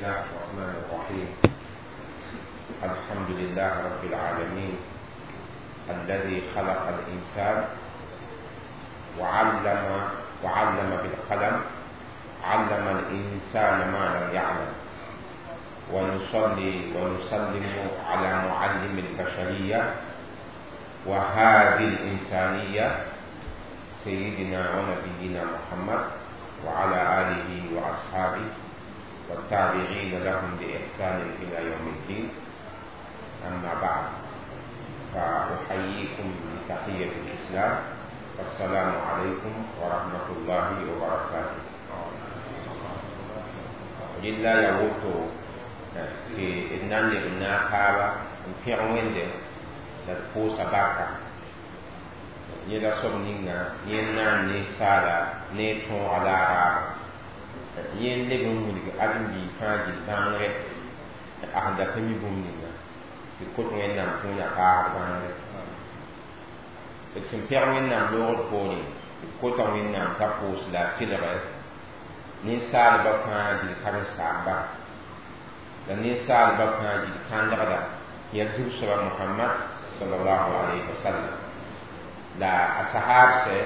الله الرحمن الرحيم. الحمد لله رب العالمين الذي خلق الإنسان وعلم بالقلم، علم الإنسان ما لم يعلم. ونصلي ونسلم على معلم البشرية وهادي الإنسانية سيدنا ونبينا محمد وعلى آله وأصحابه والتابعين لهم بإحسان إلى يوم الدين. أما بعد، فأحييكم بتحية الإسلام، والسلام عليكم ورحمة الله وبركاته. لله يوتو في إنان لبنا خابا في عوين لتفوس باكا يلا صب نينا ينا نسالا نيتون على رابا ين لبن ملك أدم بي فاجل بانغ أحد كمي بوم نينا يكوت وين نام تونيا كار بانغ تسمبير وين نام لورد بوني يكوت وين نام تفوس لا تلغ نسال بفاجل كارسابا لنسال بفاجل كاندغدا يجب سبب محمد صلى الله عليه وسلم لا أصحاب سي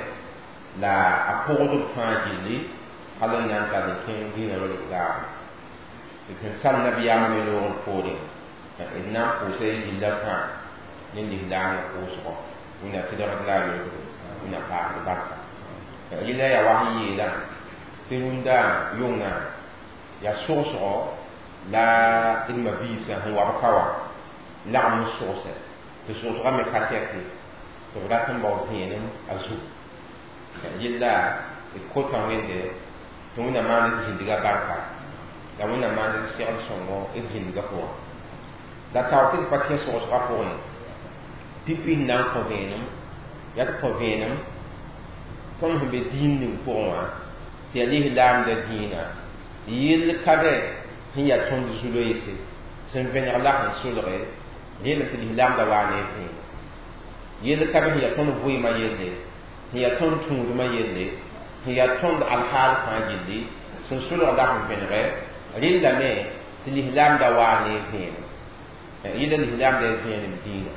لا أقود فاجلي هل نانتا لكين دين الإسلام لكن سال نبي يعمل لهم فورين إن قوسي إلا فان من الإسلام قوسه من أتدرك لا يدرك من أفعال بركة إلا يا وحي لا تندا يونا يا سوسو لا إلما بيسا هو بكوا لا مسوسه تسوسو ما كاتيتي تبغى تنبو بينم أزو إلا الكوتا وين ده تونا ما نزيد بركة لا وين ما نزيد سونغو إزيد قوة لا تعطي بكية سوسو قوين تبي نان قوينم يا قوينم كم هم بدين نقوم تليه لام دينا يل كذا هي تون زلويسي سنفنر الله سولره يل في لام دواني فين يل كذا هي تون فوي ما يلي هي تون تون ما يلي هي تون الحال فاجلي سنسول الله فنره يل لما تليه لام دواني فين يل لام دين دينا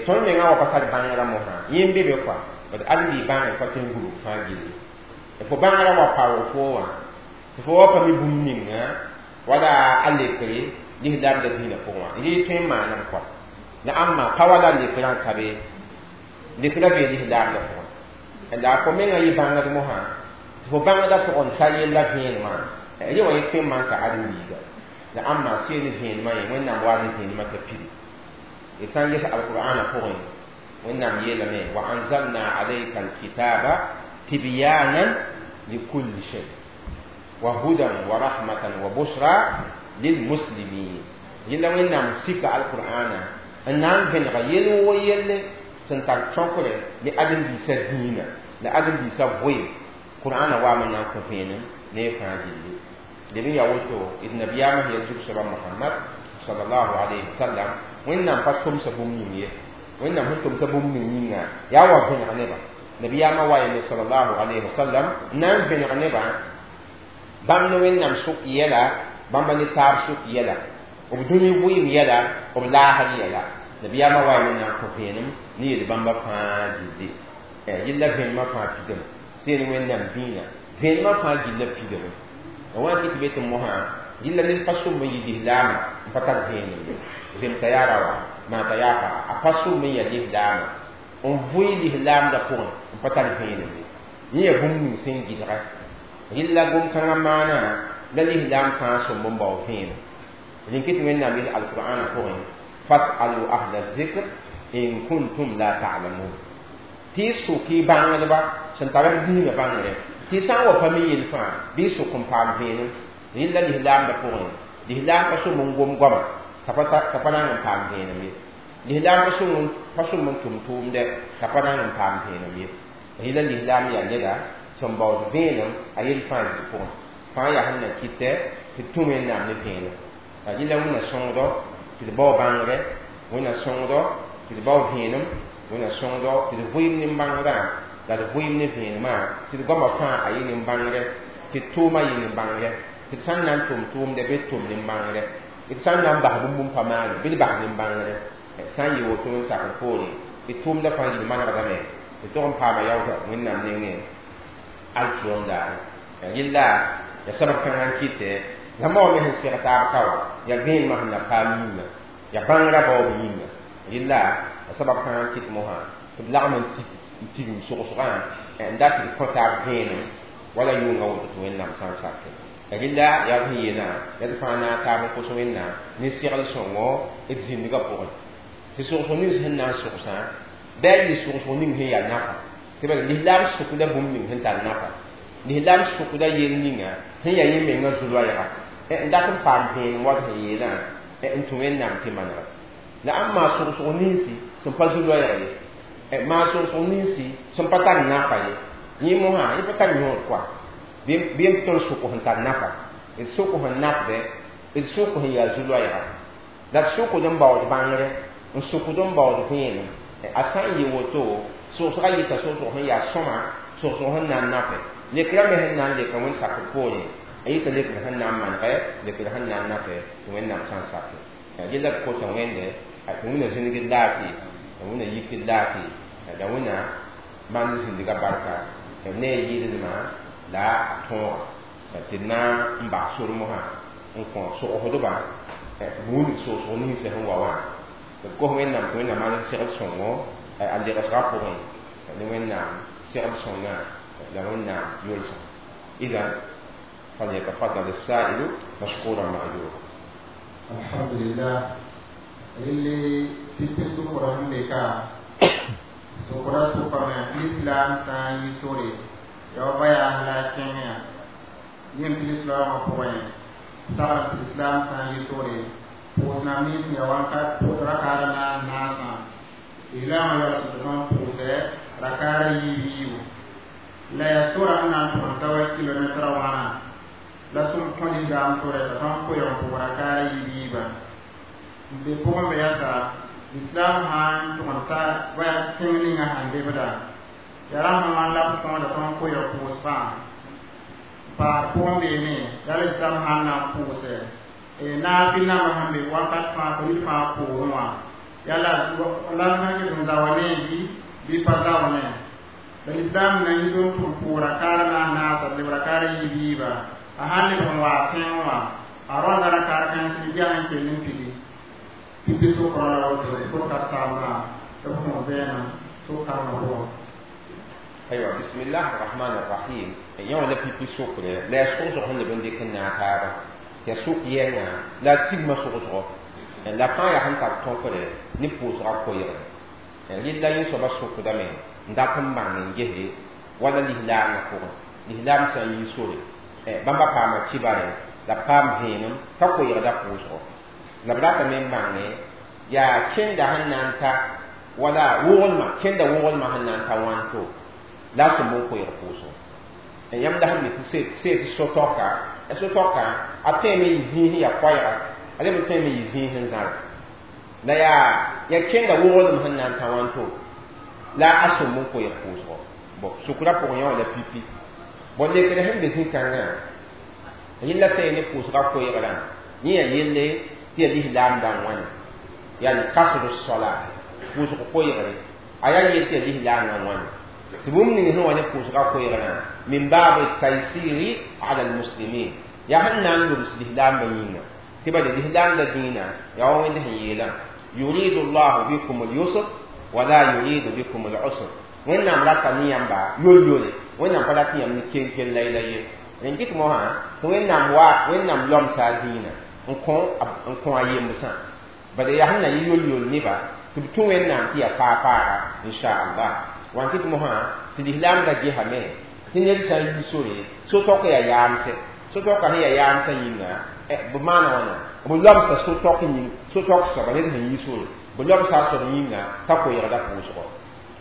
تون ميغا وقتل بانغرا موها يمبي بكوا بس أدري بانغ فتن غرو فاجلي fo bãngrã wa pao fo wã fo wa pa mi bũmb ninga wala a lekre lislaamda dĩinã pʋgẽ wã yɩ tõe n maanam kɔa la ãmba pa wala lekrã n ka be lekrã bee lislaamda pʋgẽ la fo mengã yɩ bãngd mosã tɩ fo bãngda pʋgẽ n tar yella vẽenemã rẽ wã yẽ tõe n maan ka ãdem-biiga la ãmba seel vẽenemã ye Wẽnnaam wa ne vẽenemã t'a pidi y sã n ges alqur'ana pʋgẽ Wẽnnaam yeelame wa anzalna alayka alkitaba tibyanan لكل شيء وهدى ورحمة وبشرى للمسلمين. يلا وين نام سيك على القرآن النام بين غيل ويل سنتار شكر لأدم بيسا دينا لأدم بيسا بوي قرآن وامن نام كفين نفع جلي لمن يوتو إذ نبيامه يجب سبب محمد صلى الله عليه وسلم وين نام فاتكم سبوم نية وين نام هنتم سبوم نية يا وابن عنبا نبي ما واي صلى الله عليه وسلم نام بن عنبا بام وين نام سوق يلا بام نتاب سوق يلا وبدوني ويم يلا وبلا هني يلا نبي ما واي نام كفينم نيل بام فا دي يلا بين ما فا بيدم سين وين نام بينا بين ما فا جيلا بيدم وان كنت بيت موها يلا نين فاسو مي يدي لام فتر بينم زين تيارا ما تيارا افاسو مي يدي لام on voy l'islam da pʋgẽ n pa tar vẽenem ye yẽ yaa bũmb ning sẽn gɩdga rɩlla gom-kãngã maana la lislaam fãa sõmb n bao vẽenem rẽn kɩ tɩ Wẽnnaam yel alqur'ana pʋgẽ fasalu ahla zikr in kuntum la ta'lamun tɩ y sʋk y bãngdba sẽn tar b dĩinã bãngre tɩ y sã n wa pa mi yel fãa bɩ y sʋk n paam vẽenem rɩlla lislaamda pʋgẽ lislaam pa sõm n gom goama t'a pa rãng n paam vẽenem ye lislaam pa sõm n tʋm tʋʋmdɛ t'a pa rãng n paam vẽenem ye rɩla lislaam yaa neda sẽn baood vẽenem a yel fãa zĩ pʋgẽ fãa yaa sẽn na kɩtɛ tɩ d tũ Wẽnnaam ne vẽenem la rɩla Wẽnna sõngdɔ tɩ d bao bãngrɛ Wẽnna sõngdɔ tɩ d bao vẽenem Wẽnna sõngdɔ tɩ d vʋɩɩm nin-bãngrã la d vʋɩɩm ne vẽenemã tɩ d goamã fãa a yɩ nin-bãngrɛ tɩ d tʋʋmã yɩ nin-bãngrɛ Tɩ d sã n na n tʋm tʋʋmdɛ bɩ d tʋm nin-bãngre, d sã n na n bas bũmb n pa maane bɩ d bas nin-bãngre. Sã n yɩ woto n sakr poore, d tʋʋmdã fãa yil manegdame tɩ tog n paama yaoodã Wẽnnaam nengẽ alkiyom daare. Yella ya sabab kãngã n kɩtɛ zãmba wã me sẽn seg taab ka wã yaa vẽenemã sẽn na paam yĩnga, yaa bãngrã baoob yĩnga. Yella ya sabab kãngã n kɩt mosã tɩ b lagm n tigim sogsgã n dat tɩ d kõ taab vẽenem wala yʋnga woto tɩ Wẽnnaam sã n sake. Rɩla yaa sẽn yeelã la d fãa na n taab n kos Wẽnnaam ne segl sõngo d zĩndgã pʋgẽ. Tɩ sogsg nins sẽn na n sogsã bɩ a yɩ sogsg ning sẽn yaa nafa, tɩ bala lislaam sʋkda bũmb ning sẽn tar nafa, lislaam sʋkda yel ninga sẽn yaa yẽ mengã zu-loɛɛga n dat n paam vẽenem wat sẽn yeelã n tũ Wẽnnaam tɩ manega. La ãmb maa sogsg ninsi sẽn pa zu-loɛɛg ye, maa sogsg ninsi sẽn pa tar nafa ye, yẽ mosã yẽ pa tar yõod koa bɩ n tõnd sʋk sẽn tar nafa, d sʋk sẽn nafdɛ, d sʋk sẽn yaa zu-loɛɛga, la d sʋkd n baood bãngre, n sʋkd n baood vẽenem. A sã n yɩ woto sogsgã yɩta sogsg sẽn yaa sõma, sogsg sẽn na n nafɛ, lekrã me sẽn na n leka wẽnd sakr poorẽ, a yɩta lekr sẽn na n manegɛ, lekr sẽn na n nafɛ tɩ Wẽnnaam sã n sake. Yella d kota Wẽnde tɩ Wẽnna zĩnigd laafɩ, la Wẽnna yikd laafɩ, la Wẽnna maan zĩndgã barka ne a yɩɩdnema la a tõoga tɩ d na n bas sor mosã n kõ sogsdbã tɩ b wilg sogsg ninsã sẽn wa wã. D kos Wẽnnaam tɩ Wẽnnaam maan segl sõngo a legsgã pʋgẽ ne Wẽnnaam segl sõngã la Wẽnnaam yolsã. إذا فليتفضل السائل مشكورا مأجورا. الحمد لله اللي تتسو قرآن بكا سكرا سكرا الإسلام سان يسوري يا بايا أهلا كينيا يم الإسلام أقوين سارة الإسلام سان يسوري پوسنا مين يا وانكا ركارنا ناسا إلى ما يرسلون پوسة ركارا يبيو la ya sora n na n tʋg n ta wa kilomɛtra wãna la sẽn kõ lislaam sore t'a tõnd koɛɛg n pʋg rakaara yiib-yiibã n be pʋgẽ be yaa lislaam sã n tʋg n ta wa tẽng ninga sãn lebda yaa rãmb wãn la b tõoda tõnd koɛɛg pʋʋs fãa paar pʋgẽ beene yaa lislaam sã n na n pʋʋsɛ naafɩl nambã sẽn be wakat fãa tɩ ned fãa poorẽ wã yaa la la sã n ket n zawa ne bɩ pa zawa ne. La lislaam na yɩ tʋm tʋm pʋʋra kaara naas naasa leb rakaara yiib-yiiba a sãn leb n waa tẽng wã a rõnda rakaar kãens bɩ ges n kell n pigi pipi sʋkrã la woto sʋka saamdã tɩ b kõ vẽenem sʋk-kãngã pʋgẽ. أيوة، بسم الله الرحمن الرحيم. يوم لا بيبي سوق لا سوق سوق هن بندي كنا تابا يا سوق ينا لا تيم سوق سوق لا فان يا هن تاب تونكره ني بوز را كوير يلا يسوع سوق دامي n dat n bãng n gese wala lislaamã pʋgẽ, lislaam sã n yi sore bãmba paama kibare la paam vẽenem t'a koeegda pʋʋsgo la b ratame n bãnge yaa kẽnda sẽn na n ta wala wogelmã, kẽnda wogelmã sẽn na n ta wãnto la a sẽn bõn koeeg pʋʋsgo. Yãmb la sẽn mi tɩ see tɩ so-tɔka a so-tɔka a tõeme yɩ zĩis n yaa koɛɛga, a leb n tõeme yɩ zĩis n zãra la yaa kẽnda wogelem sẽn na n ta wãnto la a sẽn bõn koeeg pʋʋsgo. Bõ sʋkrã pʋgẽ yã wã la pipi bõn lekr sẽn be zĩ-kãngã yella sã ne pʋʋsgã koeegrã yẽ yaa yelle tɩ yaa lislaam dãng wãne yaa kasr sola pʋʋsg koeegre a yaa yell tɩ yaa lislaamã wãne tɩ bũmb ning sẽn wa ne pʋʋsgã koeegrã min bab taysiri ala almuslimin yaa sẽn na n lobs lislaambã yĩnga tɩ bala lislaamda dĩinã yaa wa Wẽnd sẽn yeelã yuridu llahu bikum lyusr wala yuridu bikum al-usr. Wẽnnaam rata ne yãmba yol-yole, Wẽnnaam pa rat yãmb ne kel-kel la la ye. Rẽn kɩt mosã tɩ Wẽnnaam wa Wẽnnaam lomsa a dĩinã n kõ a yembsã bala yaa sẽn na yɩ yol-yol neba tɩ b tũ Wẽnnaam tɩ yaa faa-faaga inchallah. Wan kɩt mosã tɩ lislaamda gesame tɩ ned sã n yi sore so-tɔk yaa yaamsɛ, so-tɔka sẽn yaa yaamsã yĩnga b maana wãna b lomsa so-tɔk yĩng so-tɔk soaba ned sẽn yi sore b lobsa a soab yĩnga t'a koeegda pʋʋsgɔ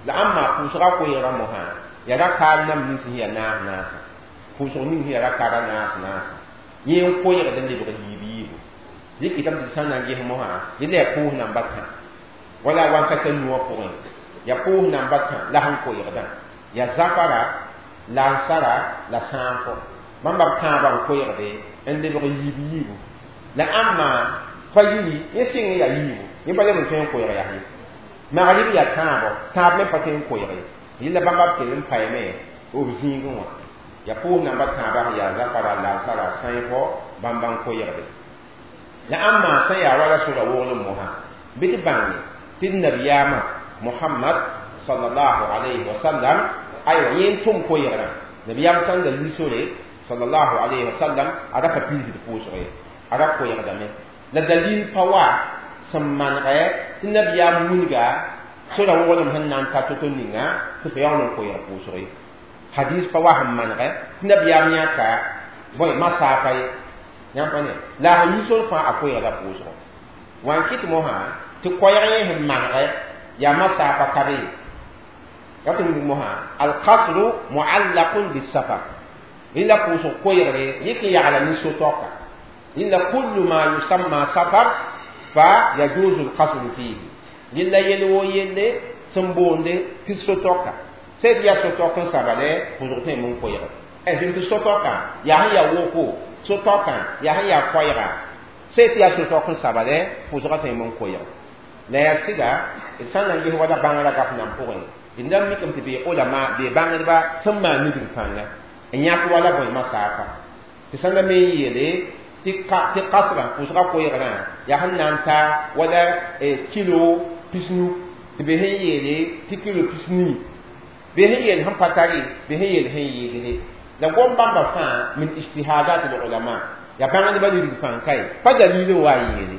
la ãmb maa pʋʋsgã koeegrã mosã yaa rakaar nam nins sẽn yaa naas naasa pʋʋsg ning sẽn yaa rakaara naas naasa yẽ n koeegd n lebg yiib yiibu dɩkɩtame tɩ d sã n na n ges mosã yella yaa pʋʋs namba tã wala wankata nuwã pʋgẽ yaa pʋʋs namba tã la sẽn koeegdã yaa zafara, lansara la sãafo. Bãmba b tãabã n koeegde n lebg yiib yiibu la ãmba fajiri yẽ sɩng n yaa yiibu yẽ pa leb n tõe n koeeg yaa ye magrib yaa tãabo tãab me pa tõe n koeeg ye yella bãmba b kell n paame b zĩigẽ wã ya pʋʋs namba tãabã sẽn yaa zakara laasara sãifo bãmba n koeegde la ãmba sẽn yaa wala sora woglem mosã bɩ tɩ bãnge tɩ d nabiyaamã Muhammad sallallahu alayhi wa sallam aywa yẽ n tʋm koeegrã nabiyaam sãn da yi sore sallallahu alayhi wa sallam a ra pa piisd pʋʋsg ye a ra koeegdame la dalil pa wa sẽn manegɛ tɩ nabiyaam wilga sora woglem sẽn na n ta to-to ninga tɩ fo yaool n koeeg pʋʋsg ye hadis pa wa sẽn manegɛ tɩ nabiyaam yãka bõe masaafa ye yãmb pa ne la a sẽn yi sor fãa a koeegda pʋʋsgo wã n kɩt mosã tɩ koɛɛg yẽ sẽn manegɛ yaa masaafa ka be ye rat n wilg mosã alkasru muallaqun bisafar rẽnda pʋʋsg koeegre yɩk n yagla ne so-taoka rẽnda kullu ma yusamma safar fa yajuzu alkasru fihi rẽnda yell woo yelle sẽn boonde tɩ so-taoka sã tɩ yaa so-taok n sabale pʋʋsg tõe n koeege sẽn tɩ so-taoka yaa sẽn yaa woko so-taokã yaa sẽn yaa koɛɛga sã tɩ yaa so-taok n sabale pʋʋsgã tõe n koeege la yaa sɩda d sã n na n ges wala bãngrã gaf nan pʋgẽ d na n mikame tɩ bee olama bee bãngdba sẽn maan nigr kãnga n yãk wala bõe masaafa tɩ sã n la me n yeele tɩ kasrã pʋʋsgã koeegrã yaa sẽn na n ta wala kilo pisnu tɩ bee sẽn yeele tɩ kilo pisnii bee sẽn yeel sẽn pa tare bee sẽn yeel sẽn yɩɩdre la gom bãmba fãa min ijtihadat l ulama yaa bãngdbã nigr fãa ka ye pa dalil n wa n yeele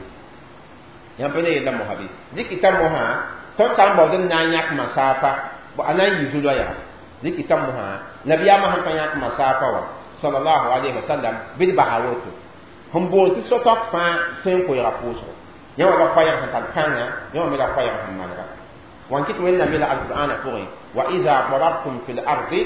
yãmb pa ne yella mosã bɩ dɩkɩta mosã tõnd sã n baood n na n yãk masaafa a na n yɩ zu-loɛɛga dɩkɩta mosã nabiyaamã sẽn pa yãk masaafa wã sallallahu alayhi wa sallam bɩ d basa woto sẽn boond tɩ so-taok fãa tõe n koeega pʋʋsgo yẽ wã la koɛɛg sẽn tar kãnga yẽ wã me la koɛɛg sẽn manega wã n kɩt wẽnnaam yeela alqur'ana pʋgẽ wa ida darabtum fi l ardi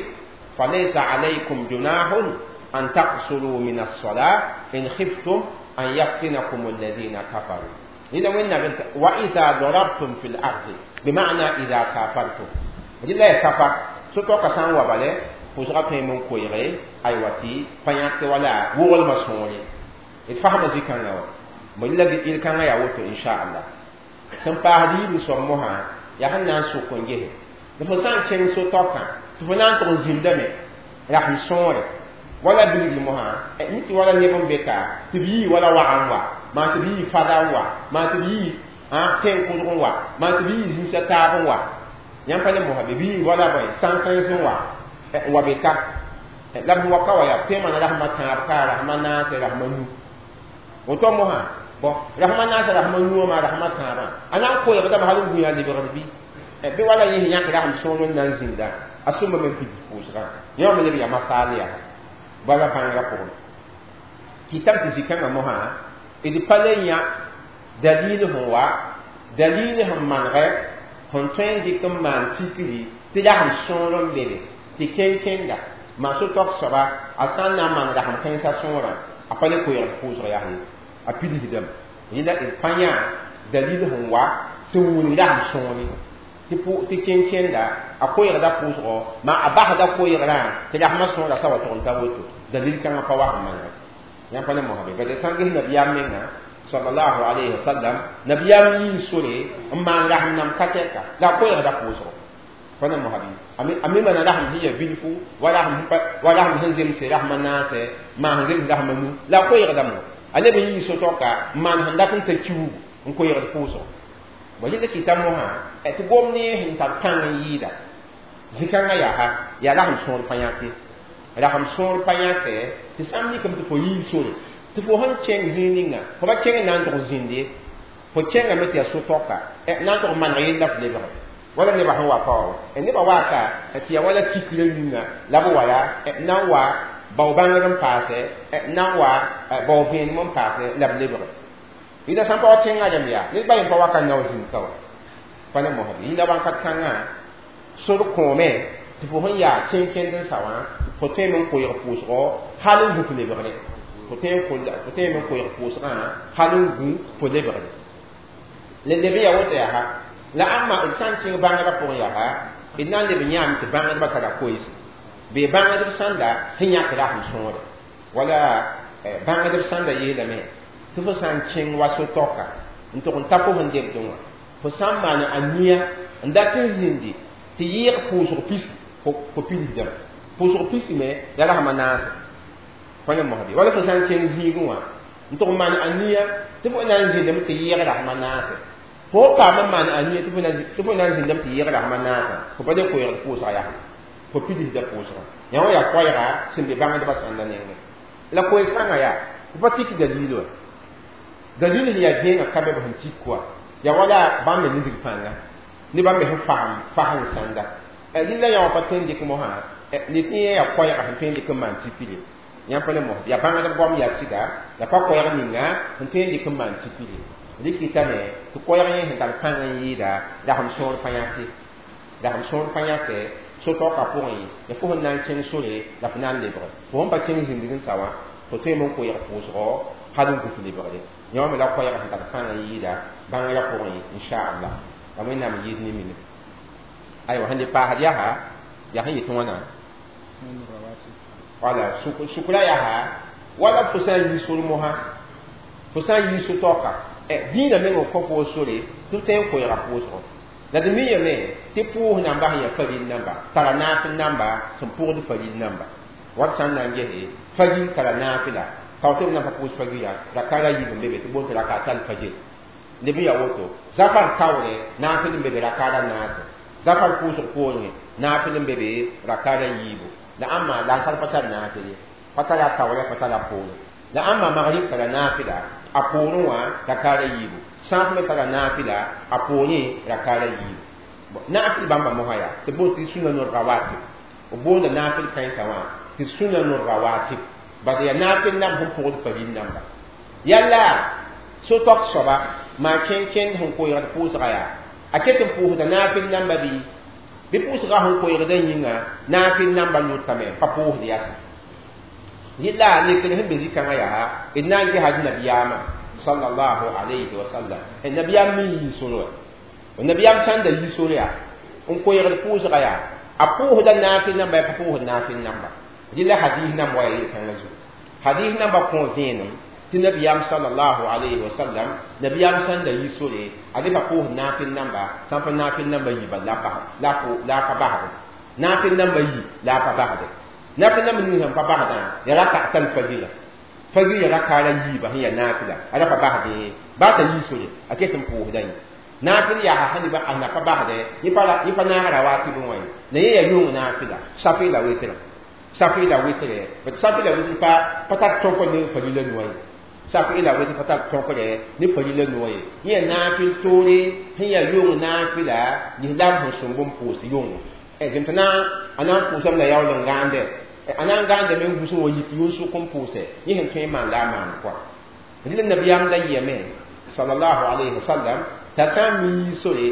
falaysa alaykum junahun an taqsuru min alsola in khiftum an yaftinakum alladina kafaru rẽnda wẽnnaam wa ida darabtum fi l ardi bima'na ida safartum rɩla ya safar so-taoka sã n wa bale pʋʋsgã tõe n koeege aywa tɩ pa yãk wala woglmã sõore d fasma zĩ-kãngã wã bõ la yel-kãngã yaa woto inchallah sẽn paasd yiib soab mosã yaa sẽn na n sʋk n gese tɩ fo sã n kẽng so-taokã tɩ fo na n tʋg n zĩndame rasem sõore wala bilgl mosã mi tɩ wala neb n be ka tɩ b yii wala wag n wa maa tɩ b yii fada n wa maa tɩ b yii tẽn-kʋdg n wa maa tɩ b yii zĩnsã taab n wa yãmb pa ne mosã be b yii wala bõe sãn-kãens n wa n wa be ka la b wa ka wa yaa tõe maana rasmã tãab ka rasmã naase rasmã nu woto mosã bõ rasmã naase rasmã nuwã maa rasmã tãabã a na n koeegdame hal n gũya lebgd bɩ bɩ wala yẽ sẽn yãk rasem sõor n na n zĩnda a sõma me n pids pʋʋsgã yẽ wã me leb yaa masaal yaa bala bãngrã pʋgẽ kɩtame tɩ zĩ-kãngã mosã d pa le yã dalil sẽn wa dalil sẽn manegɛ sẽn tõe n dɩk n maan tikri tɩ rasem sõor n be be tɩ kẽn-kẽnda maa so-taok soaba a sã n na n maan rasem kãensã sõorã a pa le koeegd pʋʋsg yaa ye a pidsdame yẽla d pa yã dalil sẽn wa sẽn wilg rasem sõore tɩ kẽn-kẽnda a koeegda pʋʋsgɔ maa a basda koeegrã tɩ rasmã sõora sa wa tʋg n ta woto dalil kãngã pa wa sẽn manega yãmb pa ne mosã be bad sã n ges nabiyaam menga sallallahu alayhi wa sallam nabiyaam yii sore n maan rasem nam ka tɛka la a koeegda pʋʋsgɔ pa ne mosã bɩ a me mana rasem sẽn yaa bilfu wa rasem sẽn zemse rasmã naasɛ maan sẽn zems rasmã nu la a koeegdame a leb n yii so-taoka n maan sẽn dat n ta kiuugu n koeegd pʋʋsgo bõ yẽla kɩta mosã tɩ gom ne sẽn tar kãng n yɩɩda zĩ-kãngã yaa yaa rasem sõor pa yãke rasem sõor pa yãke tɩ sã n mikame tɩ fo yii sore tɩ fo sẽn kẽng zĩig ninga fo pa kẽng na n tʋg zĩnde fo kẽngame tɩ yaa so-taoka na n tʋg maneg yella f lebge wala nebã sẽn wa pa wa nebã waaka tɩ yaa wala tikra yĩnga la b wa yaa na n wa bao bãngr n paasɛ na n wa bao vẽenem n paasɛ la b lebge yĩnda sã n pa wa kẽngã rẽmb yaa ned ba yẽ pa waka nao zĩnd ka wa pa ne mosã bɩ yĩnda wãnkat kãngã sor kõome tɩ fo sẽn yaa kẽn-kẽnd n sa wã fo tõeme n koeeg pʋʋsgɔ hal n gũ f lebgre fo tõeme n koeeg pʋʋsgã hal n gũ fo lebgre la leb n yaa woto yaa la ãmba d sã n kẽng bãngrã pʋgẽ yaa d na n leb n yãame tɩ bãngdbã tara koeese bee bãngdb sãnda sẽn yãk rasem sõore Wala bãngdb sãn da yeelame tɩ fo sã n kẽng wa so-taoka n tʋg n ta fo sẽn debdẽ wã fo sã n maan a nia n dat n zĩndi tɩ yɩɩg pʋʋsg pisi fo pidsdame pʋʋsg pisi me la rasma naase fo ne mosbe wala fo sã n kẽng zĩigẽ wã n tʋg n maan a nia tɩ fo na n zĩndame tɩ yɩɩg rasma naase fo paam n maan a nia tɩ fo na n zĩndame tɩ yɩɩg rasma naasã fo pa le koeegd pʋʋsga yaa fo pidsda pʋʋsgã yã wã yaa koɛɛga sẽn be bãngdbã sãnda nengẽ la koeeg kãngã yaa fo pa tik dalil wa dalil sẽn yaa gẽengã ka be b sẽn tik wa yaa wala bãmb me nisg pãnga ne bãmb me sẽn fasem fasem sãnda rɩla yã wã pa tõe n dɩk mosã ne tɩ yẽ yaa koɛɛga sẽn tõe n dɩk n maan tipile yãmb pa ne mos yaa bãngdb goam yaa sɩda la pa koɛɛg ninga sẽn tõe n dɩk n maan tipile rɩkɩtame tɩ koɛɛg yẽ sẽn tar pãng n yɩɩda rasem sõor pa yãke rasem sõor pa yãke so-taoka pʋgẽ ya fo sẽn na n kẽng sore la fo na n lebge fo sẽn pa kẽng zĩndg n sa wã fo tõeme n koeeg pʋʋsgɔ hal n gũs lebgre yã wã me la koɛɛga sẽn tar pãng n yɩɩda bãngrã pʋgẽ inchallah la Wẽnnaam yɩɩd ne minim aywa sẽn le paasd yaa yaa sẽn yetɩ wãna wala sukra yaa wala fo sã n yi sor mosã fo sã n yi so-taoka dĩinã meng n kõ fo sore tɩ f tõe n koeega pʋʋsgɔ la d mi yame tɩ pʋʋs namba sẽn yaa faril namba tara naafɩl namba sẽn pʋgd faril namba wat sã n na n gese fajir tara naafɩla kao tɩ b na n pa pʋʋs fajira rakara yiib n be be tɩ boond tɩ rakatal fajir leb n yaa woto zafar taoore naafɩl n be be rakara naase zafar pʋʋsg poorẽ naafɩl n be be rakara yiibu la ãmba lansar pa tar naafɩl ye pa tara a taoorã pa tara a poorẽ la ãmba magrib tara naafɩla a poorẽ wã rakara yiibu sãaf me tara naafɩla a poorẽ rakara yiibu naafɩl bãmba mosã yaa tɩ boond tɩ sunanu rawatib b boonda naafɩl kãensã wã tɩ sunanu rawatib bas yaa naafɩl namb sẽn pʋgd faril namba yalla so-taok soaba maa kẽn-kẽnd sẽn koeegd pʋʋsga yaa a ket n pʋʋsda naafɩl namba bɩ bɩ pʋʋsga sẽn koeegdã yĩnga naafɩl namba lʋtame pa pʋʋsd yasa rɩla lekr sẽn be zĩ-kãngã yaa d na n ges d nabiyaamã sallallahu alayhi wa sallam nabiyaam me yii sore wa nabiyaam sã n da yi sore yaa n koeegd pʋʋsga yaa a pʋʋsda naafɩl namba yaa pa pʋʋsd naafɩl namba rɩla hadis namba wa yaa yel-kãngã zugu hadis namba kõ vẽenem tɩ nabiyaam sallallahu alayhi wa sallam nabiyaam sã n da yi sore a le pa pʋʋsd naafɩl namba sã n pa naafɩl namba yiiba la a pa basde naafɩl namba yi la a pa basde naafɩl namba ning sẽn pa basdã yaa rakatal fajira fajir yaa rakaara yiiba sẽn yaa naafɩla a ra pa basde baa t'a yi sore a ket n pʋʋsda yẽ naafɩl yaa sẽn a na pa basde yẽ pa naag rawatib n wã ye la yẽ yaa yʋng naafɩla safi la wɩtrã safi la wɩtre safi la wɩtr pa tar tõk ne farila noa ye safi la wɩtr pa tar tõkre ne farila noa ye yẽ yaa naafɩl toore sẽn yaa yʋng naafɩla lislaam sẽn sõng n pʋʋs yʋngo zem tɩ a na n pʋʋsame la yaool n gãande a na n gãandame n gũs n wa yik yʋn-sʋk n pʋʋsɛ yẽ sẽn tõe n maan la a maan kɔa rɩla nabiyaam da yɩame sallallahu alayhi wa sallam t'a sã n mi yi sore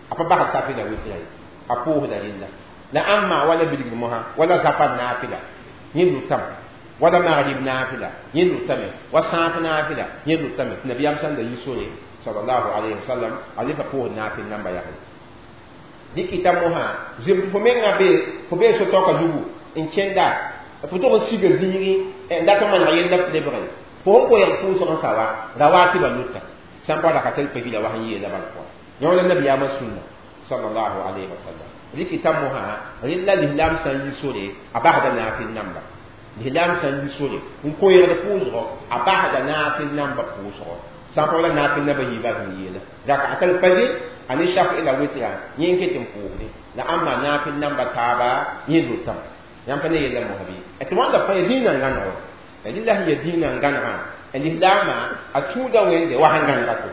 a pa basd safi la wɩtra ye a pʋʋsda rɩlla la ãmba wala bilgr mosã wala zafar naafɩla yẽ lʋtame wala magrib naafɩla yẽ lʋtame wa sãaf naafɩla yẽ lʋtame tɩ nabiyaam sã n da yi sore sallallahu alayhi wa sallam a le pa pʋʋsd naafɩl namba yaa dɩkɩta mosã zem tɩ fo mengã be fo bee so-taoka zugu n kẽnda fo tog n siga zĩigi n dat n maneg yella f lebge fo sẽn koeeg pʋʋsg n sa wa rawatibã lʋta sã n pa rakatal fajira wa sẽn yeela bal pʋgã yã wala nabiyaamã sũnna sallallahu alayhi wa sallam rɩkɩta mosã rɩla lislaam sã n yi sore a basda naafɩl namba lislaam sã n yi sore n koeegd pʋʋsgɔ a basda naafɩl namba pʋʋsgɔ sã n pa wala naafɩl namba yiibã sẽn yeela rakatal fajir a ne shafi la wɩtra yẽ n ket n pʋʋsde la ãmba naafɩl namba taaba yẽ lʋtame yãmb pa ne yella mosã bɩ tɩ wãnda fãa ya dĩinã n gãneg wa rɩla sẽn ya dĩinã n gãnegã lislaamã a tũuda wẽnde wa sẽn gãnega to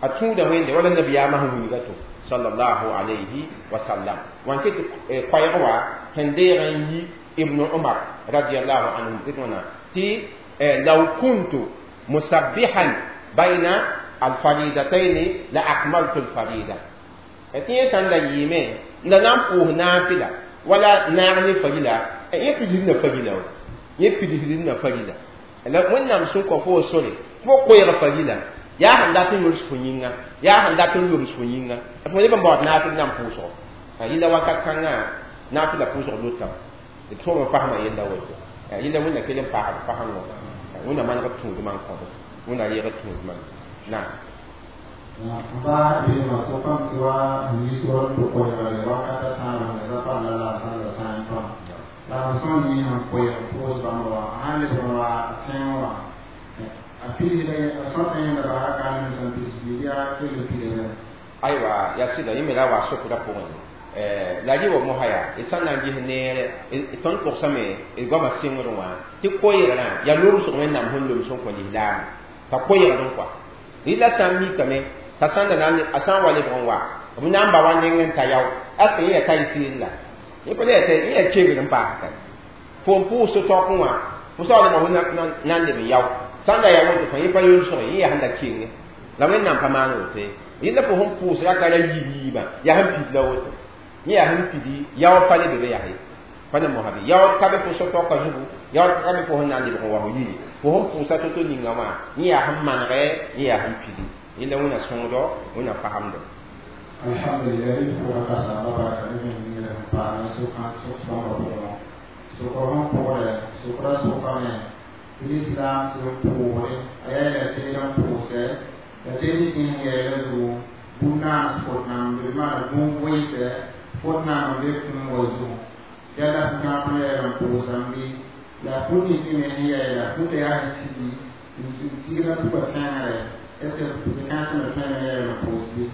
a tũuda wẽnde wala nabiyaamã sẽn wilga to sallallahu alayhi wa sallam wan ket koɛɛg wa sẽn deeg n yi ibn umar radiallahu anhu tɩ wãna tɩ law kuntu musabbihan bayna alfaridatayn la akmaltu alfarida tɩ yẽ sã n da yɩɩme n da na n pʋʋs naafɩla wala naag ne farila yẽ pidsd na farila wa yẽ pidsd na farila la Wẽnnaam sẽn kõ fo sore fo koeeg farila yaa sẽn dat n yols fo yĩnga yaa sẽn dat n lobs fo yĩnga fo leb n baood naafɩl nan pʋʋsgo yɩla wakat kãngã naafɩla pʋʋsg lʋtame d tõog n fasma yella woto Yẽla wẽnna kell n paasd fasẽng wã wẽnna maneg b tũudmã n kõdo wẽnna reeg b tũudmã naam. Ba be ma sokam tɩ wa yiisgr n tʋ koɛɛgre wakata tãabã la pa la la sã la sã n tõa la b sẽn yɩ sẽn koɛɛg pʋʋs bãmb wã a sãn lebg n wa tẽng wã a pidsda a sõta yẽnda basã ka n sẽn pids yaa kell n pidame. Aywa, yaa sɩda, yẽ me la wa sokdã pʋgẽ la rɩ wa mosã yaa d sã n na n ges neere tõnd togsame d goamã sɩngr wã tɩ koɛɛgrã yaa lomsg wẽnnaam sẽn loms n kõ lislaam t'a koɛɛgd n kɔa rɩla sã n mikame t'a sãn da a sã n wa lebg n wa b na n ba wa neng n ta yao est ce que yẽ yaa tayisiir la yẽ pa yẽ yaa kegr n paas fo n pʋʋs tɩ wã fo saoolmã fo na n leb n yao sãn da yaa woto fã yẽ pa yolsg yẽ yaa sẽn da kenge la wẽnnaam pa maan woto ye yẽla fo sẽn pʋʋs raka ra yiib yiibã yaa sẽn pid la woto yẽ yaa sẽn pidi yao pa le be be yaa ye pa ne mosã bɩ yao ka be fo so-taoka zugu yao ka be fo sẽn na n lebg n wa fo yiri fo sẽn pʋʋsa to-to ninga wã yẽ yaa sẽn manegɛ yẽ yaa sẽn pidi yẽla wẽna sõngdo wẽna fasemdo. Alhamdulillah, pʋgã ka samba barka ne me sẽn paam sʋkã sʋk-sõngã pʋgẽ sʋkr sẽn pʋgdɛ sʋkrã sʋkame tɩ lislaam sẽn pʋʋgre a yaa la teed n pʋʋsɛ la teed sẽn yɛɛla zugu bũmb-naans fot nam b maana bũmb-vɩɩsɛ fot naam n be kũum wa zugu yala sẽn tãag n yɛɛl n pʋʋsame la fut nins me sẽn yɛɛla futã yaa sẽn sigi n sigda tuka tẽngre est ce que kãensẽmã tõe n yɛɛl n pʋʋs bɩ?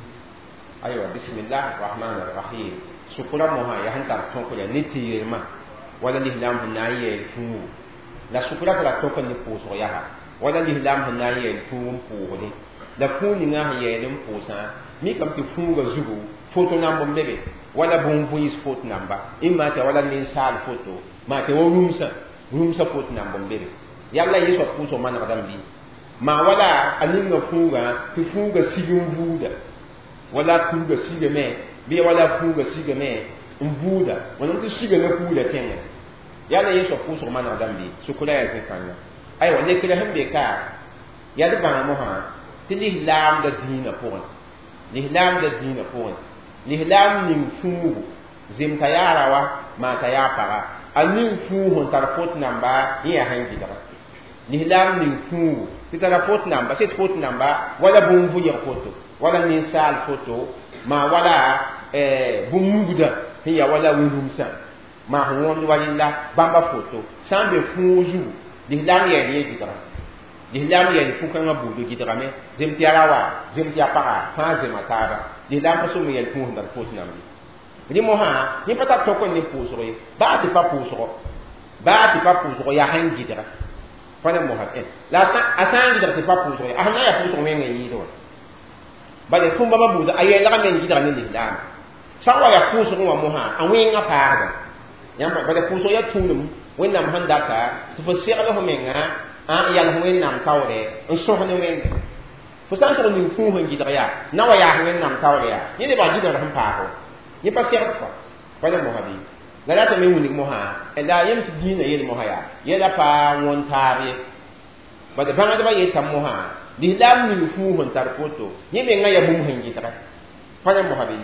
Aywa, bismillah rahman rahim. Sʋkra mosã yaa sẽn tar tõk ya ne tɩ-yelmã wala lislaam sẽn na n yɛɛl fuugu la sʋkra pa ra tõk ne pʋʋsg yaa wala lislaam sẽn na n yɛɛl fuug n pʋʋsdẽ la fuug ninga sẽn yɛɛl n pʋʋsã mikame tɩ fuuga zugu foto namb n be be wala bũn-vɩɩs fot namba ɩma tɩ wala ninsaal foto maa tɩ wa rũmsã rũmsã fot namb n be be yalla yẽ soab pʋʋsg manegdame bɩ maa wala a ninga fuugã tɩ fuuga sig n vuuda wala kuuga sigame bɩ wala fuuga sigame n buuda wẽnnaam tɩ sigame kuuda tẽngẽ yala yẽ soab pʋʋsg manegdame bɩ sʋkra yaa zẽ-kãnga. Aywa, lekra sẽn be ka yaa d bãng mosã tɩ lislaamda dĩinã pʋgẽ lislaamda dĩinã pʋgẽ lislaam ning fuugu zem t'a yaa rawa maa t'a yaa paga a ning fuug sẽn tar fot namba yẽ yaa sẽn gɩdga lislaam ning fuugu tɩ tara fot namba sɩd fot namba wala bũmb-vʋyg foto wala ninsaal foto maa wala bũmb-mugdã sẽn yaa wala wĩ-rũmsã maa sẽn wõmd wa rẽnda bãmba foto sã n be fuug zugu lislaam yɛɛl yẽ gɩdga lislaam yɛɛl fu-kãngã buudo gɩdgame zem tɩ yaa rawa zem tɩ yaa paga fãa zema taaba lislaam pa sʋm yɛl fuug sẽn tar fot namb ye rẽ mosã yẽ pa tar tõk n ne pʋʋsg ye baa tɩ pa pʋʋsgo baa tɩ pa pʋʋsgo yaa sẽn gɩdga pa ne mosã la a sã n gɩdg tɩ pa pʋʋsg ye a sẽn na yaa pʋʋsg wẽng n yɩɩd wã bala fũmba bãmba buudã a yɛlgame n gɩdga ne lislaam sã n wa yaa pʋʋsg wã mosã a wẽngã paasda yãmb bala pʋʋsg yaa tũudum wẽnnaam sẽn data tɩ fo segl fo menga n yals wẽnnaam taoore n sõs ne wẽnde fo sã n tʋg ning fũus n gɩdg yaa na wa yaas wẽnnaam taoore yaa yẽ lebg gɩdgr sẽn paasgo yẽ pa segd kɔa pa ne mosã bɩ la ratame wilg mosã la yem tɩ dĩinã yel mosã yaa yɛla pa wõn taab ye bala bãngdbã yetame mosã lislaam ning fuus n tar foto yẽ mengã yaa bũmb sẽn gɩdga pa ne mosã bɩ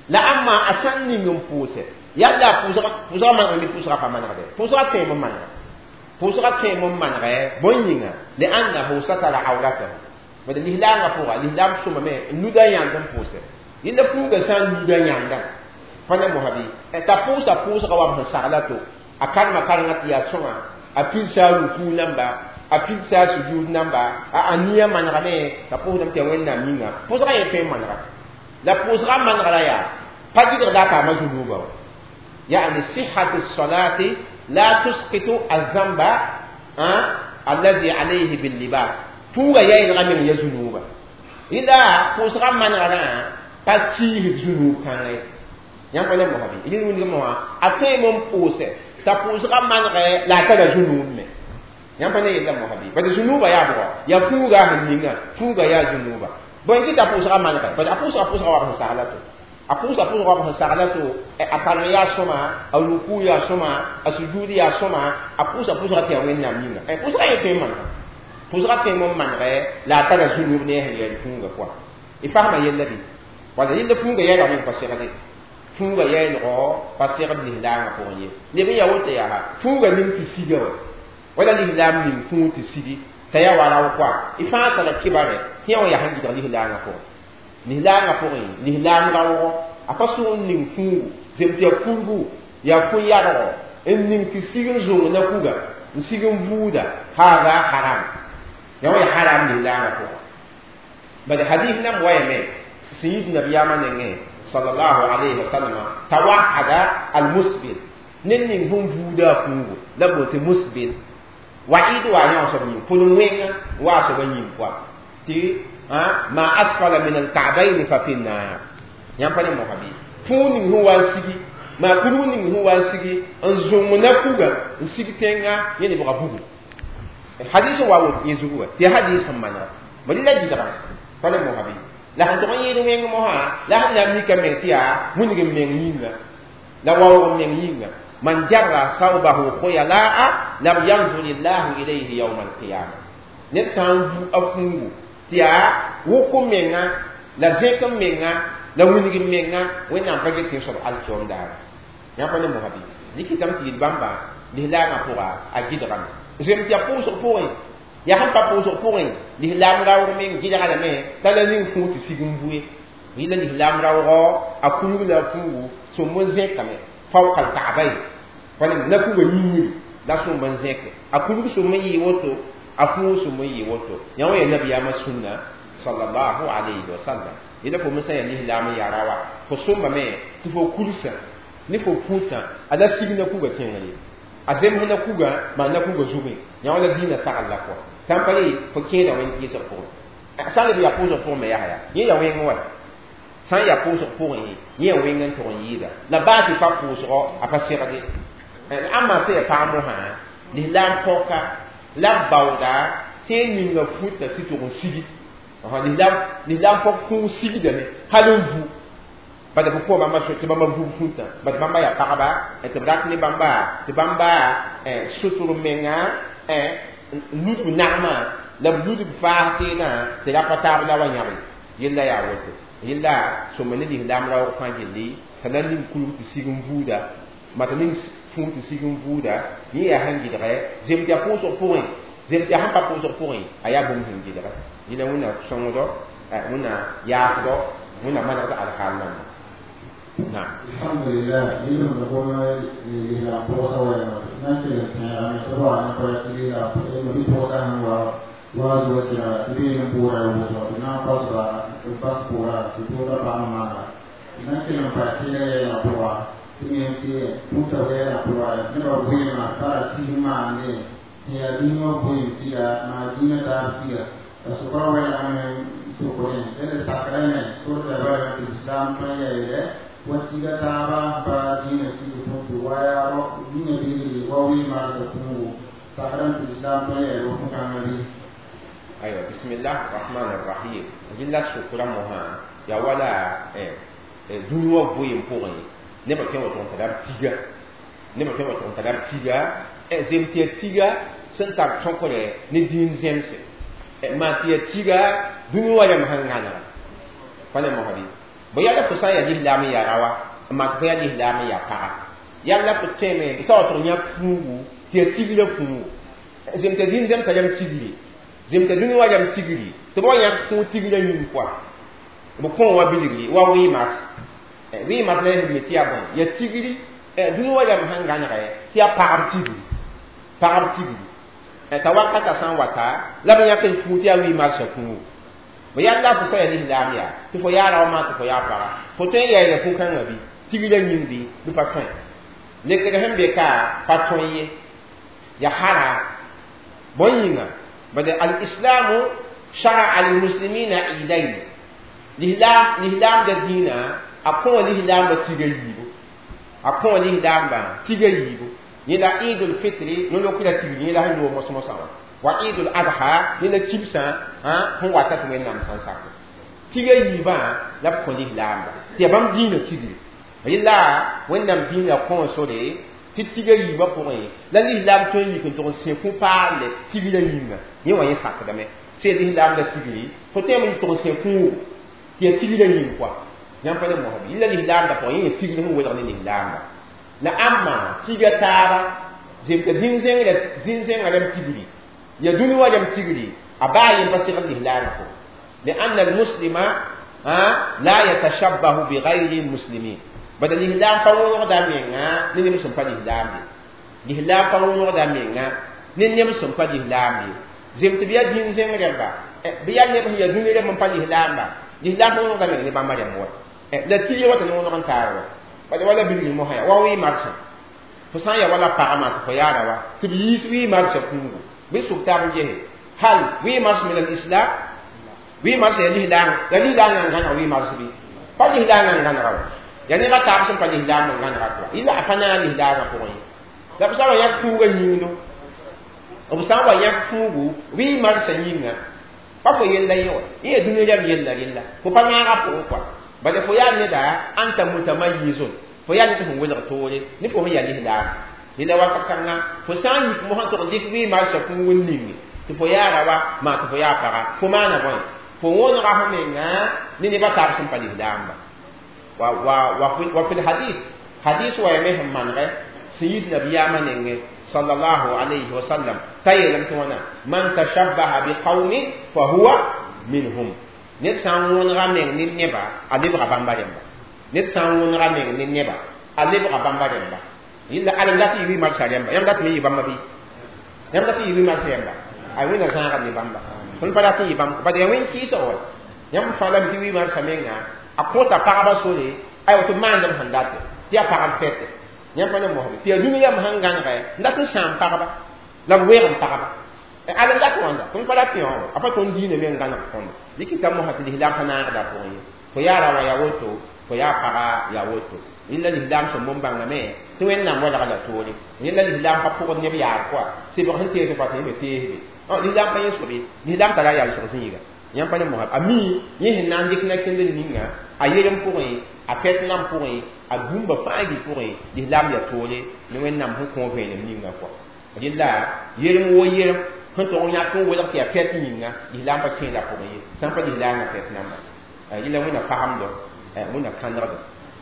la ãmma a sã n ning n pʋʋsɛ yalla pʋʋsga manegme pʋʋsga pa manegde pʋʋsga tõem n manega pʋʋsga tõem n manegɛ bõn yĩnga liannahu satara awratahu bala lislaangã pʋga lislaam sõmame n luda yãnd n pʋʋsɛ yẽnda fuuga sã n luda yãndã pa ne mosã bɩ t'a pʋʋsa pʋʋsga wa b sẽn sagla to a karema karengã tɩ yaa sõnga a pilsa a rukuu namba a pilsa a sujud namba a nia manegame t'a pʋʋsdame tɩ yaa wẽnnaam yĩnga pʋʋsga yẽ tõe n manega la pʋʋsga manegra yaa pa gɩdgda a paama zunuuba wa يعني صحة الصلاة لا تسقط الذنب الذي عليه باللباس فوغا يا من يزنوبا إلا فوسغا من غنا باتيه ذنوب كان yãmb pa le mosã bɩ yẽ wingame wã a tõe n pʋʋsɛ t'a pʋʋsgã manegɛ la a tara zũnuub me yãmb pa ne yella mosã bɩ bad zũnuubã yaa bʋgɔ yaa fuuga sẽn ninga fuuga yaa zũnuuba bõe kɩ t'a pʋʋsgã manegɛ bad a pʋʋsga pʋʋsga wa sẽn sagla to a pʋʋsa pʋʋsga wa sẽn sagla to a karem yaa sõma a ruku yaa sõma a sujud yaa sõma a pʋʋsa pʋʋsga tɩ yaa wẽnnaam yĩnga pʋʋsgã yẽ tõe n manega pʋʋsgã tõe n manegɛ la a tara zũnuub ne a sẽn yɛl fuuga pʋa y fasma yella bɩ wala yella fuuga yɛlgame n pa segde. Fuuga yɛɛlgɔ pa segd lislaamã pʋgẽ ye leb n ya woto yaa fuuga ning tɩ siga wa wala lislaam ning fũug tɩ sigi t'a yaa wa rao koa y fãa tara kibare tɩ yã wã yaa sẽn gɩdg lislaangã pʋgẽ lislaangã pʋgẽ lislaam raoogɔ a pa sʋg n ning fũugu zem tɩ yaa kurgu yaa fũ-yadgɔ n ning tɩ sig n zũng na kuga n sig n buuda haada haram yaa wã yaa haram lislaangã pʋgẽ bad hadis nam wayame sẽn yit nabiyaamã nengẽ sallallahu alayhi wa sallam tawahada almusbil ned ning sẽn vuuda a fũugu la b tɩ musbil wa'id wa yã soab yĩng pʋl wẽnga wa soaba yĩng pʋa tɩ ma asfala min alka'bayn fa fi nnar yãmb pa ne mosa bɩ fũug ning sẽn wa n sigi maa kurg ning sẽn wa n sigi n zũng na kuga n sig tẽnga yẽ lebga bugu hadis wa woto yẽ zugu wa tɩ hadis sẽn manega bõe la gɩdga pa ne mosa bɩ la sẽn tʋg n yẽed wẽng mosã la sẽn na n mika meng tɩ yaa wilg n meng yĩnga la waoog n meng yĩnga man jarra thawbahu khuyalaa lam yanzur llahu ilayhi yawma alqiyama ned sã n vu a fũugu tɩ yaa wʋk n menga la zẽk n menga la wilg n menga wẽnnaam pa get tɩ soab alkiom daara yã pa ne mosã bɩ dɩkɩtame tɩ yel bãmba lislaamã pʋga a gɩdgame zem tɩ yaa pʋʋsg pʋgẽ yaa sẽn pa pʋʋsg pʋgẽ lislaam raoog meng gɩdga lame t'a la ning fũug tɩ sig n bue yɩla lislaam raoogɔ a kulg la a fũugu sõmb n zẽkame fawka alkaabayn wala na kuga yĩngri la sõmb n zẽke a kulg sõmb n yɩ woto a fũug sõmb n yɩ woto yã wã yaa nabiyaamã sũnna sallallahu alayhi wa sallam yẽla fo me sã yaa lislaam n yaa raoa fo sõmbame tɩ fo kulsã ne fo fũutã a la sig na kuga kẽngr ye a zems na kuga maa na kuga zugẽ yã wã la dĩinã sagl la pʋga sã n pa re fo kẽeda wẽnd kɩɩsg pʋgẽ sã n leb yaa pʋʋsg pʋgẽ me yaa yaa yẽ yaa wẽng wa sã n yaa pʋʋsg pʋgẽ yẽ yaa wẽng n tʋg n yɩɩda la baa tɩ pa pʋʋsgɔ a pa segde ãmba sã yaa pag mosã lislaam pɔka la b baooda tɩ ninga futa tɩ tʋg n sigi lislaam pɔg fũug sigdame hal n vu bad b kõ bãmba tɩ bãmba vug fũtã bad bãmba yaa pagba tɩ b rat ne bãmba tɩ bãmba sʋtr menga ludb nagmã la b ludb faas teedã tɩ ra pa taab la wa yãbe yella yaa woto yella sõma ne lislaam raoog fãa gilli t'a na ning kulg tɩ sig n buuda mata ning fũug tɩ sig n buuda yẽ yaa sẽn gɩdgɛ zem tɩ yaa pʋʋsg pʋgẽ zem tɩ yaa sẽn pa pʋʋsg pʋgẽ a yaa bũmb sẽn gɩdgɛ yẽla wẽnna sõngdɔ wẽnna yaasdɔ wẽnna manegd alkaal namba نعم الحمد لله يلهم نقول لله بوسا ولا نكل سنة طبعا نقول لله ما بوسا هو وازوجها بين بورا وزوجها نا باسبا باس بورا تبورا بانا نكل مفاتيح يا بورا تنتي بوتا يا بورا نبى بوين ما ترى ما نه يا دينو بوين تيا ما دينا تار تيا سكرا ولا سكرين إذا سكرين سورة الإسلام فيا watiga taaba ba diina tigi pʋgẽ wa yaa dĩnã bilgre wa wee-marsã kũugo sakran tɩ islam tõe n yaa fũ-kãngã bɩ aywa bismillah rahman rahim yella sʋkra mosã yaa wala dũni wã goeem pʋgẽ nebã tõe n wa tʋg n tara b tiga nebã tõe n wa tʋg n tara b tiga zem tɩ yaa tiga sẽn tar tõkre ne dĩin zẽmse maa tɩ yaa tiga dũni wã rãmb sẽn gãnega pa ne mosã bɩ bõe yala fo sã n yaa lislaam n yaa raoa n mak fo yaa lislaam n yaa paga yalla fo tẽeme b sa wa tʋg yãk fũugu tɩ yaa tigrã fũugu zem t'a dĩn zẽmsã rãmb tigri zem t'a dũni wã rãmb tigri tɩ b wa yãk fũug tigrã yĩng pʋa b kõ wã bilgri wa wɩɩmas wɩɩmas la yaa me tɩ yaa bõe yaa tigri dũni wã rãmb sẽn gãnegɛ tɩ yaa pagb tigri pagb tigri t'a wakata sã n wata la b yãk n fũug tɩ yaa wɩɩmarsã fũugu bõ yalla fo sã yaa lislaam yaa tɩ fo yaa rao maa tɩ fo yaa paga fo tõe n yaɩla fũ-kãngã bɩ tigrã yĩng bɩ bɩ pa tõe lekr sẽn be ka pa tõe ye ya hara bõe yĩnga bad alislamu shara'a lilmuslimina idayn lislaam da dĩinã a kõ lislaambã tiga yiibu a kõ lislaambã tiga yiibu yẽla idul fitri no-lokra tigri yẽla sẽn loog mos-mosã wã wa idul adha yẽla kibsã sẽn wata tɩ wẽnnaam sãn sak tiga yiibã la b kõ lislaamba tɩ yaa bãmb dĩinã tigri yẽla wẽnnaam dĩinã kõ sore tɩ tiga yiibã pʋgẽ la lislaam tõe n yik n tʋg n sẽ kũ-paale tigrã yĩnga yẽ wã yẽ sakdame sẽn lislaamda tigri fo tõeme n tʋg n sẽ kũugo tɩ yaa tigrã yĩng koa Yãmb pa ne mosb yɩla lislaamdã pʋgẽ yẽ tigr sẽn welg ne lislaamba la ãmba tiga taaba zemta zĩn-zẽngã rãmb tigri ya dũni wã rãmb tigri a baa yẽ pa segd lislaamã pʋgẽ لأن المسلم لا يتشبه بغير المسلمين بدل الإسلام فوق menga ne nem sẽn pa lislaam ye lislaam pa wõnegda menga ne nem sẽn pa lislaam ye zem tɩ bɩ yaa dĩn-zẽng rẽmba bɩ yaa neb sẽn yaa dũni rẽmb n pa lislaamba lislaam pa wõnegda meng ne bãmba rẽmb wa la tɩ wa tɩ ne wõneg n taar wa bala wala bilgi mosã yaa wa wɩ marsã fo sã n yaa wala pagã tɩ fo yaara wa tɩ b yiis wɩ marsã kũugu bɩ sʋk tab n gese hal wɩ mars min al-islam wɩ mars ya lislaam ya lislaam n gãneg wɩ mars bɩ pa lislaam n gãnega wa ya neba taab sẽn pa lislaam n gãnega pʋga yɩla a pa naag lislaamã pʋgẽ ye la b sã n wa yãk kũugã yĩngdo b sã n wa yãk kũugu wɩ marsã yĩnga pa fo yella yẽ wa yẽ yaa dũni rãmb yella rella fo pa naaga pʋgẽ kɔa bala fo yaa neda anta mutamayizun fo yaa ned sẽn welg toore ne fo sẽn yaa lislaam yella wakat kãnga fo sã n yik mosã tʋg dɩk wɩ marsã kũug n ninge tɩ fo yaara wa maa tɩ fo yaa paga fo maana bõe fo wõnega fo menga ne nebã taab sẽn pa lislaamba wa fi lhadis hadis wa yame sẽn manegɛ sẽn yit nabiyaamã nengẽ sallallahu alayhi wa sallam t'a yeelame tɩ wãna man tashabbaha biqawmin fa huwa minhum ned sã n wõnega meng ne neba a lebga bãmba rẽmba ned sã n wõnega meng ne neba a lebga bãmba rẽmba yilla alem dat yɩ wɩ marsã rẽmba yãmb dat me yɩ bãmba bɩ yãmb dat yɩ wɩ marsã rẽmba a wẽnna zãaga ne bãmba tõnd pa dat n yɩ bãmb bad yaa wẽn kɩɩsg wa yãmb fãa lame tɩ wɩ marsã menga a kõta pagba sore aywa tɩ maandem sẽn date tɩ yaa pagb fɛte yãmb pa ne mosbe tɩ yaa dũni yam sẽn gãnegɛ n dat n sãam pagba la b weeg n pagba alem dat wãnda tõnd pa dat yõ a pa tõnd diinã me n gãneg tõndo dɩk t'a mosã tɩ lislaam pa naagda pʋgẽ ye fo yaa ra wa yaa woto fo yaa paga yaa woto yẽla lislaam sẽn bõn bãngame tɩ wẽnnaam welga la toore yẽla lislaam pa pʋgd neb yaar kɔa sebg sẽn tees fa tɩ yẽ me teesbe lislaam pa yẽ sobe lislaam tara yalsg zĩiga yãmb pa ne mosã a mi yẽ sẽn na n dɩk na-kẽndr ninga a yerem pʋgẽ a pɛt-nam pʋgẽ a bũmba fãa gil pʋgẽ lislaam yaa toore ne wẽnnaam sẽn kõ vẽenem ninga kɔa rɩla yerem wo yerem sẽn tog n yãk n welg tɩ yaa pɛt yĩnga lislaam pa kẽeda pʋgẽ ye sã n pa lislaamã pɛt namba yẽla wẽnna pagemdo wẽnna kãnegdo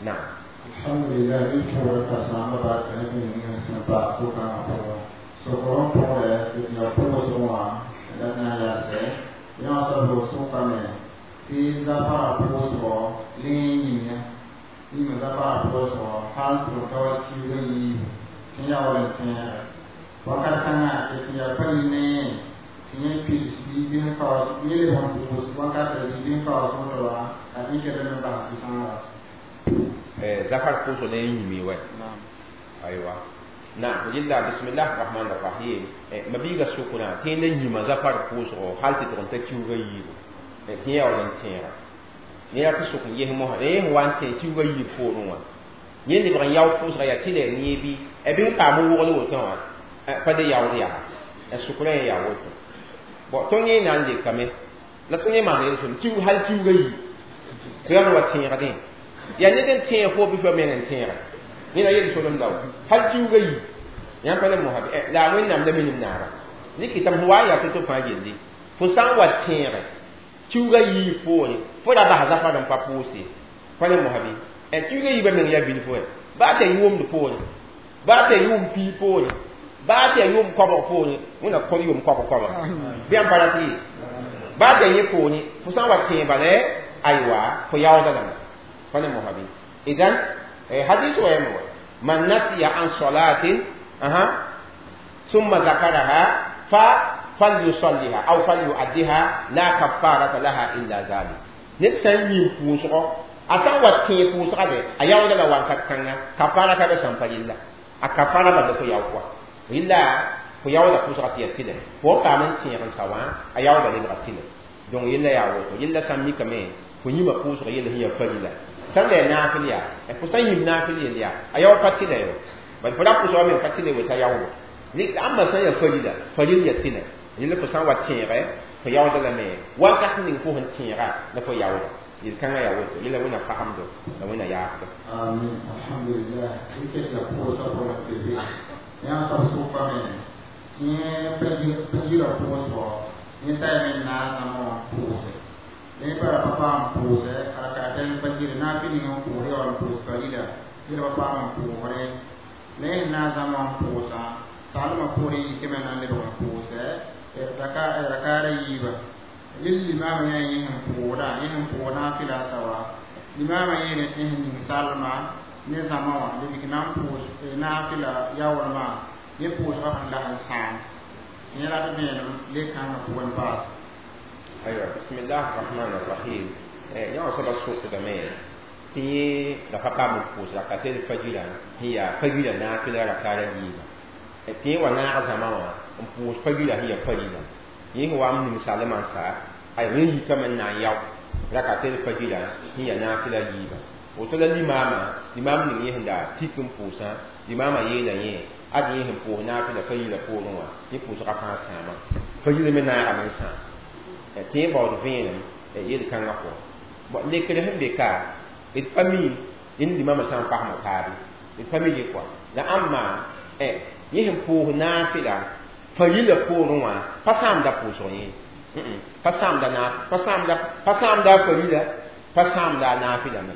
naam alhamdulillah ni kẽwra ka-sãamba barka ne bũmb ning sẽn paas sokãngã pʋgẽ sokr n pʋgrɛ ya pʋgsg wã la na n yaasɛ yã wã soab sʋkame tɩ zafara pʋʋsgɔ le yĩmya yĩma zafara pʋʋsgɔ hal tɩ b ka wa kiuugã yiibu tɩ yaa wala n tẽegɛ wakat kãngã tɩ yaa pa ne tɩ yẽ pils bɩ bɩ kaoos yẽ lebg n pʋʋs wakatã bɩ bɩ kaoos woto wã a dɩkdame n bas tɩ-sãoora zafar pʋʋsg ne yĩmi wɛ aywa na yella bismillah rahman rahim mabiiga sʋkrã tɩ yẽnda yĩma zafar pʋʋsgo hal tɩ tʋg n ta kiuugã yiibu tɩ yaa wala n tẽega ne yaa tɩ sʋk n ges mosã yẽ sẽn wa n tẽ kiuugã yiib poorẽ wã yẽ lebg n yao pʋʋsga yaa tɩ la yẽ bɩ bɩ n paam n wogl woto wã pa de yaood yaa sʋkrã yẽ yaa woto bon tõnd yẽ na n lekame la tõnd yẽ maan yel-sõm kiug hal kiuugã yiib tɩ yãmb wa tẽegdẽ yaa ned n tẽeg fo bɩ fo meng n tẽega yẽna yel-solem la hal kiuugã yiib yãmb pa ne mosã la a wẽnnaam la minim naara dɩk tɩ m wa n yaa to-to fãa gilli fo sã n wa tẽege kiuugã yiib poore fo ra bas zafar n pa pʋʋse pa ne mosã bɩ kiuugã yiibã meng yaa bilf wɛ baa tɩ yaa yʋʋmd poore baa tɩ yaa yʋʋm pii poore baa tɩ yaa yʋʋm koabg poore wẽnna kõ yʋʋm koabg koabg bɩ yãmb pa rat yɩ baa tɩ yaa yẽ poore fo sã n wa tẽeg bala aywa fo yaoodã lame pa ne mosã bɩ idan hadis wa yame wa man nasiya an salatin aha ثم ذكرها فليصليها او فليؤديها لا كفارة لها الا ذلك ned sã n yĩm pʋʋsgɔ a sã n wa tẽeg pʋʋsga be a yaooda la wakat kãnga kafara ka be sãn pa yella a kafara bala fo yao kɔa yella fo yaooda pʋʋsga tɩ yaa tɩlɛ fo n paam n tẽeg n sa wã a yaooda lebga tɩlɛ donc yella yaa woto yella sã n mikame fo yĩma pʋʋsga yella sẽn yaa farila sã n la yaa naafɩl yaa fo sã n yĩm naafɩl yell yaa a yao pa tɩlɛ yo bal fo ra pʋʋsga me pa tɩlɛ weta yaoodo ãmba sã n yaa farila faril yaa tɩlɛ yella fo sã n wa tẽegɛ fo yaooda lame wakat ning fo sẽn tẽega la fo yaooda yel-kãngã yaa woto yella wẽnna pagemdo la wẽnna yaafdo amin alhamdulillah dɩk la pʋʋsã pʋgẽ tɩ be yã soab sʋkame tɩ yẽ pa yira pʋʋsgɔ yẽ t'a yame n naag namo wã pʋʋse yẽ pa ra pa paam pʋʋsɛ rakaatã rakatain fajr nafil n pʋʋs ya wala n pʋʋs farila yẽla pa paam n pʋʋsre la yẽ na n zãma n pʋʋsã salmã poorẽ yikame na n lebg n pʋʋsɛ rakaara yiiba yel limaamã yaa yẽ sẽn pʋʋsda yẽ sẽn pʋʋs naafɩla a sawa limaamã yeele tɩ sẽn ning salma ne zãma wã lebg na n pʋʋs naafɩla yaoolmã yẽ pʋʋsgã sẽn lag n sãam tɩ yẽ rat vẽenem le-kãngã pʋgẽ paas. Aywa, bismillah rahman rahim. Yã wã soaba sokdame tɩ yẽ la pa paam n pʋʋs rakatel fajira sẽn yaa fajira naafɩla rakaara yiiba tɩ yẽ wa naag zãma wã n pʋʋs fajira sẽn yaa farila yẽ sẽn wa n ning salmã n sa aywa yẽ yikame n na n yao rakatel fajira sẽn yaa naafɩla yiiba woto la limaamã limaam ning yẽ sẽn da tik n pʋʋsã limaamã yeela yẽ ad yẽ sẽn pʋʋs naafɩla farila poorẽ wã yẽ pʋʋsgã fãa sãama farila me naagame n sãam tɩ yẽ baood vẽenem yel-kãngã pʋgẽ. Bon, lekr sẽn be ka d pa mi yẽnd limamã sã n pasma taabe d pa mi ye kɔa la ãmba yẽ sẽn pʋʋs naafɩla farila poorẽ wã pa sãamda pʋʋsg yẽ pa sãamda pa sãamda a farila pa sãamda a naafɩla me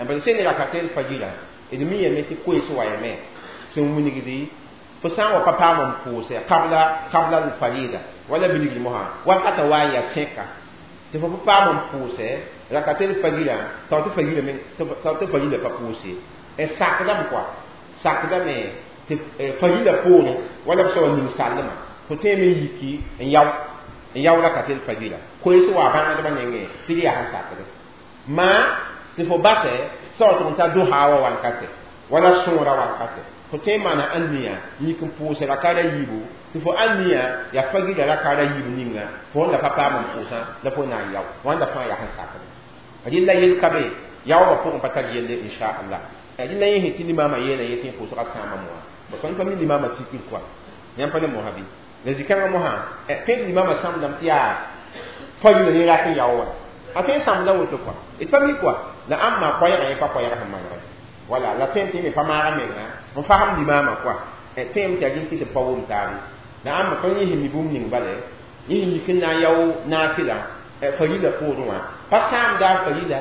b sẽn ne rakatel fajira d mi yame tɩ koees wa yame sẽn wilgdi fo sã n wa pa paam n pʋʋsɛ qabla al-farida wala bilgl mosã wakata wa n yaa sẽka tɩ fo pa paam n pʋʋsɛ rakatel fajira tao tɩ fajira me tao tɩ farila pa pʋʋse sakdame kɔa sakdame tɩ farila poorẽ wala b soaba ning sallmã fo tõe me yiki n yao rakatel fajira koees wa bãngdbã nengẽ tɩ d yaa sẽn sakde maa tɩ fo basɛ sao tɩg n ta dohaa wa wankate wala sõora wankate fo tõe n maana ãnniya yik n pʋʋsɛ rakaara yiibu tɩ fo ãnniya yaa fagila rakaara yiib ninga fo wẽnda pa paam n pʋʋsã la fo na n yao wãnda fãa yaa sẽn sakde rɩla yel ka be yaoobã pʋgẽ pa tar yelle inchallah rɩla yẽ sẽn tɩ limaamã yeela yẽ tɩ yẽ pʋʋsgã sãama moa ba tõnd pa mi limaamã tikr kɔa yãmb pa ne mosã bɩ la zĩ-kãngã mosã tõe tɩ limaamã sãmdame tɩ yaa fagila ne rat n yao wã a tõe n sãmda woto kɔa d pa mi kɔa la ãmba koɛɛgã yẽ pa koɛɛg sẽn manegẽ wala la tõem tɩ me pa maaga menga n fasem limaamã kɔa tõem tɩ a rĩn tɩ tɩ pa wʋm taabe la ãmba tõnd yẽ sẽn mi bũmb ning bale yẽ sẽn yik n na n yao naafɩla farila poorẽ wã pa sãamda a farila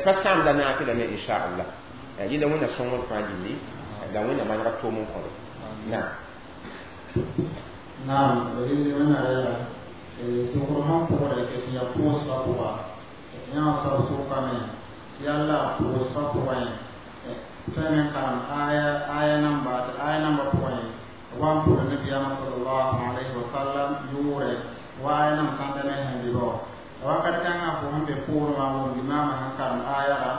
pa sãamda naafɩla me inchallah yẽla wẽnna sõngr fãa gilli la wẽnna manega tʋʋm n kõde naam. Naam, rɩl wẽnna yaa sokr sẽn pʋgdɛ tɩ yaa pʋʋsgã pʋga yã wã soab sʋkame tɩ yalla pʋʋsgã pʋgẽ tõe me n karem aya namba tɩ aya namba pʋgẽ wa n pʋd nabiyaamã sallallahu alayhi wa sallam yʋʋrɛ wa aya nam sãnda me sẽn bɩ ba wakat kãngã fo sẽn be poorẽ wã wʋm limaamã sẽn karem aya ra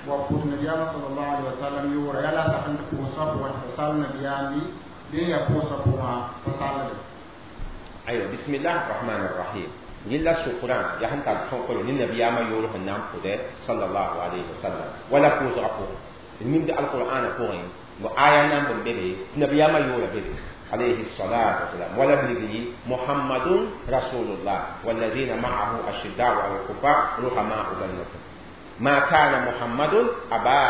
wa pʋd nabiyaamã sallallahu alayhi wa sallam yʋʋrɛ yaa la sak n tɩ pʋʋsgã pʋgẽ tɩ fo sal nabiyaam bɩ bɩ yaa pʋʋsgã pʋgã fo sallde. Aywa, bismillah rahman rahim. Yella sʋkrã yaa sẽn tar tõkre ne nabiyaamã yoor sẽn na n pʋdɛ sallallahu alayhi wa sallam wala pʋʋsgã pʋgẽ d mimd alqur'ana pʋgẽ bo aya nan b be be nabiyaamã yoora be be alayhi salatu wasalam wala bilgli muhammadun rasulullah walladina ma'ahu ashiddau ala alkufar ruhamau bainakum ما كان محمد أبا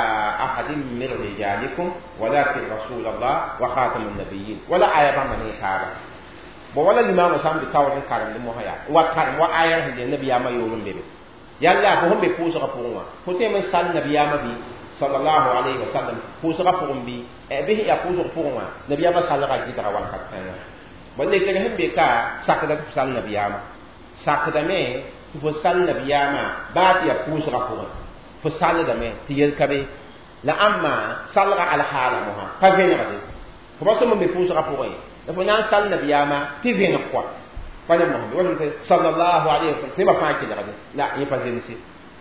أحد من رجالكم ولكن رسول الله وخاتم النبيين ولا آية من هذا ولا الإمام سام بتاور كارم المهيا وكارم وآية هي النبي ما يقولون به يلا فهم بفوز غفوروا فتي من سال النبي ما بي صلى الله عليه وسلم فوز غفورهم بي به يفوز غفوروا نبي ما سال غادي تروان كاتنا ولا كلهم بكا ساكدا سال النبي ما ساكدا مي فسال النبي ما بات يفوز غفوروا فسال دمي تيل كبي لا أما سال على حاله مها فين غادي فبس من بفوز غفورين la fo na n sal nabiyaamã tɩ vẽneg kɔa pa ne mosã wala sallallahu alayhi wa sallam tɩ ba fãa kelgde la yẽ pa zemse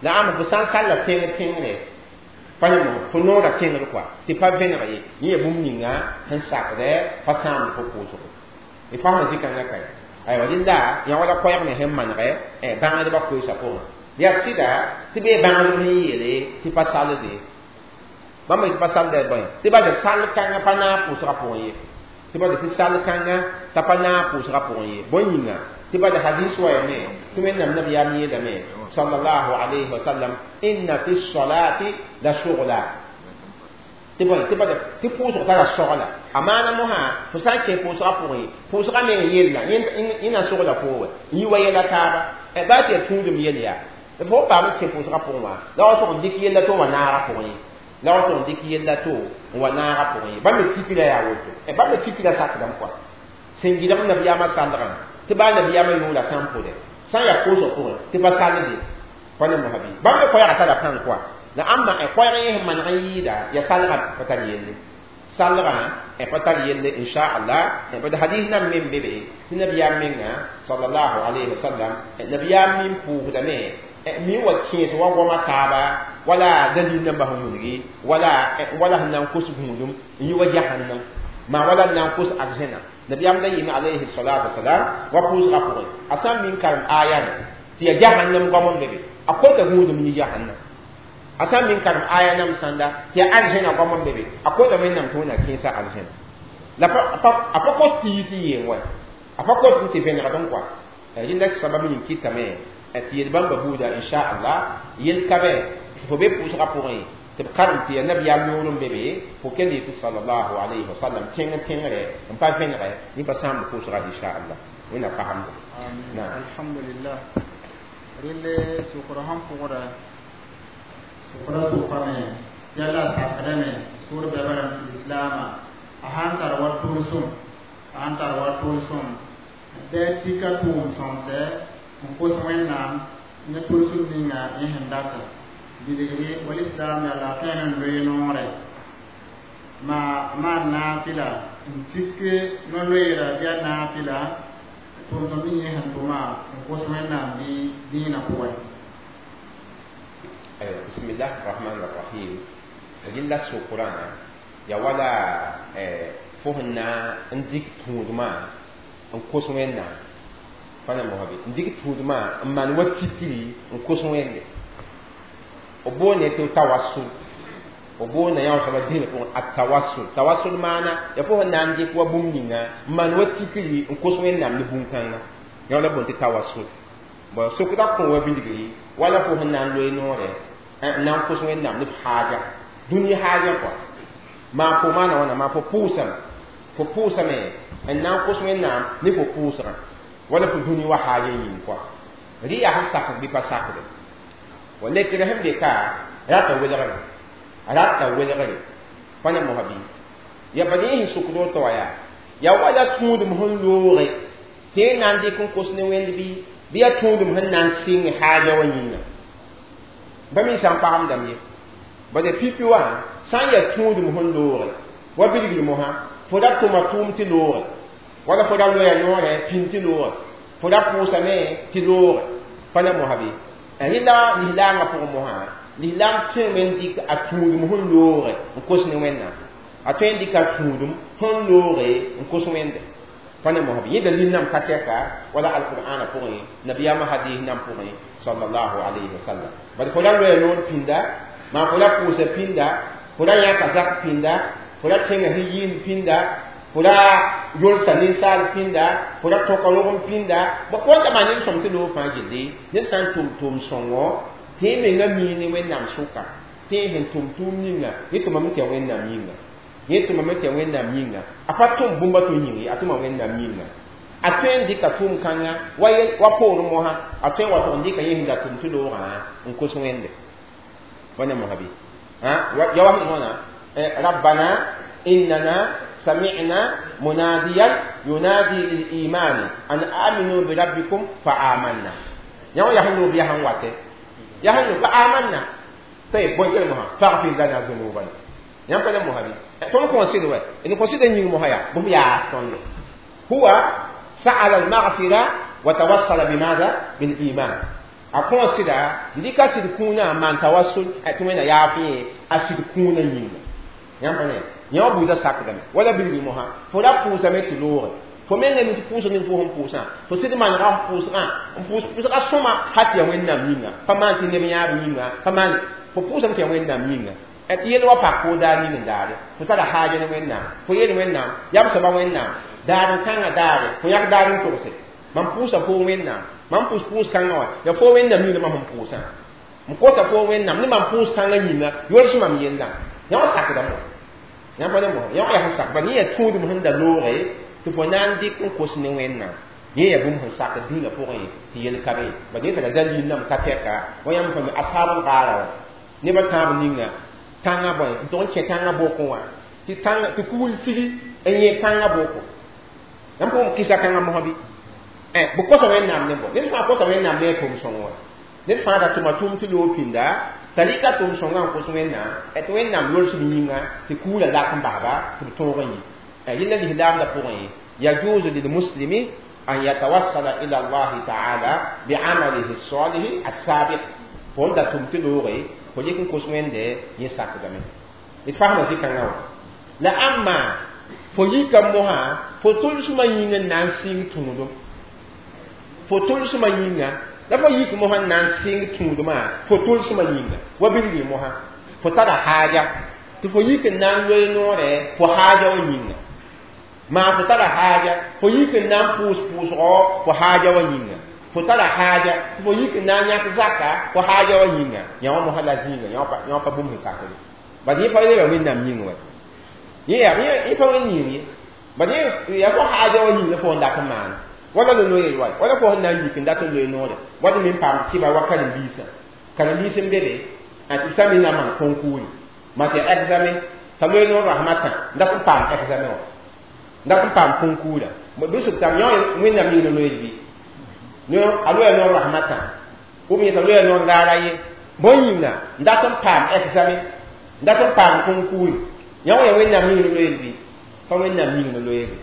la ãmba fo sã n salla tẽngr tẽngre pa ne mosã fo noora tẽngr kɔa tɩ pa vẽneg ye yẽ yaa bũmb ninga sẽn sakdɛ pa sãamd fo pʋʋsgo y fasmã zĩ-kãngã kae aywa rẽnda yã wala koɛɛg me sẽn manegɛ bãngdbã koeesã pʋgẽ yaa sɩda tɩ bee bãngdb sẽn yeele tɩ pa salde bãmb tɩ pa salda bõe tɩ ba d sall kãngã pa naag pʋʋsgã pʋgẽ ye tɩ ba tɩ sall kãngã t'a pa naag pʋʋsgã pʋgẽ ye bõe yĩnga tɩ ba d hadis wa yame tɩ wẽnnaam nabiyaam yeelame sallallahu alayhi wa sallam inna fi salati la shughla tɩ bõe tɩ ba tɩ pʋʋsg tara sogla a maana mosã fo sã n kẽ pʋʋsgã pʋgẽ pʋʋsgã meng yella yẽ na sogla foo wa yĩ wa yɛla taaba baa tɩ yaa tũudem yel yaa Fo paam kẽ pʋʋsgã pʋgẽ wã la wa tʋg n dɩk yella tɩ wa naagã pʋgẽ ye la wa tʋg n dɩk yella tɩ wa naagã pʋgẽ ye bãmb me tikra yaa woto bãmb me tikra sakdame kɔa sẽn gɩdg nabiyaamã sallgã tɩ baa nabiyaamã yoola sã n pʋdɛ sã n yaa koosg pʋgẽ tɩ pa sallde pa ne mosã bɩ bãmb me koɛɛgã tara pãng kɔa la ãmba koɛɛg yẽ sẽn maneg n yɩɩda ya salgã pa tar yelle salgã pa tar yelle inchallah bad hadis nan me n be be tɩ nabiyaam menga sallallahu alayhi wa sallam nabiyaam min pʋʋsdame mi wa kẽes wa goama taaba wala dalil namba sẽn wilgi wala wala sẽn na n kos gũudum n yi wa jahannam maa wala n na n kos arzẽna nabiyaam la yɩɩme alayhi salatu wasalam wa pʋʋsgã pʋgẽ a sã n min karem aya ne tɩ ya jahannam goam n be be a kota gũudum yi jahannam a sã n min karem aya nam sãnda tɩ ya arzẽna goam n be be a kota wẽnnaam tɩ wẽnna kẽesa arzẽna la a pa kos tɩ yɩ tɩ yeen wa a pa kos tɩ vẽnegd n kɔa rẽnda sabab ning kɩtame tɩ yel bãmba buuda inchallah yel ka bɛ fo be pʋʋsgã pʋgẽ tɩ b karem tɩ ya nabiyaam yõor n be be fo kell yetɩ salallahu alayhi wa sallam tẽng tẽngre n pa vẽnegɛ yẽ pa sãamb pʋʋsga inchallah wẽnna pasemda. Alhamdulillah relle sʋkr sẽn pʋgda sʋkra sʋkame yala sakdame sʋʋr bɛba rãmb lislaamã a sãn tar wa tʋlsem a sãn tar wa tʋlsem dɛ tika tʋʋm sõmsɛ n kos wẽnnaam ne tʋlsem ninga yẽ sẽn data bilgre wal islam yaa la tõe n loe noorɛ maa maan naafɩla n tik no-loeera bɩ a naafɩla tʋʋm-sõm ning yẽ sẽn tʋma n kos wẽnnaam bɩ dĩinã pʋgẽ. Bismillah rahman rahim rɩla sokrã ya wala fo sẽn na n dɩk tũudmã n kos wẽnnaam pa na mosã bɩ n dɩk tũudmã n maan wa tikri n kos wẽnde b boonde tɩ tawassul b boonda yã soaba dĩnã pʋgẽ a tawassul tawassul maana ya fo sẽn na n dɩk wa bũmb ninga n maan wa tikri n kos wẽnnaam ne bũn-kãnga yã la boond tɩ tawassul bon sokda kõ wa bilgri wala fo sẽn na n loe noorɛ n na n kos wẽnnaam ne f haaja dũni haaja kɔa maa fo maana wãna maa fo pʋʋsame fo pʋʋsame n na n kos wẽnnaam ne fo pʋʋsgã wala fo dũni wa haaja yĩng kɔa rɩ yaa sẽn sakd bɩ pa sakde wa lekr sẽn be ka rata welgre rata welgre pa ne mosã bɩ ya pa yẽ sẽn sʋkd woto wa yaa ya wala tũudem sẽn looge tɩ y na n dɩk n kos ne wẽnd bɩ bɩ yaa tũudem sẽn na n sɩng haaja wã yĩnga ba me sã n pagemdame ye bala pipi wã sã n yaa tũudem sẽn looge wa bilgr mosã fo ra tʋma tʋʋm tɩ looge wala fo ra loya noorɛ pĩn tɩ looge fo ra pʋʋsame tɩ looge pa na mosã bɩ rẽla lislaamã pʋgẽ mosã lislaam tõeme n dɩk a tũudem sẽn looge n kos ne wẽnnaam a tõe n dɩk a tũudem sẽn looge n kos wẽnde pa ne mosã bɩ yẽ dalil nam ka tɛka wala alqur'ana pʋgẽ nabiyaamã hadis nam pʋgẽ sallallahu alayhi wa sallam bad fo ra loya noor pĩnda maa fo ra pʋʋsa pĩnda fo ra yãka zak pĩnda fo ra tẽnga sẽn yɩɩnd pĩnda fo ra yolsa ninsaal pĩnda fo ra tõka rogem pĩnda wãnda maa ned sõm tɩ loog fãa gilli ned sã n tʋm tʋʋm sõngo tɩ y menga mii ne wẽnnaam sʋka tɩ y sẽn tʋm tʋʋm ninga yẽ tʋmame tɩ ya wẽnnaam yĩnga yẽ tʋmame tɩ ya wẽnnaam yĩnga a pa tʋm bũmba tɩ yĩng ye a tʋma wẽnnaam yĩnga a tõe n dɩka tʋʋm kãnga wa poorẽ mosã a tõe n wa tʋg n dɩka yẽ sẽn da tʋm tɩ loogã n kos wẽnde wa ne mosã bɩ ya wa sẽn wãna rabbana innana سمعنا مناديا ينادي للإيمان أن آمنوا بربكم فآمنا يوم يحلوا بها واتي يحلوا فآمنا طيب بوي كلمة فاغفر لنا ذنوبنا يوم كلمة مهبي تون كونسيدر إن كونسيدر نيم مهيا بهم يا هو سأل المغفرة وتوصل بماذا؟ بالإيمان أكونسيدر ndika sidikuna man tawassul atumena yafi asidikuna nyinga yãmb yã buudã sakdame wala bilgi mosã fo ra pʋʋsame tɩ looge fo menga mi tɩ pʋʋsg ning fo sẽn pʋʋsã fo sɩd manega f pʋʋsgã n pʋʋs pʋʋsga sõma ha tɩ ya wẽnnaam yĩnga pa maan tɩ neb yãab yĩnga pa maan fo pʋʋsame tɩ ya wẽnnaam yĩnga tɩ yel wa pak fo daar ning n daare fo tara haaja ne wẽnnaam fo yel wẽnnaam yam soaba wẽnnaam daar n kãngã daare fo yãk daar n togse mam pʋʋsa fo wẽnnaam mam pʋʋs pʋʋs kãngã wã ya fo wẽnnaam yĩnga mam sẽn pʋʋsã n kota fo wẽnnaam ne mam pʋʋs kãngã yĩnga yols mam yellã yã wã sakdame wã yãmb pa ne mosã yã wã yaa sẽn sak ba yẽ yaa tũudem sẽn da looge tɩ fo na n dɩk n kos ne wẽnnaam Yẽ yaa bũmb sẽn sak dũniyã pʋgẽ tɩ yel ka be bad yẽ tara dalil nam ka tɛka wa yãmb fãa ashaabul gaara wã nebã tãab ninga tãngã bõe n tog n kẽ tãngã bokẽ wã tɩ tãng tɩ kugl sigi n yẽ tãngã boko yãmb pʋgẽ kɩsa kãngã mosã bɩ b kosa wẽnnaam ne bõ ned fãa kosa wẽnnaam ne a tʋʋm sõng wã ned fãa da tʋma tʋʋm tɩ loog pĩnda t'a rɩka tʋʋm sõngã n kos wẽnnaam tɩ wẽnnaam lols b yĩnga tɩ kuglã lak n basba tɩ b tõog n yi yẽla lislaamdã pʋgẽ yajuzu lilmuslimi أن يتوصل إلى الله تعالى بعمله الصالح السابق فون دا تمتلوغي فليكن كوسوين دي يساك دمي يتفهم زي كان لا أما فليك موها فتول سما ينغ نانسين تونودو فتول سما ينغ لا فليك موها نانسين تونودو ما فتول سما ينغ وبيلي موها فتara حاجة تفليك نانوي نوري فحاجة وينغ ما فتara haja fo yik n na n pʋʋs pʋʋsgɔ fo haaja wã yĩnga fo tara haaja fo yik n na n yãk zaka fo haaja wã yĩnga yã wã mosã la zĩiga yã wã pa bũmb sẽn sakd bad yẽ pa yeela wẽnnaam yĩng wa yẽ pa wẽn yĩng ye bad yẽ yaa fo haaja wã yĩnga fo n dat n maana wala la loe wa wala fo sẽn na n yik n dat n loe noore wad me n paam kɩba wa karen-biisã karen-biis n be be tɩ b sã me na maan konkuuri ma tɩ examen t'a loe noor rasmã tã n dat n paam examen wã dat n paam konkuura bɩ sʋk tame yã wẽnnaam yĩng la loeed bɩ a loya noor rasmã tã ou bien t'a loya noor raara ye bõe yĩnga n dat n paam examen n dat n paam konkuuri yã wã ya wẽnnaam yĩng la loeed bɩ pa wẽnnaam yĩng la loeede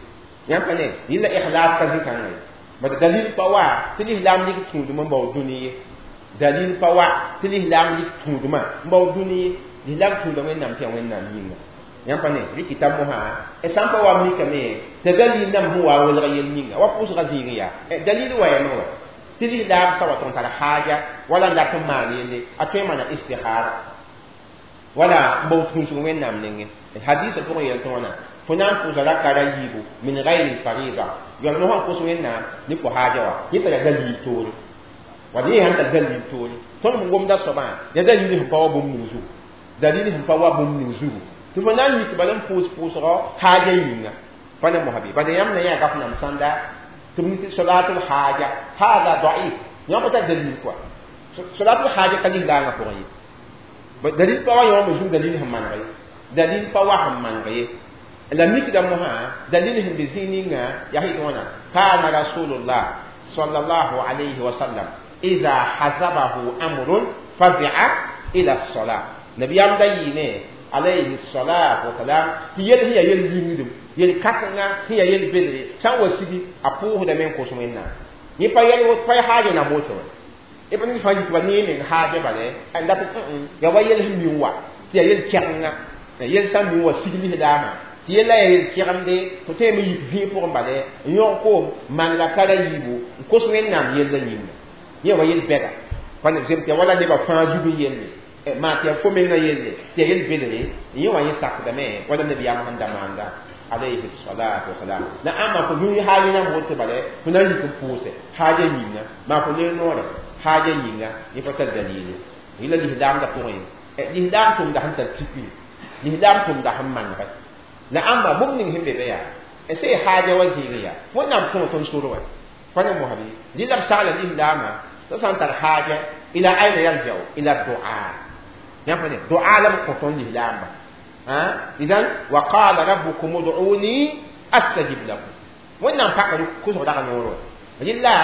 yãmb pa ne yɩla ikhlas ka zĩ-kãngã ye bad dalil pa wa tɩ lislaam lik tũudmã n bao dũni ye dalil pa wa tɩ lislaam lik tũudmã n bao dũni ye lislaam tũuda wẽnnaam tɩ yaa wẽnnaam yĩnga yãmb pa ne rɩkɩta mosã sã n pa wa mikame t'a dalil nam sẽn wa welg yel ninga wa pʋʋsga zĩig yaa dalil wa yame wa tɩ lislaam sa wa tɩ n tar haaja wala n dat n maan yelle a tõe n maana istihara wala n bao tũusg wẽnnaam nengẽ hadisa pʋgẽ yel tɩ wãna fo na n pʋʋsa raka ra yiibu min gayri farida yam no sãn kos wẽnnaam ne fo haaja wa yẽ tara dalil toore wa yẽ sãn tar dalil toore tõnd sẽn gomda soabã ya dalil sẽn pa wa bũmb ning zugu dalil sẽn pa wa bũmb ning zugu tɩ fo na n yik bala n pʋʋs pʋʋsgɔ haaja yĩnga pa ne mosã bɩ bala yãmb na yã gaf nam sãnda tɩ b tɩ solatul haaja hada daif yãmb pa tar dalil kɔa solatul haaja ka lislaangã pʋgẽ ye dalil pa wa yãwã me zug dalil sẽn maneg ye dalil pa wa sẽn maneg ye la mikda mosã dalil sẽn be zĩig ninga yaa sɩd wãna kana rasulullah sallallahu alayhi wa sallam idha hazabahu amrun fazi'a ila as-salat nabiyam da yɩɩne alayhi salatu wasalam tɩ yel sẽn yaa yel yĩngdem yel kãsenga sẽn yaa yel bedre sã n wa sigi a pʋʋsdame n kos wẽnnaam yẽ pa yɛl pa haaja na moto wã y pa ned fãa yik ba ne meng haaja bale n dat yaa wa yel sẽn mi wa tɩ yaa yel kɛgenga yel sã n mi wa sig lislaamã tɩ yella yaa yel kɛgemde fo tõeme yik zĩig pʋgẽ bale n yõg koom manega kara yiibu n kos wẽnnaam yella yĩnga yẽ wa yel bɛga pa ne zemb tɩ yaa wala nebã fãa zug n yelle maa tɩ yaa fo menga yelle tɩ yaa yel bedre yẽ wã yẽ sakdame wala nabiyaam sẽn da maanda alayhi salatu wasalam la ãmba fo yũ haaja na woto bale fo na n yik n pʋʋse haaja yĩnga maa fo ler noore haaja yĩnga yẽ pa tar dalile yẽla lislaamdã pʋgẽ lislaam tʋmda sẽn tar tikri lislaam tʋmda sẽn manegɛ la ãmba bũmb ning sẽn be be yaa sẽn haaja wa zĩig yaa wẽnnaam tõog tõnd sor wa pa ne mosã bɩ rɩla b sagla lislaamã t'a sã n tar haaja ila aina yarjau ila du'a yãmb pa ne du'a la b kõ tõnd lislaamba idan wa qala rabbukum ud'uni astajib lakum wẽnnaam paka kʋsg daga noor wa rɩla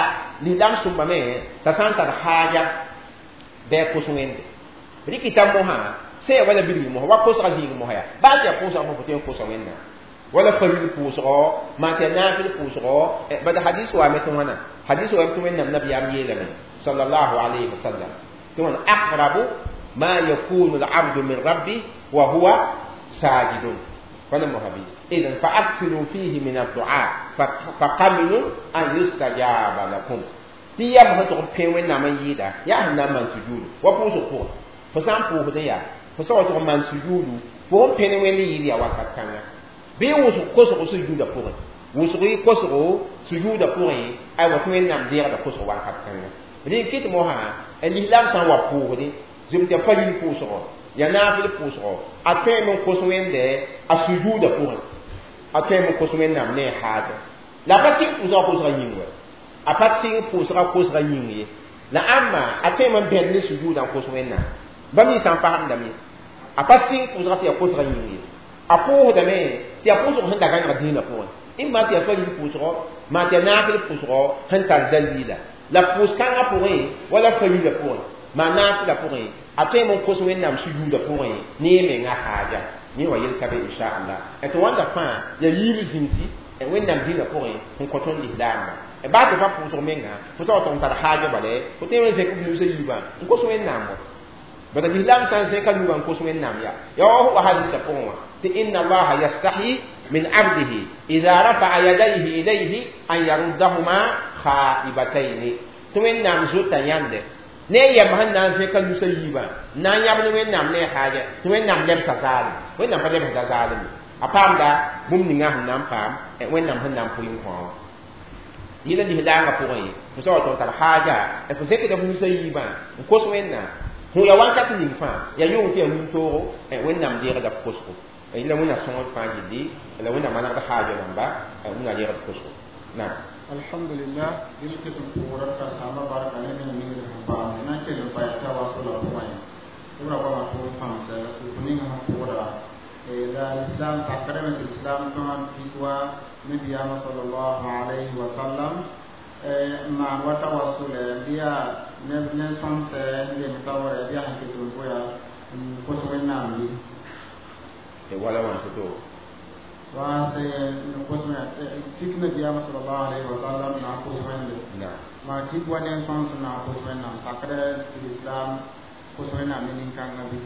lislaam sũmbame t'a sã n tar haaja bɩ a kos wẽnde rɩkɩta mosã sẽn ya wala bilg mosã wa kosga zĩig mosã yaa baa tɩ yaa pʋʋsga mosã fo tõe n kosa wẽnnaam wala faril pʋʋsgɔ maa tɩ yaa naafɩl pʋʋsgɔ bad hadis waame tɩ wãna hadis waame tɩ wẽnnaam nabiyaam yeelame sallallahu alayhi wa sallam tɩ wãna aqrabu ma yakunu al-abdu min rabbi wa huwa sajidun fana mohabi idan fa akthiru fihi min ad-du'a fa qaminun an yustajaba lakum tɩ yam sẽn tʋg n pẽ wẽnnaam n yɩɩda yaa sẽn na n maan sujuudu wa pʋʋsg pʋgẽ fo sã n pʋʋsdẽ yaa fo sã wa tʋg n maan sujuudu fo sẽn pẽne wẽnd yɩɩd yaa wakat kãnga bɩ wʋsg kosgo sujuudã pʋgẽ wʋsg y kosgo sujuudã pʋgẽ aywa tɩ wẽnnaam deegda kosg wakat kãnga rẽ n kɩt mosã lislaam sã n wa pʋʋsdẽ zem tɩ faril pʋʋsgɔ yaa naafɩl pʋʋsgɔ a tõeme n kos wẽnde a sujuudã pʋgẽ a tõeme n kos wẽnnaam ne a haaja la pa tɩ pʋʋsgã kosgã yĩng wa A pa sɩng pʋʋsga kosga yĩng ye la ãmba a tõeme n bẽd ne sujuudã n kos Wẽnnaam bãmb nins sã n fagemdame a pa sɩng pʋʋsga tɩ yaa kosga yĩng ye a pʋʋsdame tɩ yaa pʋʋsg sẽn da gãneg dĩinã pʋgẽ ĩmma tɩ yaa faril pʋʋsgɔ maa tɩ yaa naafɩl pʋʋsgɔ sẽn tar daliila la pʋʋs-kãngã pʋgẽ wala farila pʋgẽ maa naafɩla pʋgẽ a tõeme n kos Wẽnnaam sujuudã pʋgẽ ne y menga haaja yẽ wa yel ka be inchallah tɩ wãnda fãa yaa yiib zĩnsi Wẽnnaam dĩinã pʋgẽ sẽn kõ tõnd lislaambã baa tɩ pa pʋʋsg menga fo t'a wa tʋg n tar haaja bala fo tõe n zẽk f nusã yiibã n kos Wẽnnaam wa bala lislaam sã n zẽka nugã n kos Wẽnnaam yaa ya wa hadisa pʋgẽ wã tɩ inna allaha yastahi min abdihi ida rafa'a yadayhi ilayhi an yaruddahuma khaibataini tɩ Wẽnnaam zota yãnde ne yɛm sẽn na n zẽka nusã yiibã n na n yãb ne Wẽnnaam ne haaja tɩ Wẽnnaam lebsa zaalem Wẽnnaam pa lebsda zaalem ye a paamda bũmb ninga sẽn na n paam Wẽnnaam sẽn na n pʋɩ n kõ wã yɩla lislaangã pʋgẽ fo sa wa tɩ f tar haaja fo zẽkda f nusã yiibã n kos Wẽnnaam fo ya wakat ning fãa yaa yʋng tɩ yaa wĩntoogo Wẽnnaam deegda f kosgo yɩla Wẽnna sõngd fãa gilli la Wẽnnaam manegd haaja rãmba Wẽnna deegd kosgo naam alhamdulillah dɩl tɩ tɩ pʋʋra karsaambã barka ne me ningr sẽn paam na n kell n pa yaa tawasula pʋgẽ tɩ b ra goamã tʋʋm pãmsa sʋk ning sẽn pʋʋda la islam sakrame tɩ islam tõa n tik wa nabiyaamã sallallahu alayhi wa sallam n maan wa tawasula bɩ yaa ne sõmsɛ n lem taoorɛ bɩ yaa sẽn ket n goya n kos Wẽnnaam ye wala wãn to wa se n kos tik nabiyaamã sallallahu alayhi wa sallam na n kos Wẽnde maa tik wa ne sõms na n kos Wẽnnaam sakrɛ tɩ islam kos Wẽnnaam ne nin-kãngã bɩ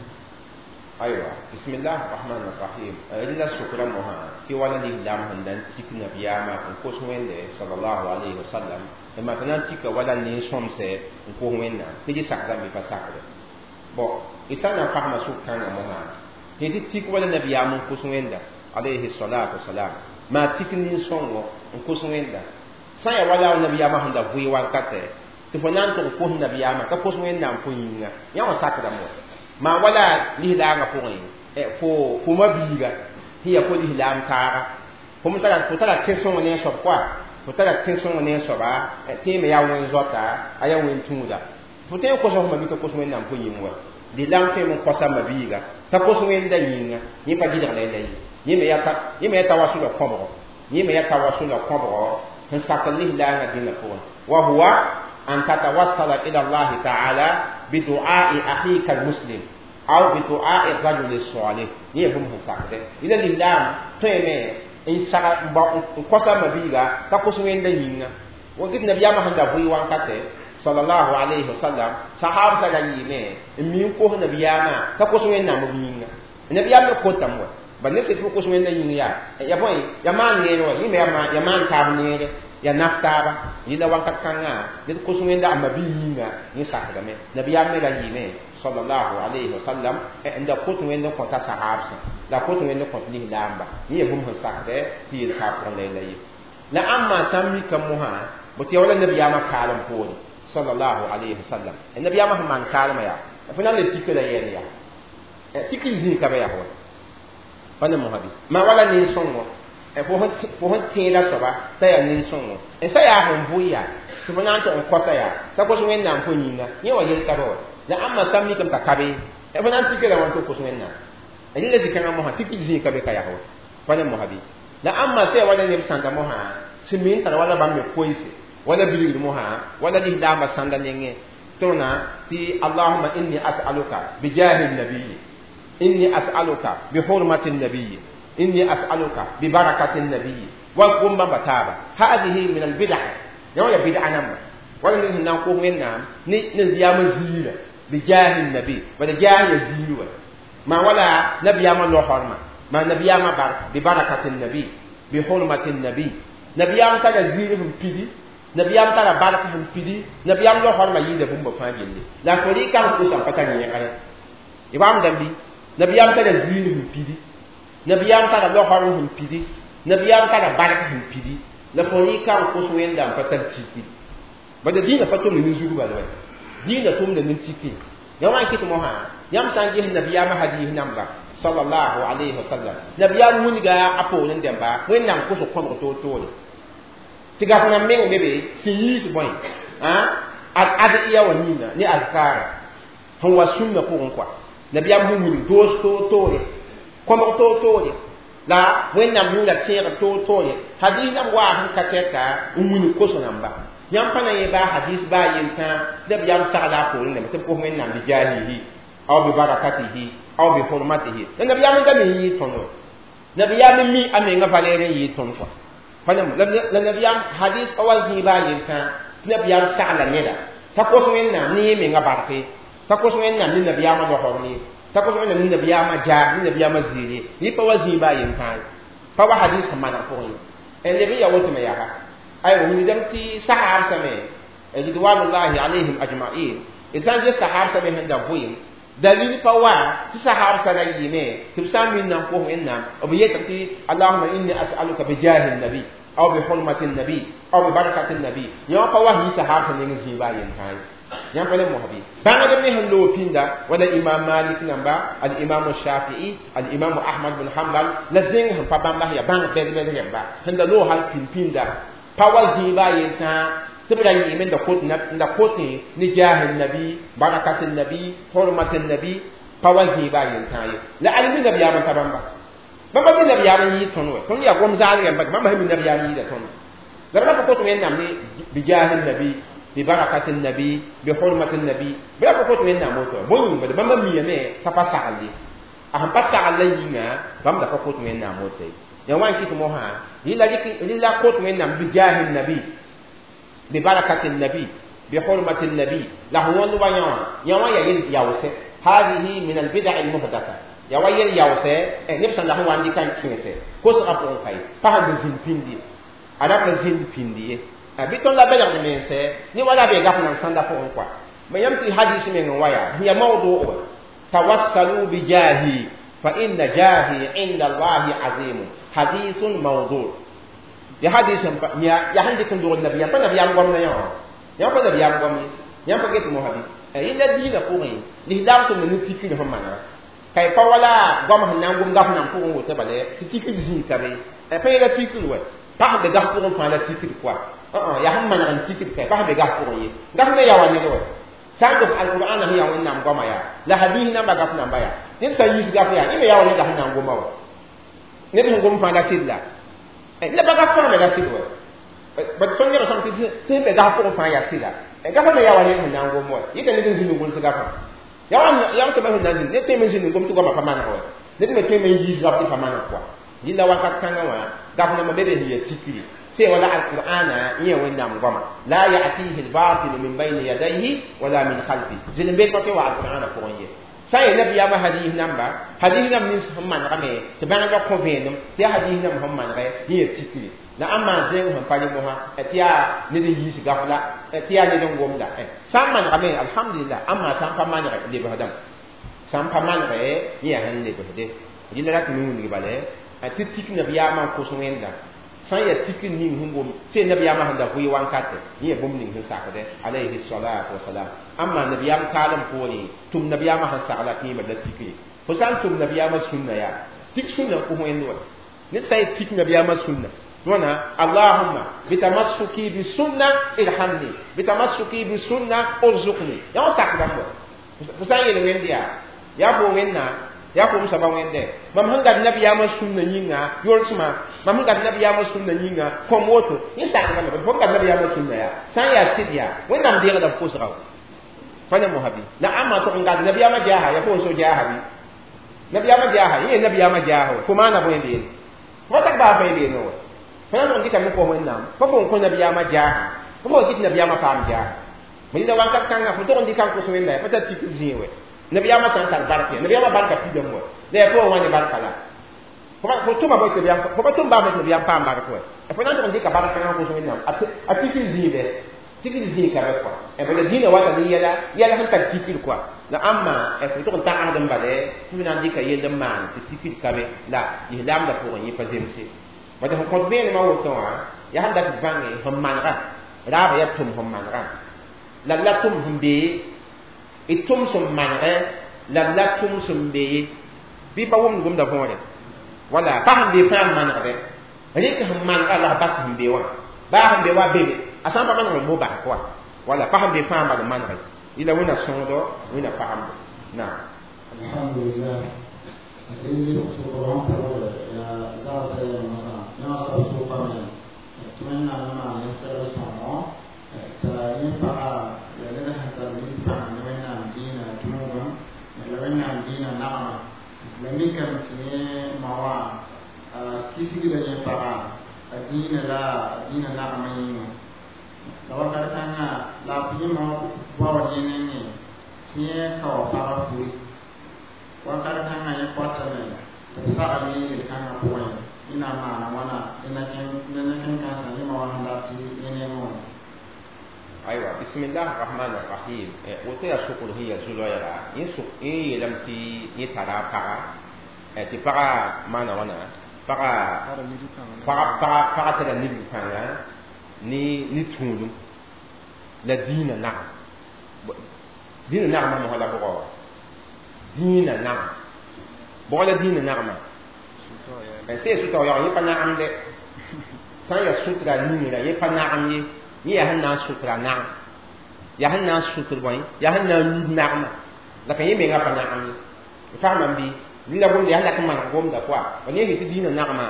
aywa bismillah arrahman arrahim rẽnda sʋkrã mosã tɩ wala lislaam sẽn da n tik nabiyaamã n kos Wẽnde sallallahu alayhi wa sallam maa tɩ na n tika wala nin-sõmsɛ n kos Wẽnnaam tɩ dɩ sakdame bɩ pa sakde bon d sã n na n fasma sʋk-kãngã mosã tɩ tɩ tik wala nabiyaam n kos Wẽnda alayhi salatu wasalam maa tik nin-sõngo n kos Wẽnda sã n yaa wala nabiyaamã sẽn da vʋɩ wakatɛ tɩ fo na n tʋg kos nabiyaamã ka kos Wẽnnaam fo yĩnga yã wã sakdame wa maa wala lislaangã pʋgẽ fo mabiiga sẽn yaa fo lislaam taaga fo tara tẽ-sõng ne a soab koa fo tara tẽ-sõng ne a soaba tẽeme yaa wẽn-zoata a yaa wẽn-tũuda fo tõe n kosa fo mabi t'a kos Wẽnnaam fo yĩng wa lislaam tõeme n kosa mabiiga t'a kos Wẽnda yĩnga yẽ pa gɩdg la yẽla ye yẽ me yaa tawasula kõbgo yẽ me yaa tawasula kõbgo sẽn sak lislaangã dĩnã pʋgẽ wa huwa an tatawassala ila allahi taala bidu'ai akhika almuslim aw bidu'ai rajuli salih yẽ bũmb sẽn sakdɛ yẽla lislaam tõeme n saga n kosa mabiiga t'a kos Wẽnda yĩnga wakit nabiyaamã sẽn da vʋɩ wankatɛ sallallahu alayhi wa sallam sahab sa da yɩɩme n mi n kos nabiyaamã t'a kos Wẽnnaam b yĩnga nabiyaam me kotame wa ba ne tɩ fo kos Wẽnda yĩng yaa ya bõe ya maan neere wa yẽ me ya maan taab neere ya naf taaba yẽla wakat kãngã ned kos Wẽnda a mabi yĩnga yẽ sakdame nabiyaam me ra yɩɩme sallallahu alayhi wa sallam n da kot Wẽnd n kõta sahabsã la kot Wẽnd n kõt lislaamba yẽ yaa bũmb sẽn sakdɛ tɩ yel-ka pʋgẽ la yela ye la ãmba sã n mika mosã bõ tɩ ya wala nabiyaamã kaalem poore sallallahu alayhi wa sallam nabiyaamã sẽn maan kaalmã yaa fo na n le tika la yɛl yaa tik zĩig ka be yaa wa pa ne mosã bɩ maa wala nin-sõngo fo sẽn tẽeda soaba t'a yaa nin-sõngo n sã yaa sẽn vʋɩ yaa tɩ fo na n tʋg n kosa yaa t'a kos Wẽnnaam fo yĩnga yẽ wa yel ka be wa la ãmba sã n mikame t'a ka be fo na n tika la wãn tɩ kos Wẽnnaam rẽla zĩ-kãngã mosã tik zĩig ka be ka yaa wa pa ne mosã bɩ la ãmba sã yaa wala neb sãnda mosã sẽn mi n tar wala bãmb me koeese wala bilgd mosã wala lislaambã sãnda nengẽ tõna tɩ allahuma inni as'aluka bijahi nabiyi inni as'aluka bihurmati nabiyi inni as'aluka bibarakati nabiyi wa gom bãmba taaba hadihi min albid'a yã wã ya bid'a namba wala ned sẽn na n kos Wẽnnaam ne nabiyaamã ziirã bijahi nabi bala jaah ya ziir wa maa wala nabiyaamã losormã maa nabiyaamã bar bibarakati nabi bihurmati nabi nabiyaam tara ziir sẽn pidi nabiyaam tara bark sẽn pidi nabiyaam losormã yɩɩda bũmba fãa gilli la fo rɩka n kosa n pa tar yẽgre y waamdame bɩ nabiyaam tara ziir sẽn pidi nabiyaam tara losorm sẽn pidi nabiyaam tara bark sẽn pidi la fo rɩka n kos Wẽnda n pa tar tiki bala dĩinã pa tʋmd nin-zug bala wa dĩinã tʋmda nin-tiki yã wã n kɩt mosã yãmb sã n ges nabiyaamã hadiis namba sallallahu alayhi wa sallam nabiyaam wilga a poorẽ dẽmba Wẽnnaam kos kõbg toor-toore Tɩ gaf na meng be be sẽn yiis bõe ad adiya wã yĩnga ne azkara sẽn wa sũnna pʋgẽ kɔa nabiyaam sẽn wilg doos toor-toore kõbg toor-toore la wẽnnaam yʋʋra tẽegr toor-toore hadis nam waa sẽn ka tɛka n wilg koso namba yãmb pa na yẽ baa hadis baa yel-tã tɩ nabiyaam sagla a poorẽ dãmba tɩ b kos wẽnnaam bi jahihi aw bi barakatihi aw bi hurmatihi la nabiyaam n da me n yɩɩ tõnd nabiyaam n mi a menga valɛɛr n yɩɩ tõnd kɔa la nabiyaam hadis pa wa zĩig baa yel-tã tɩ nabiyaam sagla neda t'a kos wẽnnaam ne yẽ menga barke t'a kos wẽnnaam ne nabiyaamã losg ye t'a kos wẽnnaam ne nabiyaamã jaa ne nabiyaamã ziir ye yẽ pa wa zĩig baa yel-tã ye pa wa hadis sẽn maneg pʋgẽ ye n leb n ya woto me yaa aywa wilgdame tɩ sahaabsame ridwanullahi alayhim ajmain d sã n ges sahaabsame sẽn da vʋɩem dalil pa wa tɩ sahaabsã ra yɩɩme tɩ b sã n minna n kos wẽnnaam b yetg tɩ allahuma inni as'aluka bijahi nabi aw bi hurmati nabi aw bi barakati nabi yã pa wa yɩ sahaabsã neng zĩig baa yentã ye yãmb pa le mosbi bãngd me sẽn loog pĩnda wala imam malik namba al imam shafii al imam ahmad bin hanbal la zẽng sẽn pa bãmba sẽn yaa bãng bɛd-bɛd rẽmba sẽn da loog hal pĩnd pĩnda pa wa zĩig baa yentã tɩ b ra yɩɩme n da kotẽ ne jaahi nabi barakati nabi hurmati nabi pa wa zĩig baa yentã ye la al mi nabiyaam n ta bãmba bãmba mi nabiyaam n yɩɩ tõnd wɛ tõnd yaa gom zaal rẽmba bãmba sẽn mi nabiyaam yɩɩda tõnd la b ra pa kot wẽnnaam ne bijahi nabi ببركة النبي بحرمة النبي بلا بقوت من ناموت بون بل بما ميمه تفسعلي أهم فسعلي ينا بام دا بقوت من ناموت يا وان كيت موها يلا يلا قوت من نام بجاه النبي ببركة النبي بحرمة النبي لا هو نوا يا وان يا ياوسه هذه من البدع المحدثة يا وان ياوسه نفس الله هو عندي كان كينسه كوس أبون كاي فهم زين بيندي أنا زين بيندي bɩ tõnd la belgd mense ne wala be gaf nan sãnda pʋgẽ kɔa ma yãmb tɩ hadis meng n wa yaa ya mawdu wa tawassalu bi jahi fa inna jahi inda allahi azimu hadisun mawdu ya hadis ya ya sẽn dɩk n dogd nabiyaam pa nabiyaam goamda yã wã yãmb pa nabiyaam goam ye yãmb pa get mosã bɩ yẽnda diinã pʋgẽ lislaam tʋmd ne tikr sẽn manega ka y pa wala goam sẽn na n gom gaf nan pʋgẽ woto bala tɩ tikr zĩig ka be pa yẽla tikr wa pa sẽn be gaf pʋgẽ fãa la tikr kɔa yaa sẽn maneg n tikd ka pa sẽn be gaf pʋgẽ ye gaf me yaa wa ned wa sã n gom alqur'an sẽn yaa wẽnnaam goama yaa la hadis namba gaf namba yaa ned sã n yiis gaf yaa yẽ me yaa wa neda sẽn na n goma wa ned sẽn gom fãa la sɩd la la ba gaf fãa me la sɩd wa bad tõnd neb sãm tɩ sẽn be gaf pʋgẽ fãa yaa sɩda gafã me yaa wa ned sẽn na n gom wa yɩta ned n zĩnd n gʋls gafã yaa wa tɩ sẽn na n zĩnd ned tõe me zĩnd n gom tɩ goamã pa maneg wa ned me tõe me n yiis gaf tɩ pa maneg kɔa yɩla wakat kãngã wã gaf nambã be be sẽn yaa tikri سي ولا القرآن إيه وين غما لا يأتيه الباطل من بين يديه ولا من خلفه زين بيت بطي القرآن فوقيه ساي نبي ما حديث نمبا حديث نم نيس هم من غمي تبان غا كوفينم تي حديث نم هم من غي هي تيكري لا أما زين هم بالي موها تيا ندي يس غفلا تيا ندي غوم دا سام من غمي الحمد لله أما سام فمان غي لي بهدم سام فمان غي هي هن لي بهدي دي لا تنون لي بالي تي تيك نبي ما كوسوين دا sã n yaa tikr ning sẽn gom sẽn nabiyaamã sẽn da vʋɩ wankate yẽ yaa bũmb ning sẽn sakdɛ alayhi salatu wasalam ãmma nabiyaam kaalem poorẽ tʋm nabiyaamã sẽn sagla tɩ yẽma la tikre fo sã n tʋm nabiyaamã sũnna yaa tik sũnna n kos wẽnd wa ned sã n yaa tik nabiyaamã sũnna wãna allahumma bitamassuki bisunna irhamni bitamassuki bisunna urzuqni yaa wã sak bãmb wa fo sã n yel wẽnd yaa yaa fo wẽnna yaa fo saba wẽnde mam sẽn gat nabiyaamã sũnna yĩnga yolsmã mam sẽn gat nabiyaamã sũnna yĩnga kõm woto yẽ sakdame fo n gat nabiyaamã sũnna yaa sã n yaa sɩd yaa wẽnnaam deegda f kosga pa ne mosã bɩ la ãmba tʋg n gat nabiyaamã jaaha yaa fo n so jaaha bɩ nabiyaamã jaaha yẽ yaa nabiyaamã jaaha wa fo maana bõe beene fo pa tak baa fãe beene wa fo na n tʋg n dɩkame kos wẽnnaam pa fo n kõ nabiyaamã jaaha fo pa kɩt nabiyaamã paam jaaha ma yɩla wakat kãngã fo tʋg n dɩka n kos wẽnna ya pa tar tikr zĩig wɛ nabiyaamã sã n tar barka ya nabiyaamã barka pidame wa la yaa pʋgẽ wã ne barka la fo tʋma bõe tɩ fo pa tʋm baa tɩ nabiyaam paam bark wa fo na n tʋg n dɩka bark kãngã kos wẽnnaam a tikr zĩig bɛ tikr zĩig ka bɛ kɔa bala dĩinã wata ne yɛla yɛla sẽn tar tikr kɔa la ãmba fo tʋg n tagensd n bale tɩ f na n dɩka yell n maan tɩ tikr ka be la lislaamdã pʋgẽ yẽ pa zemse bala sẽn kõt vẽenemã woto wã yaa sẽn dat bãnge sẽn manega raaba yaa tʋm sẽn manega la la tʋm sẽn bee d tʋm sẽn manegɛ la la tʋm sẽn bee bɩ pa wʋmd gomda võore wala pa sẽn bee fãa n manegdɛ rɩk sẽn manega la b bas sẽn bee wã Baa sẽn be wa bebe a sã n pa maneg n bo bas pʋga wala pa sẽn be fãa n bal n manege yɩla wẽnna sõodo wẽnna pagemdo naam. Alhamdulillah. Rẽnd sokr wã pʋgre yaa zagsã yɛl mosã yã wã soab sʋkame tɩ Wẽnnaam maan yẽ segl sõngo t'a yẽ paga yaa ned sẽn tar nin-pãng ne Wẽnnaam dĩinã tũudum la Wẽnnaam dĩinã nagma la mikame tɩ yẽ ma wã a kisgda yẽ paga a dĩinã la a dĩinã nagmã yĩnga la wakat kãngã la a yẽ ma baood yẽ nengẽ tɩ yẽ kao pagã furi wakat kãngã yẽ koatame tɩ b sagl yẽ yel-kãngã pʋgẽ yẽ na n maana wãna ne na-kẽn-kãensã yẽ ma wã sẽn dat tɩ yẽ nengẽ wã. Aywa, bismillah rahman rahim. Woto yaa sokr sẽn yaa zu-loɛɛga yẽ sʋk yẽ yeelame tɩ yẽ tara a paga tɩ paga maana wãna paga paga tara nidg-kãnga ne tũudum la dĩinã nagam dĩinã nagmã mosã la bʋgɔ dĩinã nagam bʋgɔ la dĩinã nagmã sẽn yaa sʋtao yaoog yẽ pa nagemde sã n yaa sʋtra ningrã yẽ pa nagem ye yẽ yaa sẽn na n sʋtra nagem yaa sẽn na n sʋtr bõe yaa sẽn na n yud nagmã la ka yẽ menga pa nagem ye fagmam bɩ la gomda yaa lak n maneg gomda pʋa ba ne tɩ dĩinã nagmã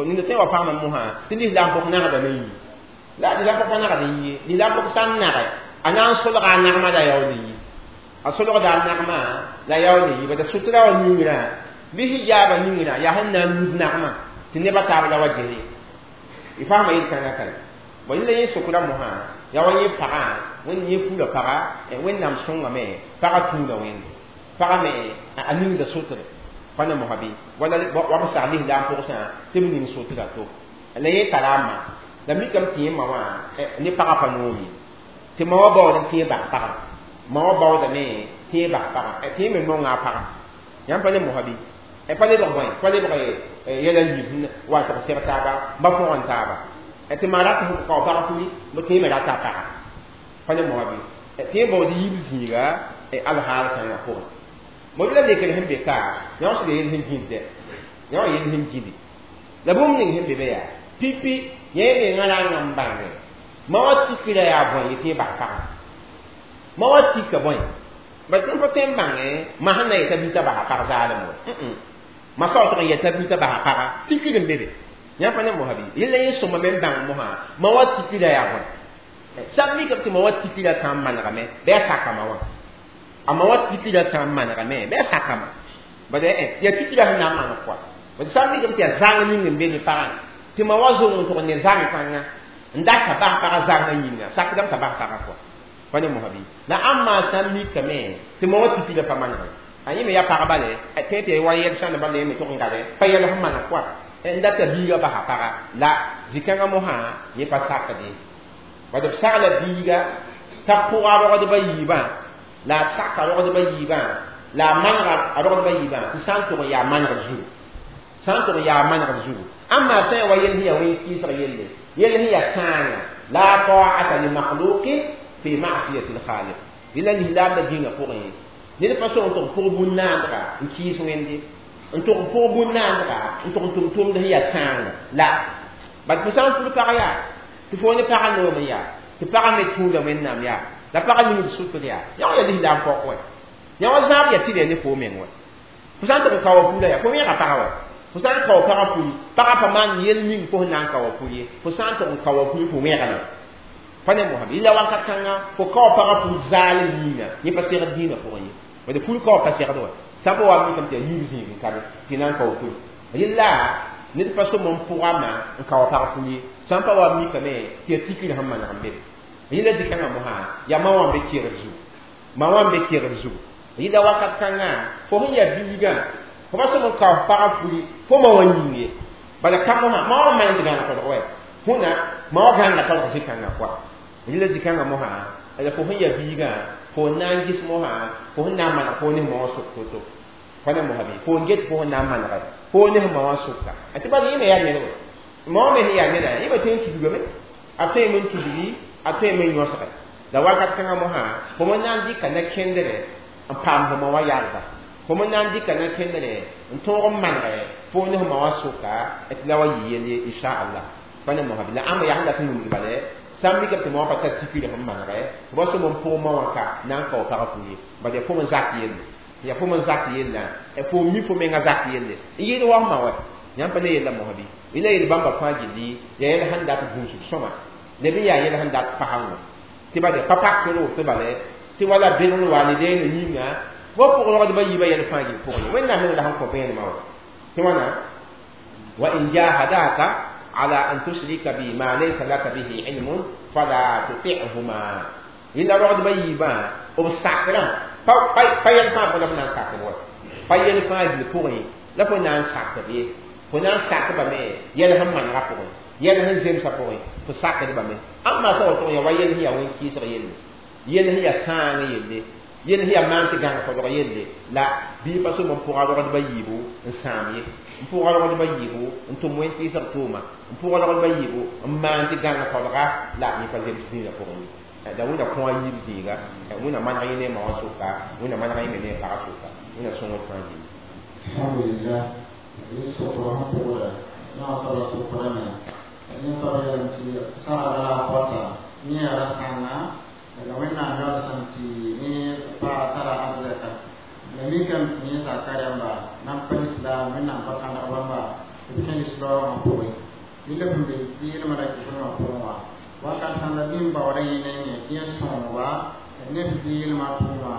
nina tõe wa fagmam mosã tɩ lislaam pʋg nagdame yi la lislaam pʋg pa nagd n yi lislaam pʋg sã n nage a na n solga a nagmã la yaool n yi a solgda a nagmã la yaool n yi bala sʋtra wã ningrã bɩ hijaaba ningrã yaa sẽn na n yud nagmã tɩ nebã taab la wa ges ye y fagma yel-kãngã ka bõe la yẽ sokra mosã yaa wa yẽ pagã wẽnd yẽ fura paga Wẽnnaam sõngame paga tũuda wẽnde paga me a ningda sotre pa ne mosã bɩ wala wa b sag lislaam pʋgsã tɩ b ning sotra to la yẽ tara a ma la mikame tɩ yẽ ma wã ne pagã pa noom ye tɩ ma wã baood n tẽ bas pagã ma wã baoodame tẽ bas pagã tɩ yẽ me nonga a pagã yãmb pa ne mosã bɩ pa lebg bõe pa lebg yɛla yiib wa tɩg seg taaba ba fõgen taaba tɩ ma rat sẽn kao pag furi b tẽ me rata a pagã pa ne mosã bɩ tɩ yẽ baood yiib zĩiga alhaal kãngã pʋgẽ mo la lekr sẽn be ka yã sɩd yel sẽn gĩsdɛ yã wã yel sẽn gĩdi la bũmb ning sẽn be be yaa pipi yẽ mengã rãnga n bãnge ma wã tikra yaa bõe yetɩ yẽ bas pagã ma wã tika bõe ba tɩ pa tõe n bãnge ma sẽn na yeta bita basa pag zaalem wa ma sao tɩg n yeta bita basa paga tikr n be be yã pa ne mosã bɩ yella yẽ sõma me n bãng mosã ma wã tikra yaa bõe sã n mikame tɩ ma wã tikra sã n manegame bɩ a saka ma wã a ma wã tikra sã n manegame bɩ a sakama bala yaa tikra sẽn na n maneg kɔa bala sã n mikame tɩ yaa zãng ning n be ne pagã tɩ ma wã zong n tʋg ne zãng kãngã n data bas paga zãngã yĩnga sakdame t'a bas paga kɔa pa ne mosã bɩ la ãmb maa sã n mikame tɩ ma wã tikra pa manege a yẽ me yaa pagba le tõe tɩ wa yɛl sãnd bala me tʋg n gale pa yɛl sẽn maneg kɔa n data biiga basa paga la zĩ-kãngã mosã yẽ pa sakde bala b sagla biiga t'a pʋga rogdbã yiibã la a saka rogdbã yiibã la a manega a rogdbã yiibã tɩ sã n tʋg n yaa manegd zugu sã n tʋg n yaa manegd zugu ãmb maa sã n wa yel sẽn yaa wẽn kɩɩsg yelle yel sẽn yaa sãanga la ta'ata li makhluqin fi ma'siyati al-khaliq yẽla lislaam la dĩngã pʋgẽ ned pa sõng tɩg pʋg bũn-naandga n kɩɩs wẽnde n tʋg pʋg bũn-naandga n tʋg n tʋm tʋmd sẽn yaa sãanga la bala fo sã n fur pag yaa tɩ fo ne pagã noom n yaa tɩ pagã me tũuda Wẽnnaam yaa la pagã ningd sʋtr yaa yã wã yaa lislaam pɔk wɛ yã wã zãab yaa tɩ ne fo meng wɛ fo sã n tɩg n ka wa pula yaa fo wẽega pagã wɛ fo sã n ka wa pagã puli pagã pa maan yel ning fo sẽn na n ka wa puli ye fo sã n tɩg n ka wa puli fo wẽegame pa ne mosã yella wakat kãngã fo ka wa pagã pul zaalem yĩnga yẽ pa segd dĩinã pʋgẽ ye bala ful ka wa pa segd wa sã n pa wa mikame tɩ yaa yiib zĩig n kabe tɩ na n ka wa puli yella ned pa sõm n pʋgama n ka wa pag pul ye sã n pa wa mikame tɩ yaa tikr sẽn maneg n be yella dɩkãngã mosã yaa ma wã n be kegr zugu ma wã n be kegr zugu yella wakat kãngã fo sẽn yaa biigã fo pa sõm n ka f pagã puli fo ma wã yĩng ye bala ka mosã ma wã n maan tɩ gãneg tolg wɛ hũna ma wã gãnega tolg zĩ-kãngã kɔa yella zĩ-kãngã mosã la fo sẽn yaa biigã fo n na n gɩs mosã fo sẽn na n maneg fo ne ma wã sʋk to-to pa ne mosã bɩ fo n get fo sẽn na n manege fo ne ma wã sʋka tɩ bala yẽ me yaa ned wɛ ma wã me sẽn yaa neda yẽ me tõe n tudgame a tõe me n tudgi a tõe me n yõsge la wakat kãngã mosã fo me na n dɩka na-kẽndrɛ n paam fo ma wã yalga fo me na n dɩka na-kẽndrɛ n tõog n manege fo ne ma wã sʋka tɩ la wa yɩ yel ye inshallah. Pa ne mosa la ãmba yaa sẽn dat n wilg bale sã n mikame tɩ moa pa tar tikre sẽn manegɛ tɩ ba sõm n pʋg ma wã ka na n kao pagã fu ye bad yaa fo n zak yelle ya fo n zak yella fo mi fo menga zak yelle n yɩɩd wa ma wa yãmb pa ne yella mosa bɩ yẽla yel bãmba fãa gilli yaa yɛl sẽn dat gũusg sõma leb n yaa yɛl sẽn dat pasãngo tɩ bade pa pak tɩ tɩ bale tɩ wala bɩrl walidain yĩnga wa pʋg rogdbã yiibã yɛl fãa gill pʋgẽ ye wẽnnaam meng la sẽn kõ vẽenemã wa tɩ wãna wa in jahadaka ala an tushrika bi ma laysa laka bihi ilmun fala tuti'huma yẽla rogdbã yiibã b sakrã pa yɛl fãa pʋgẽ la b na n sakb wa pa yɛl fãa gill pʋgẽ la fo na n sakb ye fo na n sakbame yɛl sẽn manegã pʋgẽ yɛl sẽn zemsã pʋgẽ fo sakdbame ãmba sã woto ya wa yɛl sẽn yaa wẽn-kɩɩsg yelle yɛl sẽn yaa sãang yelle yɛl sẽn yaa maan tɩ gãng fodg yelle la bɩ pa sõm n pʋga rogdbã yiibu n sãam ye n pʋga rogdbã yiibu n tʋm wẽn-kɩɩsg tʋʋma n pʋga rogdbã yiibu n maan tɩ gãng fodga la yẽ pa zems zĩigã pʋgẽ ye la wẽnna kõ a yiib zĩiga wẽnna maneg yẽ ne a ma wã sʋka wẽnna maneg yẽ me ne a pagã sʋka wẽnna sõngd fãa gilli alhamdulillah yẽ sokra sẽn pʋgda yã wã soaba sokrame yẽ soab yeelame tɩ sagra la a pɔta yẽ yaa ra-sãnga la wẽnnaam yaoolsem tɩ yẽ paa tara arzɛka la mikame tɩ yẽ zaka rãmba nan pa lislaam wẽnnaam pa kãneg bãmba tɩ b kẽ lislaoogã pʋgẽ yẽ la b be zɩɩlmã ra kɩsmã pʋgẽ wã wakat sãn da bɩ n baoodã yẽ nengẽ tɩ yẽ sõogba neb zɩɩlmã tʋʋma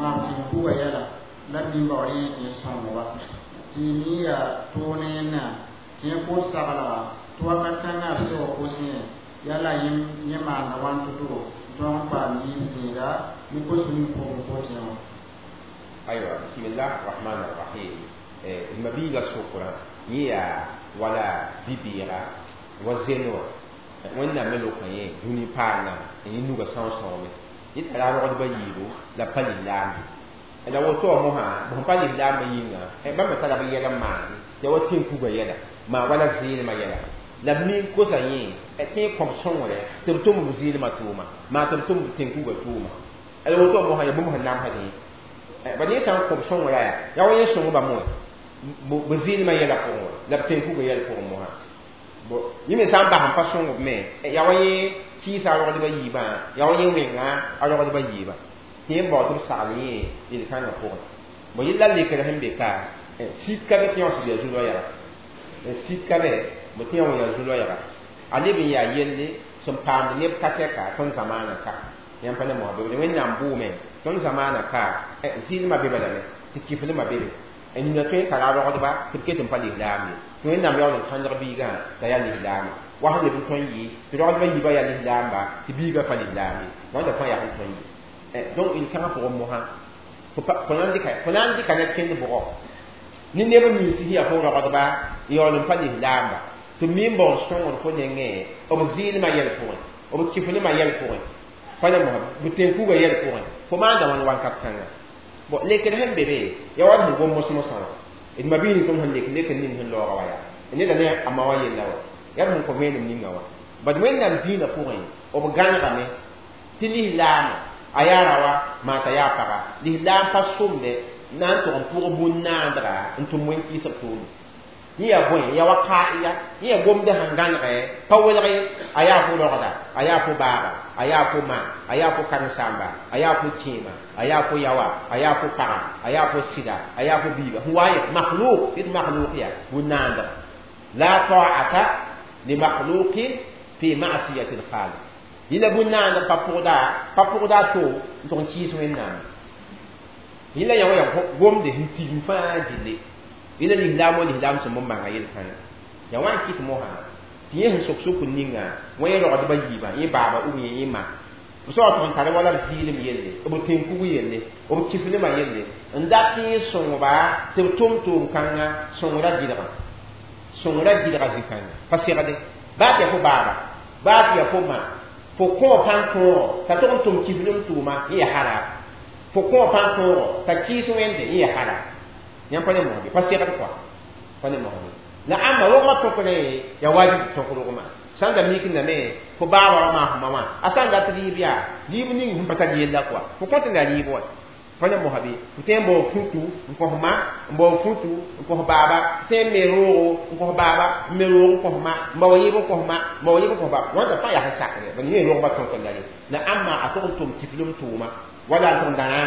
maam tɩ n kuga yɛla la b bɩ n baood yẽ tɩ yẽ sõogba tɩ mi yaa toog ne yẽnna tɩ yẽ koot saglga tɩ wakat kãngã b seo kos yẽ yaa la yẽ maanda wãn to-to tõog n paam yiib zĩiga ne kos ning pʋgẽ kot yẽ wã aywa bismillah rahman rahim mabiiga sʋkrã yẽ yaa wala bi-bɩɩga wa zen wã wẽnnaam me lokã yẽ dũni paana n yẽ nuga são-sõome yẽ tara rogdbã yiibu la pa lislaambe la woto wã mosã b sẽn pa lislaambã yĩnga bãmba tara b yɛl n maande tɩ wa tẽn-kuga yɛla maa wala zɩɩlmã yɛla la b mi n kosa yẽ tɩ yẽ kõb sõngre tɩ b tʋm b zɩɩlmã tʋʋma maa tɩ b tʋm b tẽn-kuga tʋʋma la woto wã mosã ya bũmb sẽn namsd yẽ bad yẽ sã n kõb sõngra yaa yaa wa yẽ sõngba moe b zɩɩlmã yɛla pʋgẽ wa la b tẽn-kuga yɛl pʋgẽ mosã yẽ me sã n bas n pa sõngb me yaa wa yẽ kɩɩsa a rogdbã yiibã yaa wa yẽ wẽnga a rogdbã yiibã tɩ yẽ bao tɩ b sagl yẽ yel-kãngã pʋgẽ bon yella lekr sẽn be ka sik ka be tɩ yã sɩd yaa zu-loɛɛga sik ka be b tɩ yã wã yaa zu-loɛɛga a leb n yaa yelle sẽn paamd neb ka-tɛka tõnd zamaanã ka yãmb pa ne mosã be wẽnnaam bʋʋme tõnd zamaanã ka zɩɩlmã be balame tɩ kiflmã be be nina tõe n tara a rogdba tɩ b ket n pa lislaam ye tɩ wẽnnaam yaool n kãndg biigã t'a yaa lislaame wa sẽn leb n tõe n yɩ tɩ rogdbã yiibã yaa lislaamba tɩ biigã pa lislaam ye wãnda fãa yaa sẽn tõe n yɩ donc yel-kãngã pʋgẽ mosã fo na n dɩka ned kẽnd bʋgɔ ne neb nins sẽn yaa fo rogdba yaool n pa lislaamba tɩ mi n baoor sõngr fo nengẽ b zɩɩlmã yɛl pʋgẽ b kiflmã yɛl pʋgẽ pa ne mosã b tẽn-kuga yɛl pʋgẽ fo maanda wãn wakat kãnga bon lekr sẽn be be yaa wa sẽn gom mos-mosã wã d ma-biig ning tõnd sẽn lek lekr ning sẽn laooga wa yaa neda ne a ma wã yella wa yaa sẽn kõ vẽenem ninga wã bad wẽnnaam dĩinã pʋgẽ b gãnegame tɩ lislaamã a yaa raoã maa t'a yaa paga lislaam pa sõmde na n tʋg n pʋg bũn-naandga n tʋm wẽn-kɩɩsg tʋʋme yẽ yaa bõe yaa wa kaaya yẽ yaa gomd sẽn gãnegɛ pa welg a yaa fo rogda a yaa fo baaga a yaa fo ma a yaa fo karen-saamba a yaa fo kẽema a yaa fo yawa a yaa fo paga a yaa fo sɩda a yaa fo biiga sẽn wa yẽ makhluk tɩ makhluk yaa bũn-naandga la ta'ata li makhluqin fi ma'siyati al-khaliq yẽla bũn-naandg pa pʋgda to n tʋg n kɩɩs wẽnnaam yẽla yã wa yaa gomde sẽn tigim fãa gilli yẽla lislaam wa lislaam sẽn bõn bãnga yel-kãngã yaa wa n kɩt mosã tɩ yẽ sẽn sok sokr ninga wã yẽ rogdbã yiibã yẽ baaba ou bien yẽ ma b soab tʋg n tara wala b zɩɩlem yelle b tẽn-kug yelle b kiflmã yelle n dat tɩ yẽ sõngba tɩ b tʋm tʋʋm-kãngã sõngra gɩdgã sõngra gɩdga zĩ-kãngã pa segde baa tɩ yaa fo baaba baa tɩ yaa fo ma fo kõo pãn tõogo t'a tʋg n tʋm kiflem tʋʋma yẽ yaa harab fo kõo pãn tõogo t'a kɩɩs wẽnde yẽ yaa harab yãmb pa ne mosbe pa segd kɔa pa ne mosbe la ãmba rogmã tõkrẽ yaa wajib tõk rogmã sã n da mikndame fo baaba wã maasẽma wã a sã n dat rɩɩb yaa rɩɩb ning sẽn pa tar yella kɔa fo kõt n la rɩɩb wa Pa ne mosã bɩ fo tõe n bao futu n kõ ma n bao futu n kõ baaba tõe n me roogo n kõ baaba n me roog n kõ ma n bao yɩb n kõ ma n bao yɩb n kõ baaba wãnda fãa yaa sẽn sakre ba yẽ rogba tõk la ye la ãmba a tog n tʋm tiflem tʋʋma wala n tʋg n dãna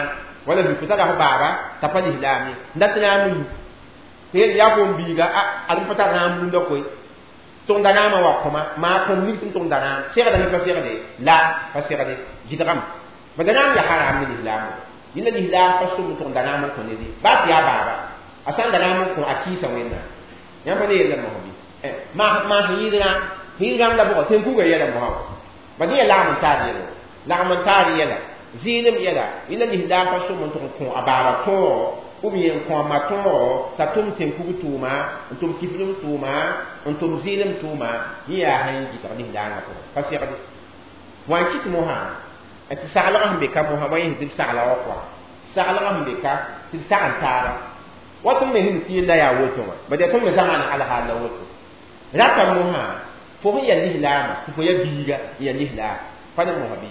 wala bi fo tara fo baaba t'a pa lislaam ye n dat na n mi tɩ yel yaa fo n biiga a ad pa tar rãam rũndã koe tʋg da rãamã wa kõma maa kõm nig tɩ n tʋg n da rãam segda ne pa segde la pa segde gɩdgame ba da rãam yaa haram ne lislaam yẽnda lislaam pa sʋm n tʋg n da rãam n kõ ned ye baa tɩ yaa baaba a sã n da rãam n kõ a kɩɩsa wẽnnaam yãmb pa ne yella mosã bɩ maa sẽn yɩɩd rãam yɩɩd rãam la bʋgã tẽn-kuga yɛla mosã wa ba dẽ yaa lagm n taar yɛla lagm n taar yɛla zɩɩlem yɛla yẽnda lislaam pa sʋm n tʋg n kõ a baaba tõogo ou bien n kõ a ma tõogo t'a tʋm tẽn-kug tʋʋma n tʋm kiflem tʋʋma n tʋm zɩɩlem tʋʋma yẽ yaa sẽn gɩdg lislaangã pʋgẽ pa segde wã n kɩt mosã tɩ saglgã sẽn be ka mosã wa yẽ tɩ b sagla wa kɔa saglgã sẽn be ka tɩ b sag n taaba wa tõnd me sẽn tɩ yella yaa woto wã ba yaa tõnd me zãma alhaal la woto rata mosã fo sẽn yaa lislaamã tɩ fo yaa biiga n yaa lislaam pa ne mosã bɩ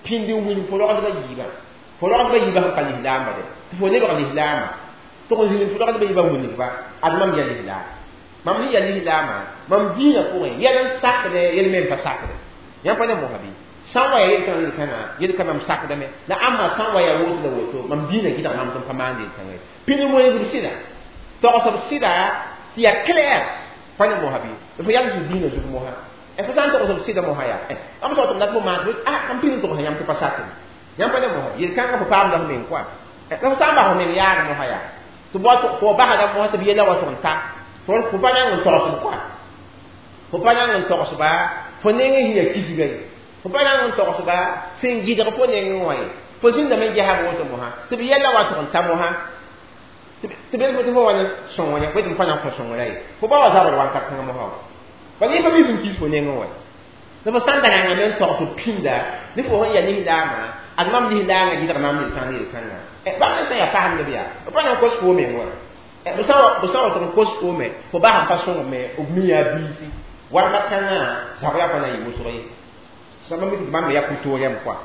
pĩnd n wilg fo rogdbã yiibã fo rogdbã yiibã sẽn pa lislaamba de tɩ fo lebg lislaamã tɩ g zĩnd fo rogdbã yiibã wilgba ad mam yaa lislaam mam sẽn yaa lislaamã mam dĩinã pʋgẽ yɛl n sakdɛ yɛl me n pa sakdɛ yãmb pa ne mosã bɩ sã n wa yaa yel-kãng yel-kãngã mam sakdame la ãmba sã n wa yaa woto la woto mam dĩinã gɩdg mam tɩ m pa maand yel-kãngã ye pĩnd n wilgb sɩda togsb sɩda tɩ yaa clair pa ne mosã bɩ fo yals dĩinã zug mosã fo sã n togsb sɩda mosã yaa ãmb sao tɩ m dat fo maan m pĩnd n togs yãmb tɩ pa sakd yãmb pa ne mosã yel-kãngã fo paamda f meng koa la fo sã n bas f meng yaag mosã yaa tɩ fo basda mosã tɩ b yella wa tʋg n ta fo pa nang n togsb koa fo pa nang n togsba fo neng n sẽn yaa kisga ye fo pa nang n togsba sẽn gɩdg fo nengẽ wã ye fo zĩndame n gesab woto mosã tɩ b yella wa tʋg n ta mosã tɩ bel fo tɩ fo wa ne sõng yã tɩ m pa na n kõ sõngra ye fo ba wa zabr wakat kãngã mosã wa bala yẽ pa mi sẽn kis fo nengẽ wã la fo sã n da rãngame n togs pĩnda ne fo sẽn yaa lislaamã ad mam lislaangã gɩdg maam yel-kãng yel-kãngã bãmb ne sã n yaa pasemd bɩ yaa b pa na n kos fo meng wa b sã wa tɩ n kos fo me fo bas n pa sõng me b mi yaa biisi warma kãngã zabra pa na n yɩ wʋsg ye sãmba mi tɩ bãmb me yaa ku-toorɛm koa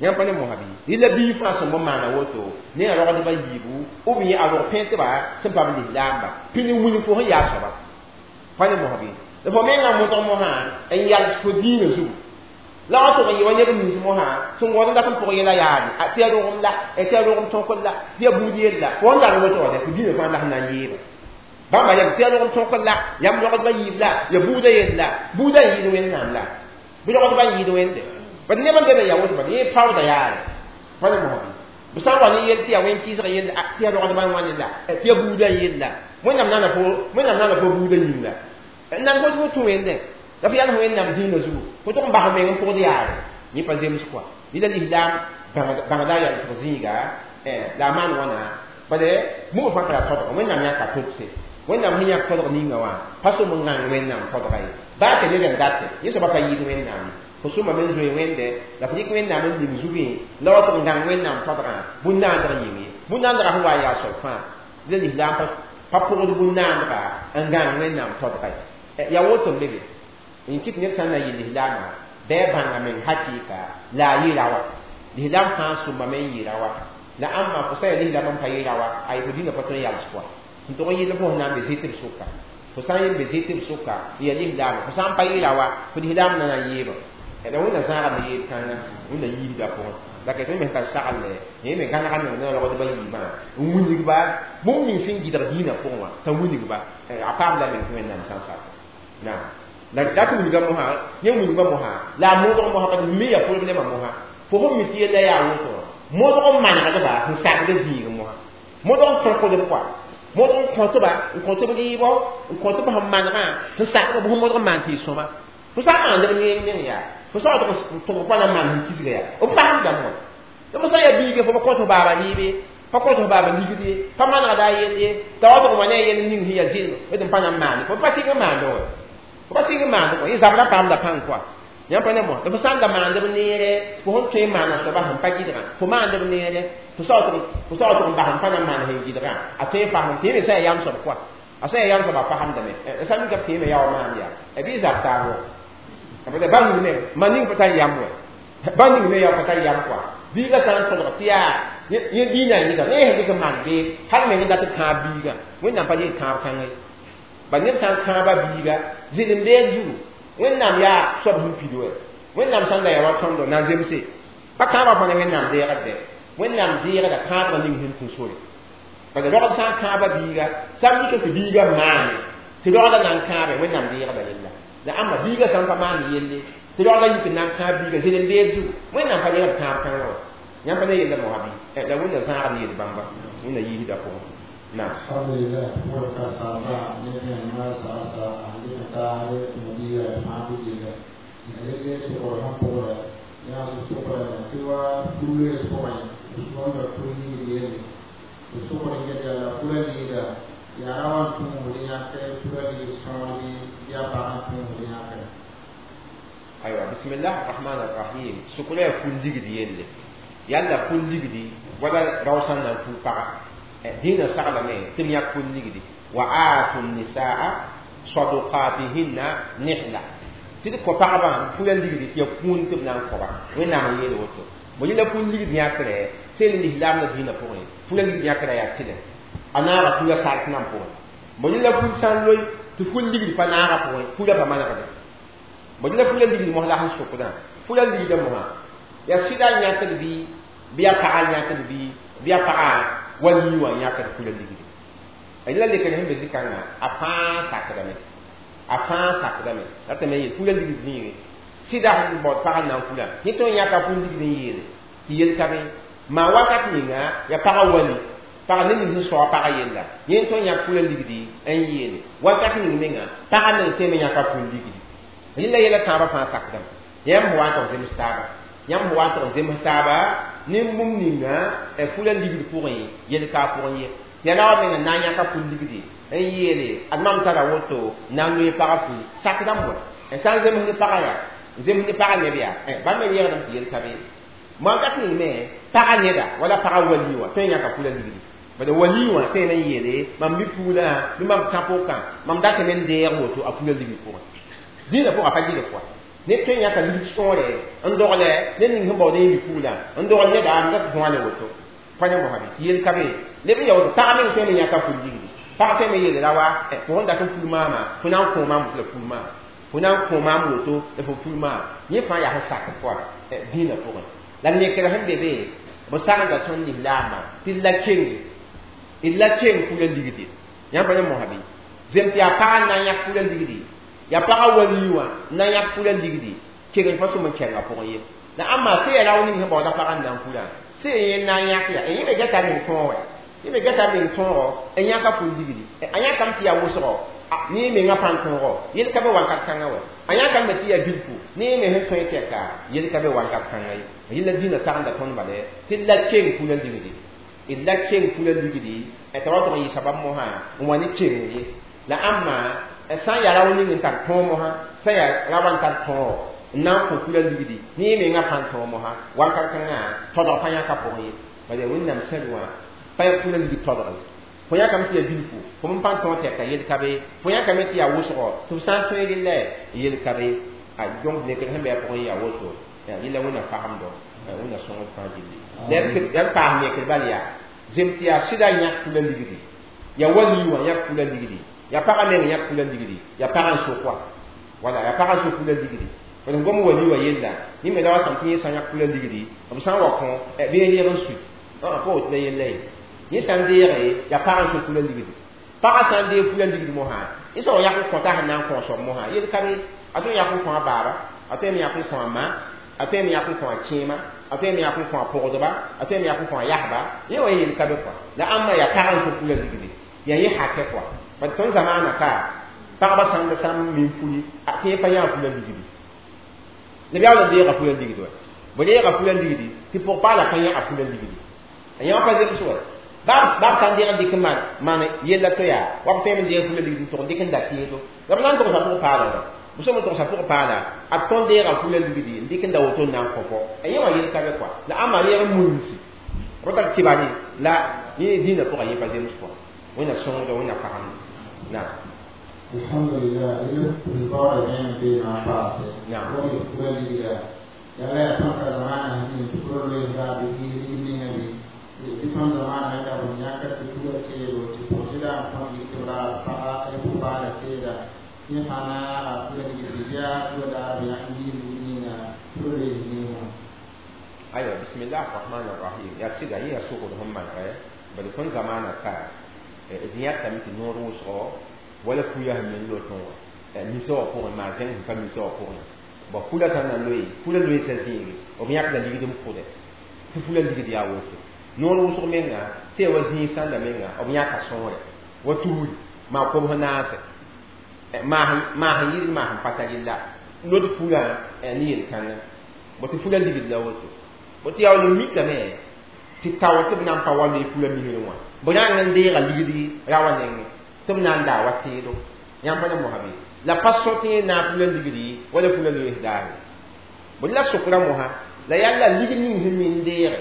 yãmb pa ne mosã bɩ yella bii fãa sẽn bõn maana woto ne a rogdbã yiibu ou bien a rog pẽntba sẽn paam lislaamba pĩnd n wilg fo sẽn yaa soaba pa ne mosã bɩ la fo mengã modg mosã n yals fo dĩinã zugu la wa tʋg n yɩ wa neb nins mosã sẽn gõod n dat n pʋg yɛla yaade tɩ yaa rogem la tɩ yaa rogem tõkr la tɩ yaa buud yell la fo n dar woto wã fo dĩinã fãa la sẽn na n yeeba bãmba yam tɩ yaa rogem tõkr la yam rogdbã yiib la ya buudã yell la buudã n yɩɩd wẽnnaam la bɩ rogdbã n yɩɩd wẽnde bad neb n be n yaa woto bad yẽ paoodã yaare pa ne mosã bɩ b sã n wa ne yell tɩ yaa wẽn-kɩɩsg yell tɩ yaa rogdbã n wãne la tɩ yaa buudã n yell la wẽnnaam naana fo wẽnnaam naana fo buudã yĩng la n nan fo tɩ fo tũ wẽndẽ la fo yals wẽnnaam dĩinã zugu fo tʋg n bas meng n pʋgd yaare yẽ pa zems koa yẽla lislaam bãngda yalsg zĩiga la a maan wãna bale bũmb fãa tara todg wẽnnaam yãka todse wẽnnaam sẽn yãk todg ninga wã pa sʋm n gãng wẽnnaam todga ye baa tɩ ned n date yẽ soaba pa yɩɩd wẽnnaam ye fo sʋmame n zoe wẽnde la fo dɩk wẽnnaam n ning zugẽ la wa tʋg n gãng wẽnnaam todgã bũn-naandg yĩng ye bũn-naandgã sẽn wa n yaa soab fãa la lislaam pa pʋgd bũn-naandga n gãng wẽnnaam todga ye yaa woto n be be n kɩt ned sã n na n yɩ lislaamã bɩ a bãnga meng hakɩɩka la a yɩ ra wa lislaam fãa sʋmame n yɩ ra wa la ãmba fo sã n yaa lislaam n pa yɩ ra wa ay fo dĩnã pa tõe n yals pʋa n tʋg n yɩl fo sẽn na n be zɩtb sʋka fo sã n yẽ be zɩtb sʋka n yaa lislaamã fo sã n pa yɩ ra wa fo lislaam na na n yeeba la wẽnna zãagame yeeb kãnga wẽnna yiisda pʋgẽ la ka tõe me tar sagle yẽ me gãnega meng ne rogdbã yiibã n wilgba bũmb ning sẽn gɩdg dĩinã pʋgẽ wã t'a wilgba a paamda meng tɩ wẽnnaam sã n sak naam la dat wilga mosã yẽ wilgba mosã la a modg mosã pa me yaa problɛmã mosã fo sẽn mi tɩ yella yaa woto wã modg n manegdba sẽn sakd zĩig mosã modg n tõkdb koa modg n kõtba n kõtb rɩɩbɔ n kõtb sẽn manegã sẽn sakd b sẽn modg n maan tɩ y sõma fo sã n maand b neng meng yaa fo sã wa tʋg pa na n maan sẽn kisga yaa b pasemdame wã la fo sã n yaa biiga fo pa kõt f baaba rɩɩbe pa kõt f baaba ligd ye pa manegda a yell ye t'a wa tʋg wa ne a yell ning sẽn yaa zɩlm tɩ m pa na n maande fo pa sɩng n maande wã fo pa sɩng n maande kõ yẽ zabra paamda pãng koa yãmb pa ne mosã la fo sã n da maand b neere fo sẽn tõe n maana soaba sẽn pa gɩdgã fo maand b neere fo sã wa tʋg n bas n pa na n maan sẽn gɩdgã a tõe n fasem tɩ yẽ me sã yaa yam soab koa a sã yaa yam soab a fasemdame sã n mika b tɩ yẽ me yaa wa maam yaa bɩ zab taab wa ba ning me ma ning pa tar yam wa ba ning me yaa pa tar yam koa biiga sã n tõdg tɩ yaa Yẽ diinã yɩga ne sẽn dɩk n maan bee hal meng n dat n kãab biigã Wẽnnaam pa yel kãab kãngã ye bal neb sã n kãaba biiga zɩlem-beed zugu Wẽnnaam yaa soab sẽn pid wɛ Wẽnnaam sãn da yaa wa tõndo na n zemse pa kãabã fõ ne Wẽnnaam deegd dɛ Wẽnnaam deegda kãabgã ning sẽn tũ sore bala rogd sã n kãaba biiga sã n mik tɩ biiga maane tɩ rogda na n kãabe Wẽnnaam deegda yella la ãmba biiga sã n pa maan yelle tɩ rogda yik n na n kãab biiga zɩlem-beed zugu Wẽnnaam pa deegd kãab kãngã wã yãmb pa ne yella mosã bɩ la Wẽnna zãagd yel bãmba Wẽnna yiisda pʋgẽ naam. Alhamdulillah, wala saba ne ma sa sa andi ta re mobila ma bi la ne so ko han ko la ya so ko la ti wa kule so ko ni so ko ko ni ni ni so ko ni ya la kula ni da ya rawan tu mu ni ya ke kula ni so ni ya ba han tu mu ni ya ke. Aywa, bismillah arrahman arrahim. Sukula ya kul ligdi yelle yalla kul ligdi wala rawsan nan kul paga dĩnã saglame tɩ b yãk kul ligdi wa aatu nisaa sadukatihinna nihla tɩ d kõ pagbã pula ligdi tɩ ya kũun tɩ b na n kõba Wẽnnaam n yeel woto bo yẽla kul ligd yãkrɛ sel lislaamdã dĩinã pʋgẽ pula ligd yãkrã yaa tɩlɛ a naaga pula sark nan pʋgẽ bo yẽla ful sã n loe tɩ ful ligd pa naaga pʋgẽ pula pa manegde bo yẽla pula ligd mos la sẽn sʋkdã pula ligdã mosã yaa sɩda n yãkd bɩ bɩ yaa paga n yãkd bɩ bɩ yaa paga wali wã yãkd pula ligdi a yẽla lekr sẽn be zĩ-kãngã a fãa sakdame a fãa sakdame ratame yeel pula ligd zĩige sɩda sẽn baood pag n na n kula yẽ tõe n yãka pul ligd n yeele tɩ yel ka be maa wakat ninga yaa pagã wali pag ne ning sẽn soa pagã yella yẽ tõe n yãk pula ligdi n yeele wakat ning menga pagã meng tõeme yãka pul ligdi yẽla yɛla tãabã fãa sakdame yãmb wa n tog zems taaba yãmb wa n tog zems taaba nin-bũmb ninga pula ligd pʋgẽ yel ka a pʋgẽ ye yaa la wa menga na n yãka pul ligdi n yeele ad mam tara woto na n loe pagã pul sakdame wa sã n zems ne pagã yaa zems ne pagã neb yaa bãmb me yẽgdame tɩ yel ka be wakat ning me pagã neda wala pagã wali wã tõe n yãka pula ligdi bala wali wã tõe n yeele mam mi puulã bɩ mam tã-pʋkã mam datame n deeg woto a pula ligd pʋgẽ dĩinã pʋgã pa gɩlg pʋa ned tõe n yãka ligd sõore n dogle ned ning sẽn baood n yɩ puulã n dogl neda n dat dõa ne woto pa ne mosã bɩ tɩ yel ka be leb n ya woto pag meng tõe n yãka pul ligdi pag tõe me yeele ra wa fo sẽn dat n pul maama fo na n kõ maam la pul maam fo na n kõ maam woto la fo pul maam yẽ fãa yaa sẽn sak pʋa dĩinã pʋgẽ la nekr sẽn be be b sagenda tõnd lislaambã tɩ d la keng d la keng pula ligdi yãmb pa ne mosã bɩ zem tɩ yaa pag n na n yãk pula ligdi yaa pagã wali wã n na n yãk pula ligdi keng pa sʋm n kɛnga pʋgẽ ye la ãmba sẽn yaa rao ning sẽn baooda pagã n na n pulã sẽn yẽ na n yãk yaa yẽ me gata meng tõog wɛ yẽ me gata meng tõogo n yãka pul ligdi a yãkame tɩ yaa wʋsgo ne yẽ mengã pãn tõogo yel ka be wakat kãngã wɛ a yãkame tɩ yaa bilfu ne yẽ me sẽn tõe tɛka yel ka be wakat kãngã ye yẽla dĩinã sagenda tõnd bala tɩ d la keng pula ligdi d la keng pula ligdi t'a wa tʋg n yɩ sabab mosã n wa ne keng ye la ãmba sã n yaa rao ning n tar tõog mosã sã n yaa ra wa n tar tõogo n na n kõ pula ligdi ne yẽ mengã pãn tõog mosã wakat kãngã todg pa yãka pʋgẽ ye bala Wẽnnaam sẽd wã pa ya pula ligd todg ye fo yãkame tɩ yaa bilfu fo m pãn tõog tɛka yel ka be fo yãkame tɩ yaa wʋsgo tɩ f sã n tõe rella yel ka be donc nekr sẽn be a pʋgẽ yaa woto yẽla Wẽnna fagemdo Wẽnna sõngd fãa gilli la b paas nekr bal yaa zem tɩ yaa sɩda yãk pula ligdi yaa wali wã yãk pula ligdi yaa pagã meng yãk pula ligdi yaa pagã n sok wa wala yaa pagã n sok pula ligdi b gom wali wã yella yẽ me la wa sãm tɩ yẽ sã n yãk pula ligdi b sã n wa kõ bɩ yẽ leb n sui pa woto la yella ye yẽ sã n deege yaa pagã n sok pula ligdi pagã sã n deeg pula ligdi mosã yẽ sã wa yak n kõta sẽn na n kõosb mosã yel ka be a tõe n yak n kõ a baaba a tõe n yak n kõ a ma a tõe n yak n kõ a kẽema a tõe n yak n kõ a pʋgdba a tõe n yak n kõ a yasba yẽ wa yel ka be kɔa la ãmba yaa pagã n sok pula ligdi yaa yẽ hakɛ kɔa bad tõnd zamaana ka pagba sãnd sã n min puli tɩ yẽ pa yã pula ligdi la b yaool n deega pula ligdi wa b deega pula ligdi tɩ pʋg-paala pa yã a pula ligdi a yã wã pa zems wa baab sã n deeg n dɩk n maan yella to yaa wa b tõeme n deeg pula ligdi n tʋg n dɩk n da teedo la b na n togsa pʋg-paala wa b sõm n togsa pʋg-paala a tõnd deega pula ligdi n dɩk n da woto n na n kõ a yẽ wã yel ka be kɔa la ãmba reeg n munsi b tar kɩbane la yẽ dĩinã pʋgã yẽ pa zems kɔa Wẽnna sõngdo Wẽnna pagemd naam. Alhamdulillah, ile kulibara ne be na paase. Wani kula ligira. Yala ya panka zamana ni tukuro le ga bi ni ni ni. Tɩ tõnd zamaana da b yãka tɩ fugã teedo tɩ pʋgsɩda n tõnd yik tɩ b ra paga pʋ-paala teeda yẽ fãa naaga fugã ligd bɩa fugã daar b yãk yiib ninga fugã loees zĩig wã. Aywa, bismillah rahman rahim. Yaa sɩda yẽ yaa sokd sẽn manegɛ bala tõnd zamaana ka d yãtame tɩ noor wʋsgo wala fuya sẽn men lotẽ wã misa wã pʋgẽ maa zẽng sẽn pa misa wã pʋgẽ bõ fula sã n na loe fula loeesa zĩige b yãkda ligd n pʋdɛ tɩ fula ligd yaa woto noor wʋsg menga tɩ ya wa zĩig sãnda menga b yãka sõore wa tuuri maa kobs naase maa sẽn yɩl maa sẽn pa tar la lod fulã ne yel-kãngã bõ tɩ fula ligd la woto bõ tɩ yaool n mikame tɩ tao tɩ b na n pa wa loe fula misrẽ wã b rãng n deega ligd ra wã nengẽ tɩ b na n daa wa teedo yãmb pa ne mosã bɩ la pa sõ tɩ yẽ naag fula ligdi wala fula loees daare bõ la sokra mosã la yaa la ligd ning sẽn mi n deege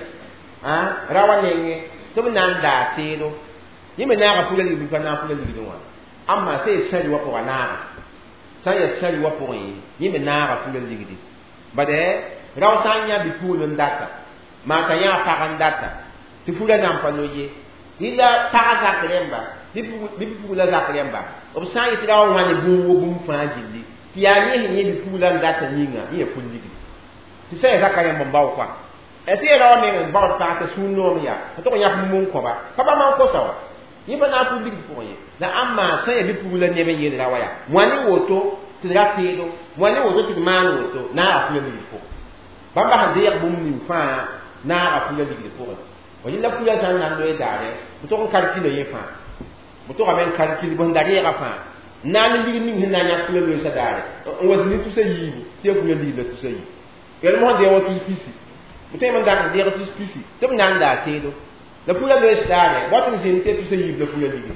ra wã nengẽ tɩ b na n daa teedo yẽ me naaga fula ligd bɩ pa naag fula ligdẽ wã amma sã yaa sãri wã pʋga naaga sã n yaa sãri wã pʋgẽ yẽ me naaga fula ligdi bade rao sã n yã bipugl n data maa t'a yã pag n data tɩ fula nan pa lo ye rɩla pagã zak rẽmba bɩ bipugla zak rẽmba b sã n yetɩ ra wa wãne bũmb wo bũmb fãa gilli tɩ yaa yẽ sẽn yẽ bipugla n data yĩnga yẽ yaa ful ligdi tɩ sã yaa zaka rẽmb n bao koa sã yaa ra wa meng n baood pag t'a sũur noom yaa t'a tog n yãk mum n kõba pa bãmb n kosa wa yẽ pa na n ful ligd pʋgẽ ye la ãmba sã n yaa bipugla neb n yeel ra wa yaa wãne woto tɩ d ra teedo wãne woto tɩ d maan woto naaga fula ligd pʋgẽ bãmba sẽn deeg bũmb ning fãa naaga fula ligd pʋgẽ wa yella fula sã n na n loe daare b tog n kalkila yẽ fãa b togame n kalkil b sẽn da reega fãa na n ligd ning sẽn na n yãk fula loeesa daare n wa zĩni tusa yiibu tɩ ya fula ligd la tusa yiib yel mosã deeg wa tus pisi b tõe n dak n deeg tus pisi tɩ b na n daa teedo la fula loees daare wat n zĩnd tɩ ya tusa yiib la fula ligd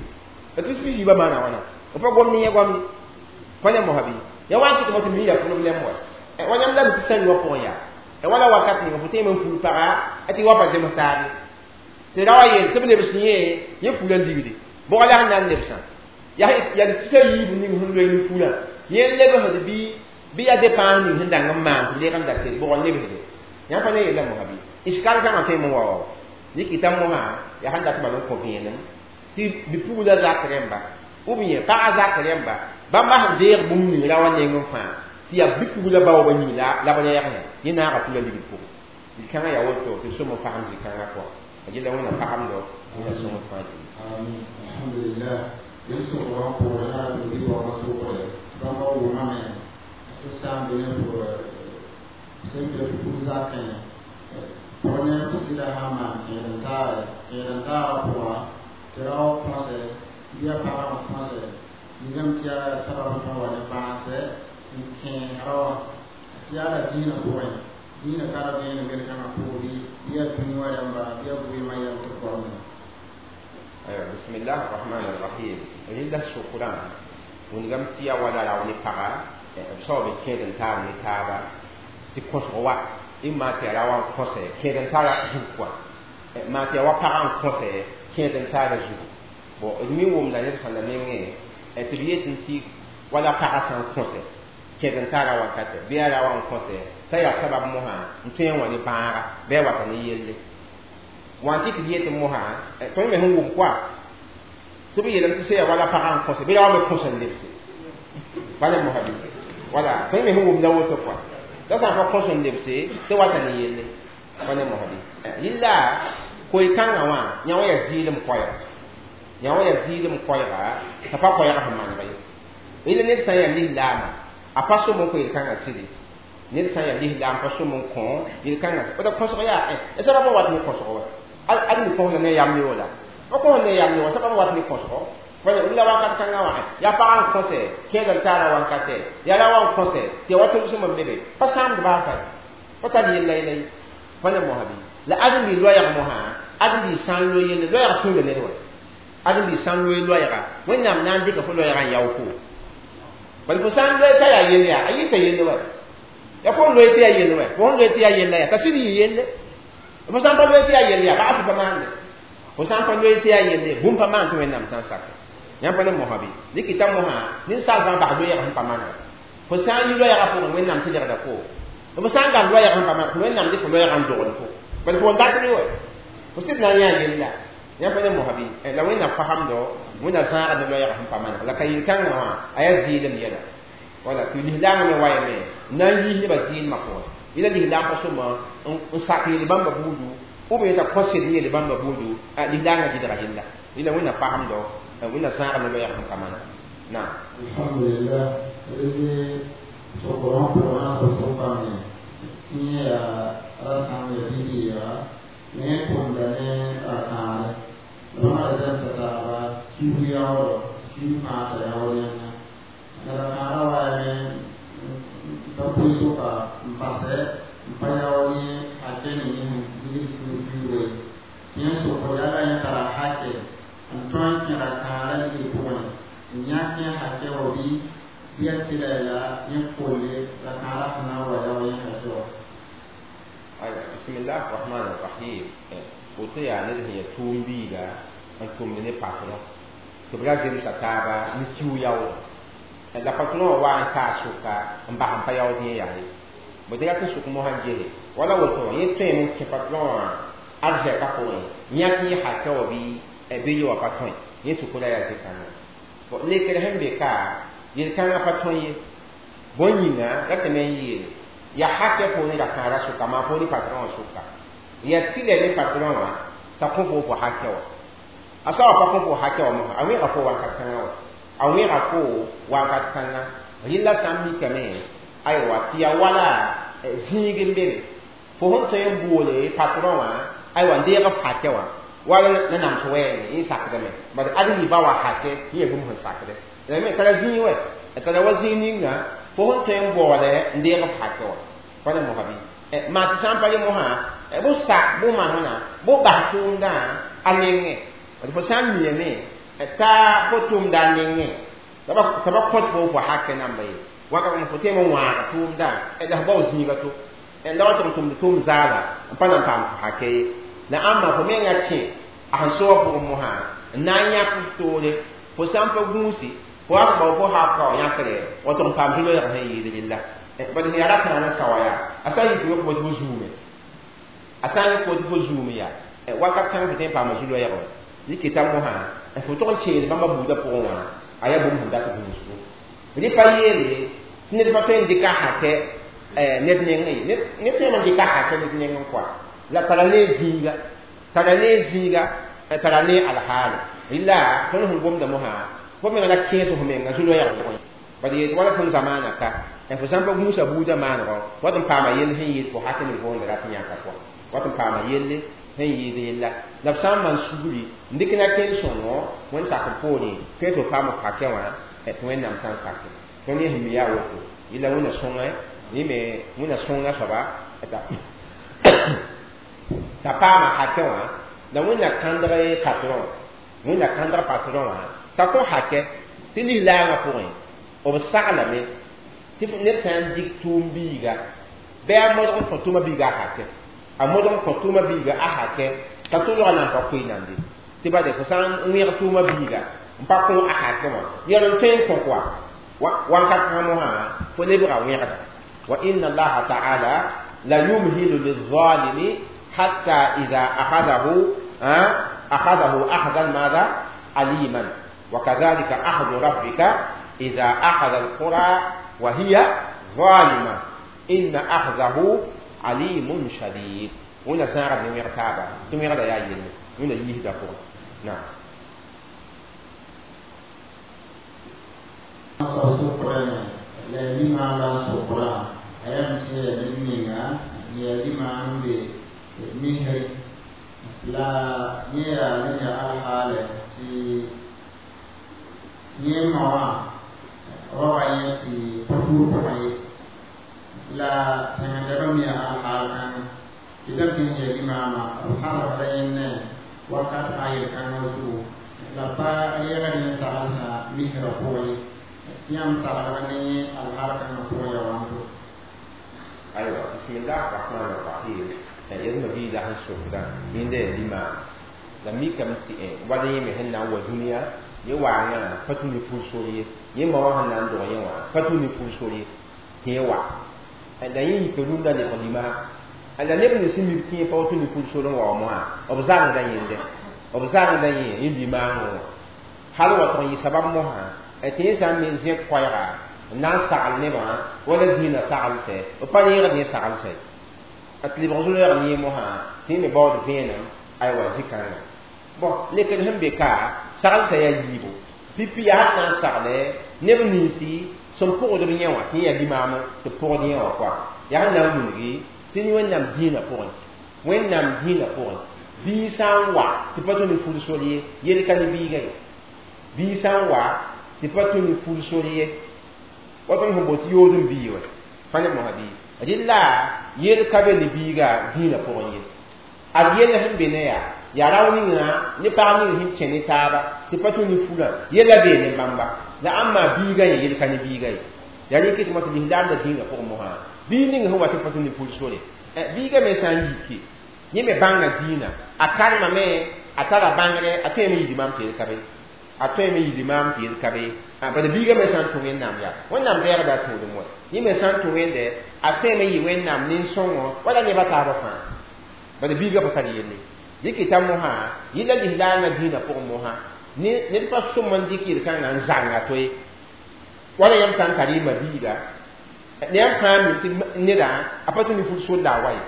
la tus pisi yiibã maana wãna b pa gom ne yẽ gomde pa ne mosã bɩ ya wa n tɩ tɩ mi ya problème wa wa yãmb la mi tɩ sãn wã pʋgẽ yaa wala wakat ninga fo tõe n ful paga tɩ wa pa zems taabe tɩ ra wa yeel tɩ b lebs yẽ yẽ fula ligdi bʋga la sẽn na n lebsã yaa tusa yiib ning sẽn loe ne fulã yẽ lebsd bɩ yaa dépens ning sẽn dang n maan tɩ leeg n da tɩ bʋg n lebsde yãmb pa ne yeela mosã bɩ iskal kãngã tõe n wa wa dɩkɩta mosã yaa sẽn dat bal n kõ vẽenem tɩ bipugla zak rẽmba ou bien pagã zak rẽmba bãmba sẽn deeg bũmb ning ra wã neng n fãa tɩ yaa bipugla baoobã yĩng la b rɛɛgẽ yẽ naaga fula ligd pʋgẽ zĩ-kãngã yaa woto tɩ sõm n pagem zĩ-kãngã pʋga a yella wẽnnaam pagemdo wẽnna sõm n fãa gilli. Amin, alhamdulillah. Yel sokr wã pʋgẽ yaa tɩ bɩ baoogã sokre bãmba wʋmame tɩ sã n be ne fo sẽn be fug zakẽ pʋg ne f sɩda sã n maan kẽed n taare kẽed n taagã pʋga tɩ ra wa kõsɛ bɩ yaa pagã n kõsɛ nigame tɩ yaa sabab n tõe wa ne bãasɛ n kẽ ra wã tɩ yaa la zĩinã pʋgẽ zĩinã ka ra vẽenem yel-kãngã pʋgẽ bɩ yaa dũni wã rẽmba bɩ yaa bʋɩɩmã yɛl tɩ goamda. Aywa, bismillah rahman rahim. Rɩla sokrã wĩnigame tɩ yaa wala rao ne paga b saob n kẽed n taar ne taaba tɩ kõsg wa maa tɩ yaa ra wa n kõsɛ kẽed n taara zug kɔa maa tɩ yaa wa pagã n kõsɛ kẽed n taara zugu bon d mi wʋmda ned sãnda nengẽ tɩ b yetɩ tɩ wala pagã sã n kõsɛ kẽed n taara wakatɛ bɩ yaa ra wa n kõsɛ t'a yaa sabab mosã n tõe n wa ne bãaga bɩ a wata ne yelle wã tɩ tɩ b yetɩ mosã tõnd me sẽn wʋm koa tɩ b yeelame tɩ sã yaa wala pagã n kõsɛ bɩ ra wa me kõs n lebse pa ne mosã bɩ wala tõnd me sẽn wʋmda woto koa la sã n pa kõs n lebse tɩ wata ne yelle pa ne mosã bɩ rɩla koe-kãngã wã yã wã yaa zɩɩlem koɛɛga yã wã yaa zɩɩlem koɛɛga t'a pa koɛɛga sẽn maneg ye rɩla ned sã n yaa lislaamã a pa sõm n kõ yel-kãngã tɩle ned sã n yaa lislaam pa sõm n kõ yel-kãngã d kõsg yaa sabab n wat ne kõsg wa ad mi kõsda ne yam ne la pa kõs ne yam ne wa sabab n wat ne kõsgo la wakat kãngã wã yaa pagã n kõsɛ kẽed n taara wankatɛ yaa ra wa n kõsɛ tɩ ya wa tʋmsem n bebe pa sãamd baa fa pa tar yella yella ye pa ne mosã bɩ la ãdem-bi loɛɛg mosã ãdem-bi sã n loe yelle loɛɛg tũuda ned wa ãdem-bi sã n loe loɛɛga wẽnnaam na n dɩka fo loɛɛgã n yao fo bala fo sã n loe t'a yaa yelle yaa a yɩta yelle wa ya fo n loe tɩ yaa yelle wa fo n loe tɩ yaa yella yaa t'a sɩd yɩ yelle fo sã n pa loe tɩ yaa yelle yaa ba'as pa maande fo sã n pa loe tɩ yaa yelle bũmb pa maan tɩ wẽnnaam sã n sake yãmb pa ne mosã bɩ dɩkɩta mosã ninsaal fãa bas loɛɛg sẽn pa manega fo sã n yi loɛɛgã pʋgẽ wẽnnaam tɩ legda fo fo sã n gam loɛɛg sẽn pa maneg wẽnnaam dɩk fo loɛɛgã n dogl fo bala fo n datr wa Fo sɩd na n yã yella yãmb pa ne mosabi la wẽnnaam fasamdo wẽnna zãagd ne loɛɛg sẽn pa maneg la ka yel-kãngã wã a yaa zɩɩlem yɛla wala tɩ lislaamã me wayame n na n yiis nebã zɩɩlmã pʋgẽ yẽla lislaam pa sõma n sak yel bãmba buudu ou bien t'a kõ sed n yel bãmba buudu lislaangã gɩdga yella yẽla wẽnna fasamdo wẽnna zãagd ne loɛɛg sẽn pa maneg naam. Alhamdulillah sokoro pʋgẽ na sab sʋkame tɩ yẽ yaa rasãm ya bibiiga ne tʋmda ne rakãare la bãmba ra zẽmsa taaba kiug yaoodɔ tɩ kiug fãa t'a yaood yẽnda la rakãarã waayame t'a pʋɩ sʋka n basɛ n pa yaood yẽ hakɛ ning yẽ sẽn digd kiug kiuga ye tɩ yẽ sokd yaa la yẽ tara hakɛ n tõe n kẽ rakãarã ligd pʋgẽ n yãk yẽ hakɛ wa bɩ bɩ a tɩla la yẽ kolle rakãarã sẽn na n wa yaood yẽ hakɛ wa. Aywa, bismillah rahman rahim. Woto yaa ned sẽn yaa tʋʋm biiga n tʋmd ne patron tɩ b ra zemsa taaba n kiu yaood la patron wã wa n taa sʋka n bas n pa yaood yẽ yaa ye bõ tɩ rat n sʋk mosã n gese wala woto yẽ tõeme n kẽ patron wã arzɛka pʋgẽ yãk yẽ hakɛ wa bɩ ye wa pa tõe yẽ sʋkra yaa zĩ-kãngã bon lekr sẽn be ka yel-kãngã pa tõe ye bõn yĩnga ratame n yeele ya hakɛ poorẽ rakãara sʋka maa poorẽ patron wã sʋka ya tɩlɛ ne patron wã t'a kõ fo fo hakɛ wa a soaba pa kõ fo hakɛ wa mosã a wẽega fo wakat kãngã wa a wẽega fo wakat kãngã rɩla sã n mikame aywa tɩ ya wala zĩig n be be fo sẽn tõe n boole patron wã aywa n deeg f hakɛ wã wala na nams wɛɛngẽ yẽ sakdame bad ad yiba wa hakɛ yẽ ya bũmb sẽn sakdɛ la me tara zĩig wɛ a tara wa zĩig ninga fo sẽn tõe n baoole n deeg f hakɛ wa pa ne mosã bɩ maa tɩ sã n pa ye mosã bʋ sak bʋ manegna bʋ bas tʋʋmdã a nengẽ d fo sã n miame t'a fo tʋʋmda a nengẽ t'a ba kõt fo fo hakɛ namba ye wakat fo tẽem n wãag tʋʋmdã la f bao zĩiga to la wa tɩ n tʋmd tʋʋm zaala n pa na n paam fo hakɛ ye la ãmba fo menga kẽ a sẽn soa pʋgẽ mosã n na n yãk f toore fo sã n pa gũusi fo wa bao fo haka wa yãkre wa tɩ n paam zu-loɛɛg sẽn yɩɩd rella bad sẽn yaa rakãana sawa yaa a sã n yik fo tɩ fo zuume a sã n yik fo tɩ fo zuum yaa wakat kãng fo tõe n paama zu-loɛɛg wa dɩkɩta mosã fo tog n keel bãmba buudã pʋgẽ wã a yaa bũmb sẽn dat gũusgo rɩ pa yeele tɩ ned pa tõe n dɩka hakɛ ned nengẽ ye ned tõeme n dɩka hakɛ ned nengẽ koa la tara ne zĩiga tara ne zĩiga tara ne alhaale rɩla tõnd sẽn gomda mosã fo menga la kẽes f menga zu-loɛɛg pʋgẽ bad yeel wala tõnd zamaana ka fo sã n pa gũusa buudã maanego wat n paama yell sẽn yɩɩd fo hakẽ ned foonda rat n yãka pʋgẽ wat n paama yelle sẽn yɩɩd yella la b sã n maan sugri n dɩk na kẽen-sõngo wẽnd sak n poorẽ tõe tɩ f paam f hakɛ wã tɩ wẽnnaam sã n sake tõnd yẽ sẽn mi yaa woto yella wẽnna sõngẽ yẽ me wẽnna sõnga soaba t'a paama hakɛ wã la wẽnna kãndg patron wẽnna kãndg patron wã t'a kõ hakɛ tɩ lislaangã pʋgẽ b saglame tɩ ned sã n dɩk tʋʋm biiga bɩ a modg n kõ tʋʋma biiga a hakɛ a modg n kõ tʋʋma biiga a hakɛ t'a tʋlga na n pa koe nande tɩ bade fo sã n wẽeg tʋʋma biiga n pa kõ a hakɛ wã yɛl n tõe n kõ koa wakat kãngã mosã fo lebga wẽgda wa inna allaha ta'ala la yumhilu lizalimi hatta idha akhadahu akhadahu akhdan madha aliman wa kadhalika akhdhu rabbika idha akhadha alqura wa hiya zalima inna akhdahu alimun shadid wẽnna zãagd ne wẽg taaba tɩ wẽgda yaa yelle wẽnna yiisda pʋgẽ naam. La limaam la n sokra a yaa tɩ yaa ned ninga n yaa limaam n be misri la yẽ yaa ned yaa alhaale tɩ yẽ ma wã wa wa yẽ tɩ pʋ-tuur pʋgẽ ye la sẽngdbã me yaa alhaal kãngã tɩ da bɩ n yaa limaamã b sãbsda yẽnne wakat fãa yel-kãngã zugu la pa reegd yẽ saglsã misrã pʋgẽ ye tɩ yãmb saglg ne yẽ alhaal kãngã pʋgẽ yaa wãnto. Aywa, bismillah rahman rahim. Yẽdmã biida sẽn sokdã yẽnda yaa limaam la mikame tɩ wala yẽ me sẽn na n wa dũniyã yẽ waangã pa tũ ne pʋʋl-sor ye yẽ ma wã sẽn na n dog yẽ wã pa tũ ne pʋʋl-sor ye tɩ yẽ wa la yẽ yika rũndã lebg limaam La neb nins sẽn mi b tẽeg pa woto ne ful sor n wa mosã b zãngda yẽnde b zãngda yẽ yẽ limaangẽ wã hal wa tʋg n yɩ sabab mosã tɩ yẽ sã n me zẽk koɛɛga n na n sagl nebã wala dĩinã saglsɛ b pa reegd yẽ saglsɛ tɩ lebg zu-loɛɛg ne yẽ mosã tɩ yẽ me baood vẽenem aywa zĩ-kãngã bõn lekd sẽn be ka saglsã yaa yiibu pipi yaa sẽn na n sagle neb ninsi sẽn pʋgd b yẽ wã tɩ yẽ yaa limaam tɩ pʋgd yẽ wã koa yaa sẽn na n wilgi tɩ Wẽnnaam dĩinã pʋgẽ Wẽnnaam dĩinã pʋgẽ bii sã n wa tɩ pa tũ ne ful sor ye yel ka ne biiga ye bii sã n wa tɩ pa tũ ne ful sor ye wa tõnd sẽn boot yood n bii wa pa ne mosã bii rɩla yel ka be ne biiga dĩinã pʋgẽ ye ad yell sẽn be ne yaa yaa rao ninga ne pag ning sẽn kẽ ne taaba tɩ pa tũ ne fulã yella bee ne bãmba la ãmba biiga yẽ yel ka ne biiga ye yaa rẽ kɩtmã tɩ lislaamda dĩinã pʋgẽ mosã bii ning sẽn wa tɩ pa tũ ne ful sore biiga me sã n yike yẽ me bãnga dĩinã a karemame a tara bãngre a tõeme yɩ limaam tɩ yel ka be a tõeme yɩ limaam tɩ yel ka be bala biiga me sã n tũ Wẽnnaam yaa Wẽnnaam deegda a tũudum wa yẽ me sã n tũ Wẽnde a tõeme yɩ Wẽnnaam nin-sõngo wala nebã taabã fãa bala biiga pa tar yelle dɩkɩta mosã yɩla lislaamã dĩinã pʋgẽ mosã ned pa sõm n dɩk yel-kãngã n zãnga to-ye wala yãmb sã n tar y ma-biiga ne yãmb fãa mi tɩ neda a pa tũ ne ful sor la a wa ye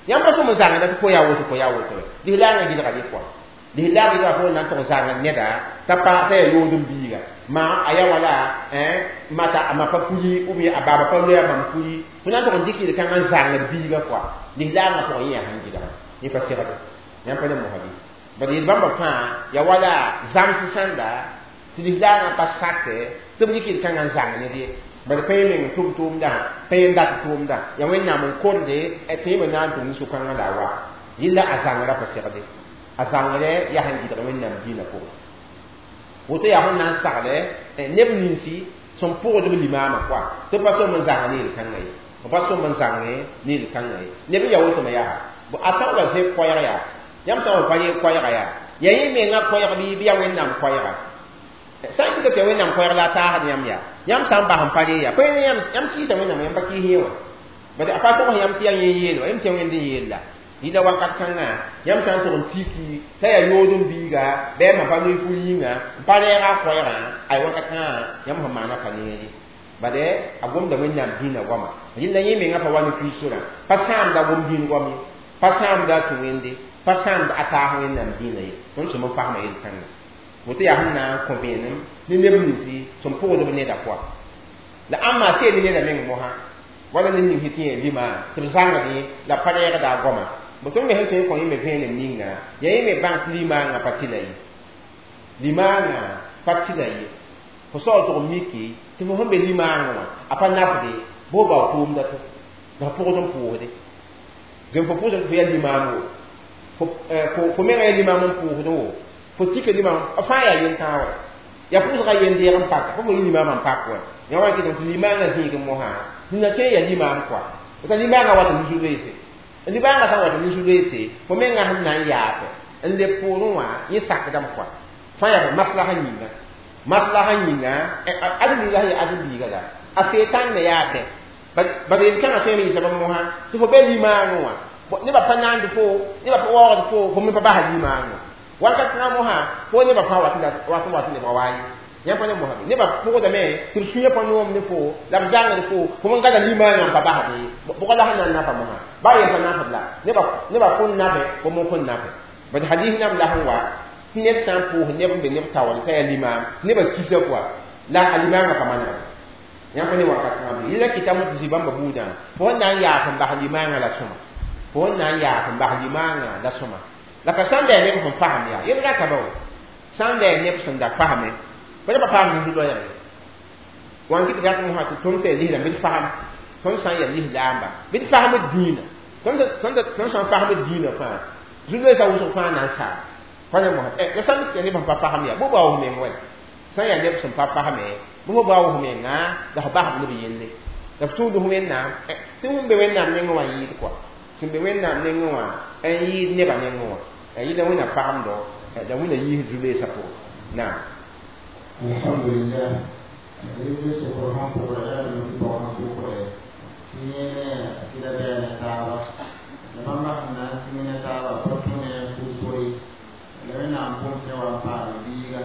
yãmb pa sõm n zãngda tɩ fo yaa woto fo yaa woto lislaamã gɩlga dɩ pʋga lislaam gɩlga fo na n tʋg zãngd neda t'a pa t'a yaa yood n biiga ma a yaa wala mata a ma pa puli ou bien a baaba pa loe a bãmb puli fo na n tʋg n dɩk yel-kãngã n zãngd biiga pʋga lislaamã pʋgẽ yẽ yaa sẽn gɩlga yẽ pa segd yãmb pa ne mosã bɩ bad yel bãmba fãa yaa wala zãms sãnda tɩ lislaamã pa sakɛ tɩ b dɩk yel-kãngã n zãng ned ye bad pa yẽ meng tʋm tʋʋmdã pa yẽ dat tʋʋmdã yaa Wẽnnaam n korde tɩ yẽ me na n tʋm ne sʋkãngã la a wa yella a zãngrã pa segde a zãngrẽ yaa sẽn gɩdg Wẽnnaam dĩinã pʋgẽ woto yaa sẽn na n sagle neb ninsi sẽn pʋgd b limaamã pʋa tɩ pa sõm n zãng ne yel-kãngã ye b pa sõm n zãng ne yel-kãngã ye neb n yaa wotome yaa a sã n wa zẽk koɛɛg yaa yãmb sã n wa pa yẽ koɛɛga yaa yaa yẽ menga koɛɛg bɩ yaa Wẽnnaam koɛɛga sã n kɩta tɩ yaa Wẽnnaam koɛɛg la a taasd yãmb yaa yãmb sã n bas n pa re yaa pa yãmb kɩɩsa Wẽnnaam yãmb pa kɩɩs yẽ wã bad a pa tog yãmb tɩ yaa yẽ yeel wa yãmb tɩ Wẽnd n yeel la yɩla wakat kãngã yãmb sã n tʋg n tiki t'a yaa yood n biiga bɩ a ma pa loe ful yĩnga n pa rɛɛga a koɛɛgã ay wakat kãngã yãmb sẽn maana pa neere bad a gomda Wẽnnaam dĩinã goama rɩla yẽ menga pa wa ne kuy sorã pa sãamda gom dĩin goam ye pa sãamda a tũ Wẽnde pa sãamda a taas Wẽnnaam dĩinã ye tõnd sẽm n fasma yel-kãngã woto yaa sẽn na n kõ vẽenem ne neb ninsi sẽn pʋgd b neda pʋa la ãmba a teel neda meng mosã wala ned ning sẽn tɩ yẽ lima tɩ b zãngd yẽ la pa reegda a goama bo tõnd me sẽn tõe n kõ yẽ me vẽenem ninga yaa yẽ me bãng tɩ limaangã pa tɩla ye limaangã pa tɩla ye fo sao tʋg n miki tɩ fo sẽn be limaangã wã a pa nafde bɩ fo bao tʋʋmda to la fo pʋgd n pʋʋsde zem fo pʋʋsd fo yaa limaam wo fo menga yaa limaam n pʋʋsd wo fo tika limaam a fãa yaa yel-tãag wa yaa pʋʋsga yen-deeg n paka fo fo yɩ limaamã n pak wa yaa wa kɩtame tɩ limaangã zĩig mosã sẽn na tõe n yaa limaam koa t'a limaangã wat n nisu-loeese limaangã sã n wat n nisu-loeese fo menga sẽn na n yaate n leb poorẽ wã yẽ sakdame koa fãa yaa maslaha yĩnga maslaha yĩnga ad-biiga sẽn yaa ad-biiga la a seetãn ne yaa dẽ bad yel-kãngã tõe n yɩ soab mosã tɩ fo be limaangẽ wã nebã pa naand fo nebã pa waoogd fo fo me pa basa limaangẽ wakat kãngã mosã fo nebã fãa wat n wat nebã wa ye yãmb pa ne mosã nebã pʋgdame tɩ b sũyã pa noom ne fo la b zãngd fo fo n gada limaangã n pa basd ye bʋga la sẽn na n nafa mosã baa yel pa nafd la nebã kõn nafe fo mo kõn nafe bad hadis nam la sẽn wa tɩ ned sã n pʋʋs neb n be neb taoor t'a yaa limaam nebã kisa koa la a limaangã pa manegd yãmb pa ne wakat kãngã bɩ yẽla kɩtame tɩ zĩ-bãmba buudã fo sẽn na n yaas n bas limaangã la sõma fo sẽn na n yaas n bas limaangã la sõma la ka sãn da yaa neb sẽn fasem yaa yel rata ba wa sãn da yaa neb sẽn da fasme pa nebã paam nisu-loɛɛg ye wã n kɩt rat mosã tɩ tõnd t'a yaa lislaam bɩ d fasem tõnd sã n yaa lislaamba bɩ d fasem d dĩinã tõnd sã n fasem d dĩinã fãa zu-loeesã wʋsg fãa na n saam pa ne mosã la sãn yaa neb sẽn pa fasem yaa bɩ bao meng wɛ sã n yaa neb sẽn pa fasme bɩ fo bao f menga la f basb neb yelle la f tũud Wẽnnaam tɩ sẽn be Wẽnnaam nengẽ wã yɩɩd koa sẽn be Wẽnnaam nengẽ wã n yɩɩd nebã nengẽ wã yɩla Wẽnnaam fagemdo la Wẽnna yiis zu-loeesã pʋgẽ naam. Alhamdulillah rɩ sokr sẽn pʋgra yaa tɩ pɔgã sʋkre tɩ yẽ ne a sɩda bɩa ne taaba La bãmba sẽn na n sĩng ne taabã pa tũ ne pʋʋsgre la Wẽnnaam pʋʋm tɩ wa n paam biiga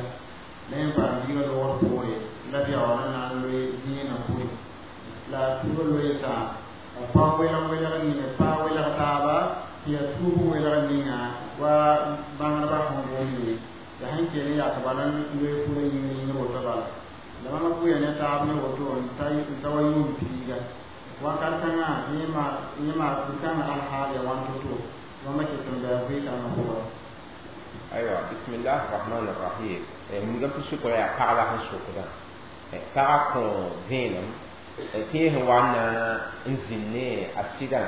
la yẽ paam biiga loogr poore la b yaool n na n loe dĩinã pʋre la a tuubã loeesã a pa welg welg ninga pa welg taaba tɩ yaa tuub welg ninga wa bãngdbã sẽn gomde la sẽn kell n yak bala n loe pʋrã yĩngr yĩngr woto bala la bãmba pʋʋya ne taab ne woto n ta wa yʋʋm piiga wakat kãngã yẽ maa pʋ-kãngã alhaal ya wãn to-to bãmba ket n bɩ a vɩ-kãngã pʋga. Aywa, bismillah rahman rahim. Wilgame tɩ sʋkra yaa pag la sẽn sokdã pagã kõ vẽenem tɩ yẽ sẽn wa n na n zĩnd ne a sɩdã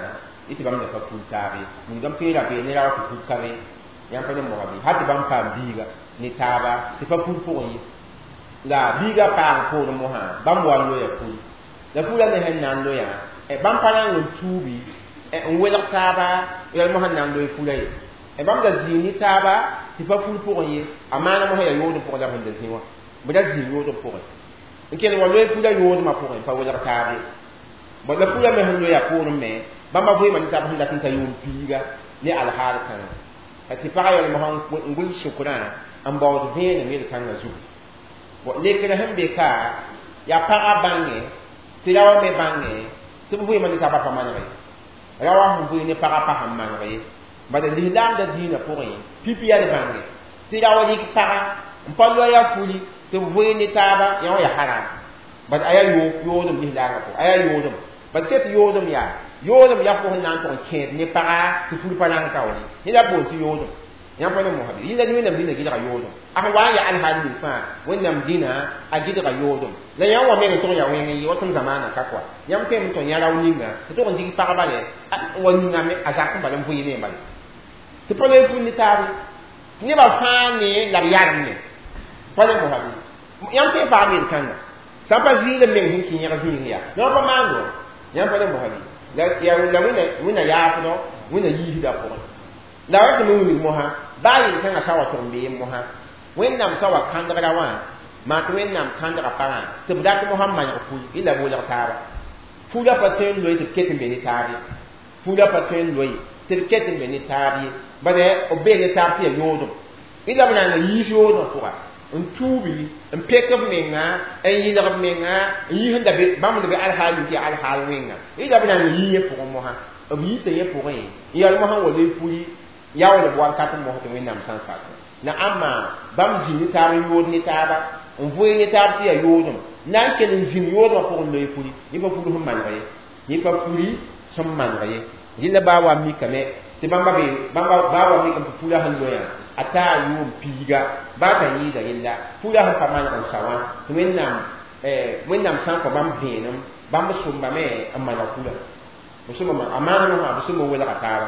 yẽ tɩ bãmb da pa pul taab ye. Wilgame tɩ ra bee ne ra wa tɩ pul ka be yãmb pa ne moga bɩ hal tɩ bãmb paam biiga ne taaba tɩ pa pul pʋgẽ ye la biiga paam poorẽ mosã bãmb wa n loya pul la pulã ne sẽn na n loyã bãmb pa na n tuubi n welg taaba yɛl mosã n na n loe pulã ye bãmb da zĩig ne taaba tɩ pa pul pʋgẽ ye a maana mosã yaa yoodem pʋgẽ la b sẽn da zĩ wã b da zĩig yoodem pʋgẽ n kell wa loe pulã yoodmã pʋgẽ pa welg taab ye la pulã me sẽn loya poorẽ me bãmba vɩɩmã ne taab sẽn dat n ta yʋʋm piiga ne alhaal kãngã tɩ pagã yɛl mosã n gʋls sʋkrã n baood vẽenem yel-kãngã zugu. Lekr sẽn be ka yaa pagã bãnge tɩ raoã me bãnge tɩ b vɩɩmã ne taabã pa maneg ye raoã sẽn vɩɩ ne pagã pa sẽn maneg ye bala lislaamda dĩinã pʋgẽ pipi yaa d bãnge tɩ rao rɩk pagã n pa loaya fuli tɩ b vɩɩ ne taaba yã wã yaa haram bad a yaa yoodem lislaangã pʋgẽ a yaa yoodem bad sẽt yoodem yaa yoodem yaa fo sẽn na n tʋg n kẽed ne paga tɩ ful pa na n kaoore yẽ la boond tɩ yoodem yãmb pa ne mosã bɩ yĩnda Wẽnnaam dĩnã gɩdga yoodem a sẽn wa n yaa alhaal ning fãa Wẽnnaam dĩnã a gɩdga yoodem la yãmb wa meng n tʋg n yaa wẽng n yɩ wa tɩ m zamaanã ka kɔa yãmb tõeme n tõe n yã rao ninga tɩ tʋg n dig pagba rɛ n wa yĩngame a zak n bala n vɩɩ ne bala tɩ pa loe ful ne taab ye nebã fãa ne la b yarem ne pa ne mosã bɩ yãmb tõe n paam yel-kãnga sã n pa zɩɩl n meng sẽn kẽ yẽg zĩig yaa yã pa maando yãmb pa ne mosã bɩ la Wẽnna yaafdɔ Wẽnna yiisdã pʋgẽ la wa tɩ me wilg mosã baa yel-kãngã sa wa tʋg n bee mosã Wẽnnaam sa wa kãndgra wã maa tɩ Wẽnnaam kãndga pagã tɩ b dat mosã n maneg pul y la b welg taaba pulã pa tõe n loe tɩ b ket n be ne taab ye pulã pa tõe n loe tɩ b ket n be ne taab ye bala b bee ne taab tɩ yaa yoodem y la b na n yiis yoodmã pʋga n tuubi n pek b menga n yɩlg b menga n yiis n da be bãmb d be alhaal ning tɩ yaa alhaal wẽnga y la b na n yii yẽ pʋgẽ mosã b yiisa yẽ pʋgẽ n yɛl mosã n wa loe puli yaool b wakat n mos tɩ Wẽnnaam sã n sak la ãmba bãmb zĩ ne taab n yood ne taaba n vʋɩ ne taab tɩ yaa yoodem na n kell n zĩnd yoodmã pʋgẽ loe puli yẽ pa puli sẽn maneg ye yẽ pa puli sẽn maneg ye rẽnda baa wa mikame tɩ bãmba be bãmba baa wa mikame tɩ pulã sẽn loyã a taa yʋʋm piiga baa t'a yɩɩda yella pulã sẽn pa maneg n sa wã tɩ Wẽnnaam sã n kõ bãmb vẽenem bãmb sõmbame n maneg pulã b sõma a maana mosã b sõm n welga taaba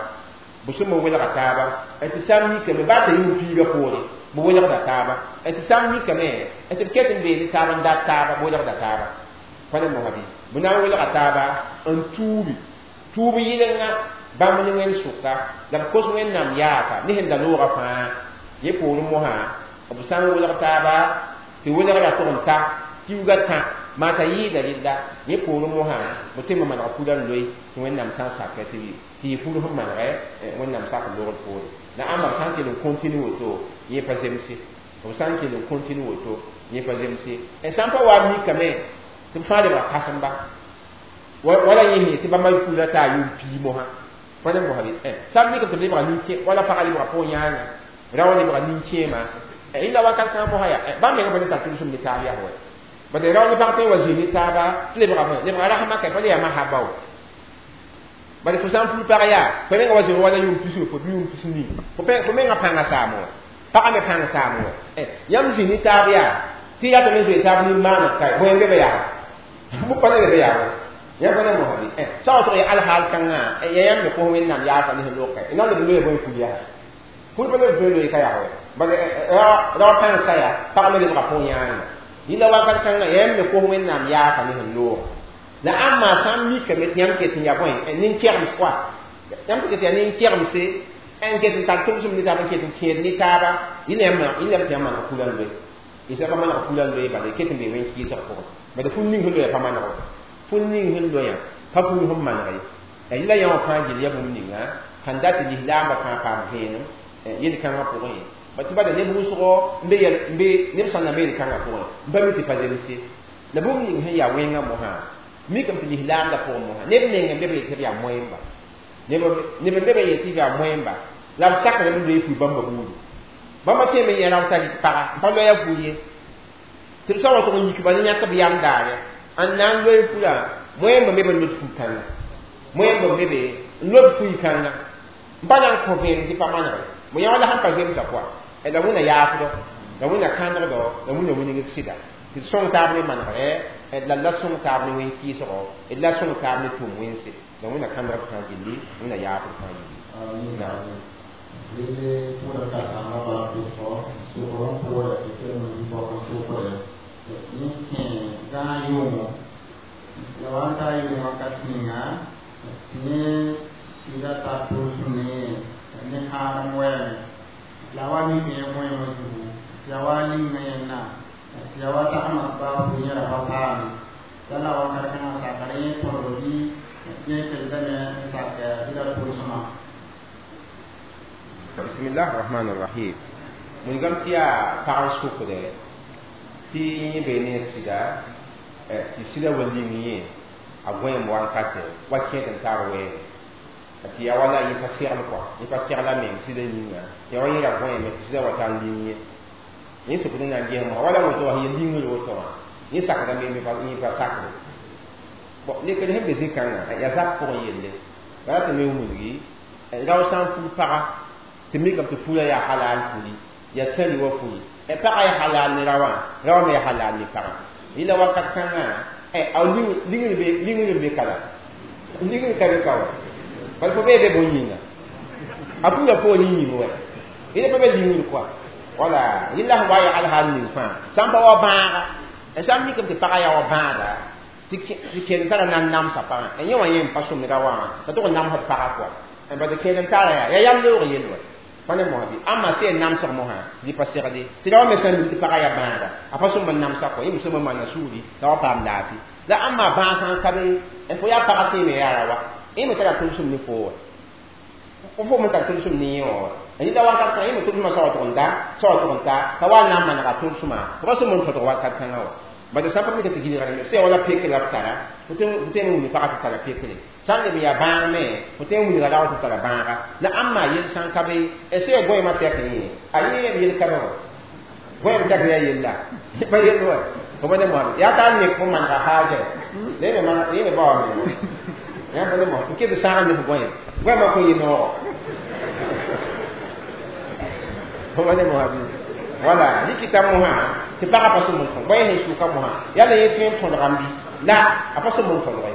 b sõm n welga taaba tɩ sã n mikame baa t'a yʋʋm piiga poore b welgda taaba tɩ sã n mikame tɩ b ket n bee ne taab n dat taaba b welgda taaba pa ne mosã bɩ b na n welga taaba n tuubi tuub yɩlenga bãmb ne wẽnd sʋka la b kos Wẽnnaam yaaka ne sẽn da noogã fãa yẽ poorẽ mosã b sã n welg taaba tɩ welgra tʋg n ta kiuga tã maa t'a yɩɩda rella yẽ poorẽ mosã b tɩ me maneg pulã n loe tɩ Wẽnnaam sã n sakɛ tɩ yɩ ful sẽn manegɛ Wẽnnaam sak logr poore la ãmba b sã n kell n continue woto yẽ pa zemse b sã n kell n continue woto yẽ pa zemse sã n pa wa mikame tɩ b fãa lebga kãsemba wala yẽ tɩ bãmba pulã taa yʋʋm pii mosã pa ne mosã bɩ sã n mikame tɩ b lebga nin-kẽ wala pagã lebga pʋgẽ yãanga raoã lebga nin-kẽema yẽla wakat kãngã mosã yaa bãmb menga pa ne tar tʋlsem ne taab yaa wa bala rao ne pag tõe n wa zĩig ne taaba tɩ lebga rasmã ka pa le yaa mahaba wa bala fo sã n pul pag yaa fo menga wa zĩig wala yʋʋm pisg fo bɩ yʋʋm pis nii fo menga pãnga saam wa pagã me pãng saam wa yãmb zĩig ne taab yaa tɩ yatame n zoe taab nin-maaneg ka bõe n be be yaa bʋ pa ne be yaa wa yãmb pa ne mosã bɩ sã wa tʋg ya alhaal kãngã ya yãmb me kos Wẽnnaam yaafa ne sẽn loka y na n leb n loe bõe ful yaa ful pa leb tõe n loe ka yaa wa bala rao pãng sa yaa pag me lebga pʋgẽ yãanga yĩnda wakat kãngã yãmb me kos Wẽnnaam yaafa ne sẽn loog la ãmba sã n mikame tɩ yãmb ket n yaa bõe nin-kɛgemd fʋa yãmb tɩ ket yaa nin-kɛgemse n ket n tar tʋmsem ne taab n ket n kẽed ne taaba yẽnda yãmb tɩ yãmb maneg pulã n loe y sã pa maneg pulã n loe bala y ket n bee wẽn-kɩɩsg pʋgẽ bala ful ning sẽn loya pa maneg ful ning sẽn loyã pa pul sẽn maneg ye Yɩla yã wã fãa gill yaa bũmb ninga sẽn dat tɩ lislaambã fãa paam vẽenem yel-kãngã pʋgẽ tɩ bala neb wʋsgo n be neb sã n na be yel-kãngã pʋgẽ n pa mi tɩ pa zemse la bũmb ning sẽn yaa wẽngã mosã mikame tɩ lislaamdã pʋgẽ mosã neb meng n be b yet tɩ b yaa moẽmba neb n be b yet tɩ b yaa moẽmba la b sakdame n loe fui bãmba buudi bãmba tẽeme yẽ rao t'a rɩk paga n pa loɛɛ fui ye tɩ b sã wa tʋg n yik ba ne yãk b yam daare n na n loe furã moẽmba me b n lod fui-kãngã moẽmba me be n lod fui-kãngã n pa na n kõ vẽenem tɩ pa manegre mo yã wala sẽn pa zemsa pʋa la wẽna yaafdɔ la wẽna kãnegdɔ la wẽna wingd sɩda tɩ d sõng taab ne manegre la la sõng taab ne wẽn-kɩɩsgo d la sõng taab ne tʋʋm wẽnse la wẽna kãnegd fãa gilli wẽna yaafd fãa gilli. Lele pʋʋra ka-sãambã bala pesgo sokr n pʋʋra tɩ kelem bõk n sokre yẽ kẽ gãag yʋʋmo la wa n taa yʋʋm wakat ninga tɩ yẽ sɩda tar tʋlsem ne ne kãadem wɛɛme la wa mik yẽ goẽemã zugu tɩ ya wa linga yẽnna tɩ ya wa tagsmã baab yẽ ra pa paame la la wakat kãngã sakr yẽ tõdg bɩ yẽ keldame n sak sɩda tʋlsmã. Bismillah rahman rahim. Wilgame tɩ yaa pag n sʋkdɛ tɩ yẽ bee ne sɩda tɩ sɩda wa ling yẽ a gõeem wankatɛ wa kẽed n tar wɛɛme tɩ yaa wala yẽ pa segl kɔa yẽ pa segla meng sɩda yĩnga yaa wa yẽ ra gõeeme tɩ sɩda wa tar ling yẽ yẽ sʋkd n na n ges mosã wala woto wã yẽ lingr woto wã yẽ sakdame yẽ pa sakde bon lekd sẽn be zĩ-kãngã yaa zak pʋgẽ yelle bala tɩ me wilgi rao sã n fug paga tɩ mikame tɩ fura yaa halal fuli yaa sãli wa fuli pagã yaa halal ne raowã raowã me yaa halal ne pagã yɩla wakat kãngã a lingr n be ka la lingr ka be ka wa bala fo bee be bõn yĩnga a pura poor yĩng wɛ yɩla pa be lingr kɔa wala yɩla sẽn wa yaa alhaal ning fãa sã n pa wa bãaga sã n mikame tɩ pagã yaa wa bãaga tɩ kẽed tara na n namsa pagã yẽ wã yẽ n pa sõmd ra wã t'a tʋg n namsd pagã kɔa bala kẽed n tara yaa yaa yam leoog yell wɛ pa ne mosã bɩ ãmba sẽn namsg mosã dɩ pa segde tɩ ra wa me sã n mim tɩ pagã yaa bãaga a pa sõm n namsa kɔ yẽ me sõm n maana sugri la wa paam laafɩ la ãmba bãag sã n ka be fo yaa pagã tẽeme yaa ra wa yẽ me tara tʋlsem ne fo wa fo me tar tʋlsem ne yẽ wã wa yẽla wakat kãngã yẽ me tʋlsmã sa wa tʋg n da sa wa tʋg n ta t'a wa n na n manega tʋlsmã fo pa sõm n tõdg wakat kãngã wa bala sã n pa mika tɩ gilgrame sẽn wala pekre la b tara fo tõe n wilg pagã tɩ tara pekre sã n leb n yaa bãag me fo tõe n wilga raoã tɩ tara bãaga la ãmba yel sã n ka be sẽn yaa goẽemã tɛk yẽ a yẽ b yel ka be wã goẽem tɛk yaa yella pa yell wa fo pa ne moasã yaa t'a nek fo manega haaja la yẽ me baoa me yãmb pa ne moas n ket sãag ne fo goẽem goẽemã kõn yɩ noogo fo pa ne moas bɩ wala rɩkɩta mosã tɩ pagã pa sõm n tõd bõe sẽn sʋka mosã yaa la yẽ tõe n tõdgame bɩ la a pa sõm n tõdge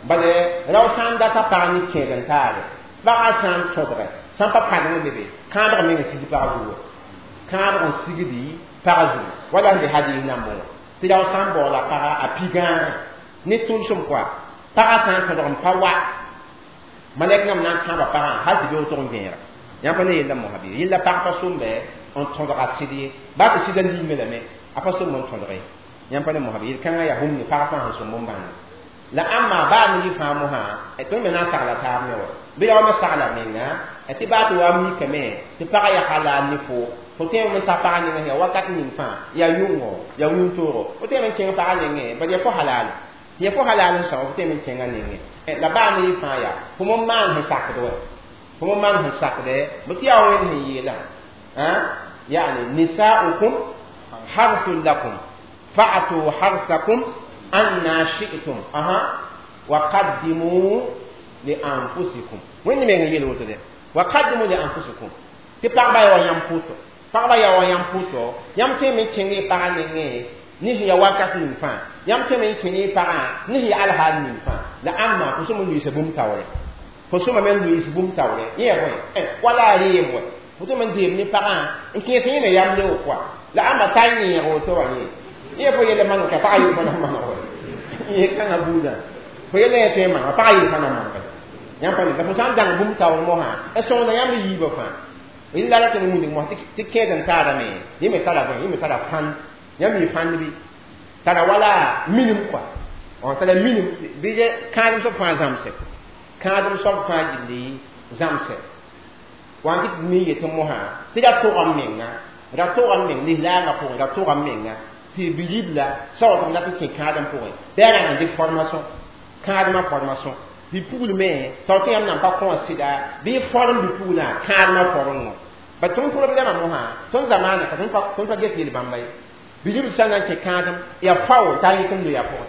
bala rao sã n data pag ne kẽed n taare pagã sã n tõdge sã n pa pãdeng be be kãadg meng n sigd pag zugu kãadg n sigdi pag zugu wala sẽn be hadis nambẽ wã tɩ rao sã n baoola paga a pi gãagã ne tʋlsem kɔa pagã sã n tõdg n pa wa malɛk nam na n kãaba pagã hal tɩ beoog tʋg n vẽera yãmb pa ne yella mosã bɩ yella pag pa sõmbe n tõdga sɩd ye baa tɩ sɩda lingme lame a pa sõm n tõdge yãmb pa ne mosã bɩ yel-kãngã yaa bũmb ne pag fãa sẽn sõm n bãng la ãmba baa ne yɩ fãa mosã tõnd me na n sagla taab me wa bɩ ya wa me sagla menga tɩ baa tɩ wa mikame tɩ pagã yaa halal ne fo fo tõe n ta pagã nengẽ yaa wakat ning fãa yaa yʋngo yaa wĩntoogo fo tõe n kẽng pagã nengẽ bad yaa fo halal yaa fo halal n sõa fo tõe n kẽngã nengẽ la baa ne yɩ fãa yaa fo m maan sẽn sakd wa fo m maan sẽn sakdɛ bɩ tɩ yaa wẽnd sẽn yeelã يعني نساؤكم حرث لكم فأتوا حرثكم أنا شئتم أها وقدموا لأنفسكم وين من يلو تده وقدموا لأنفسكم تبقى يا يام بوتو pagba yaa wa yãmb pʋtɔ yãmb tõe me n kẽng y pagã nengẽ ne sẽn yaa wakat ning fãa yãmb tõe me n kẽng y pagã ne sẽn yaa alhaal ning fãa la ãmba fo sõm n luiisa bũmb taoore fo sõma me n luiis bũmb taoore yẽ yaa bõe wala a reem wɛ fo tõe me n deem ne pagã n kẽes yẽ me yam leoog kɔa la ãmba tar yẽeg woto wã yẽ yẽ fo yella maneg ka pagã yel fã na maneg wa yẽ kãngã buudã fo yella yẽ tõe n manega pagã yel fã na manege yãmb pa ne la fo sã n dãng bũmb taoor mosã n sõngda yãmb yiibã fãa yella ra tɩ n wilg mos tɩ kẽed n taarame yẽ me tara bõe yẽ me tara fãn yãmb yɩ fãnd bɩ tara wala minim kɔa tara minim bɩ kãadem soab fãa zãmse Kãadem soab fãa gilli zãmsɛ wã n tɩ mi yetɩ mosã tɩ ra tʋga m menga ra tʋga m meng lislaangã pʋgẽ ra tʋga m menga tɩ bi-ribla sã wa tɩ dat n kẽ kãadem pʋgẽ bɩ a rãng n dɩk formation kãademã formation bi-pugl me tao tɩ yãmb nan pa kõ sɩda bɩ form bi-puglã kãademã form wã ba tõnd problɛmã mosã tõnd zamaana ka tõnd pa get yel-bãmba ye bi-ribl sã n na n kẽ kãadem yaa fao t'a yik n loya pʋgẽ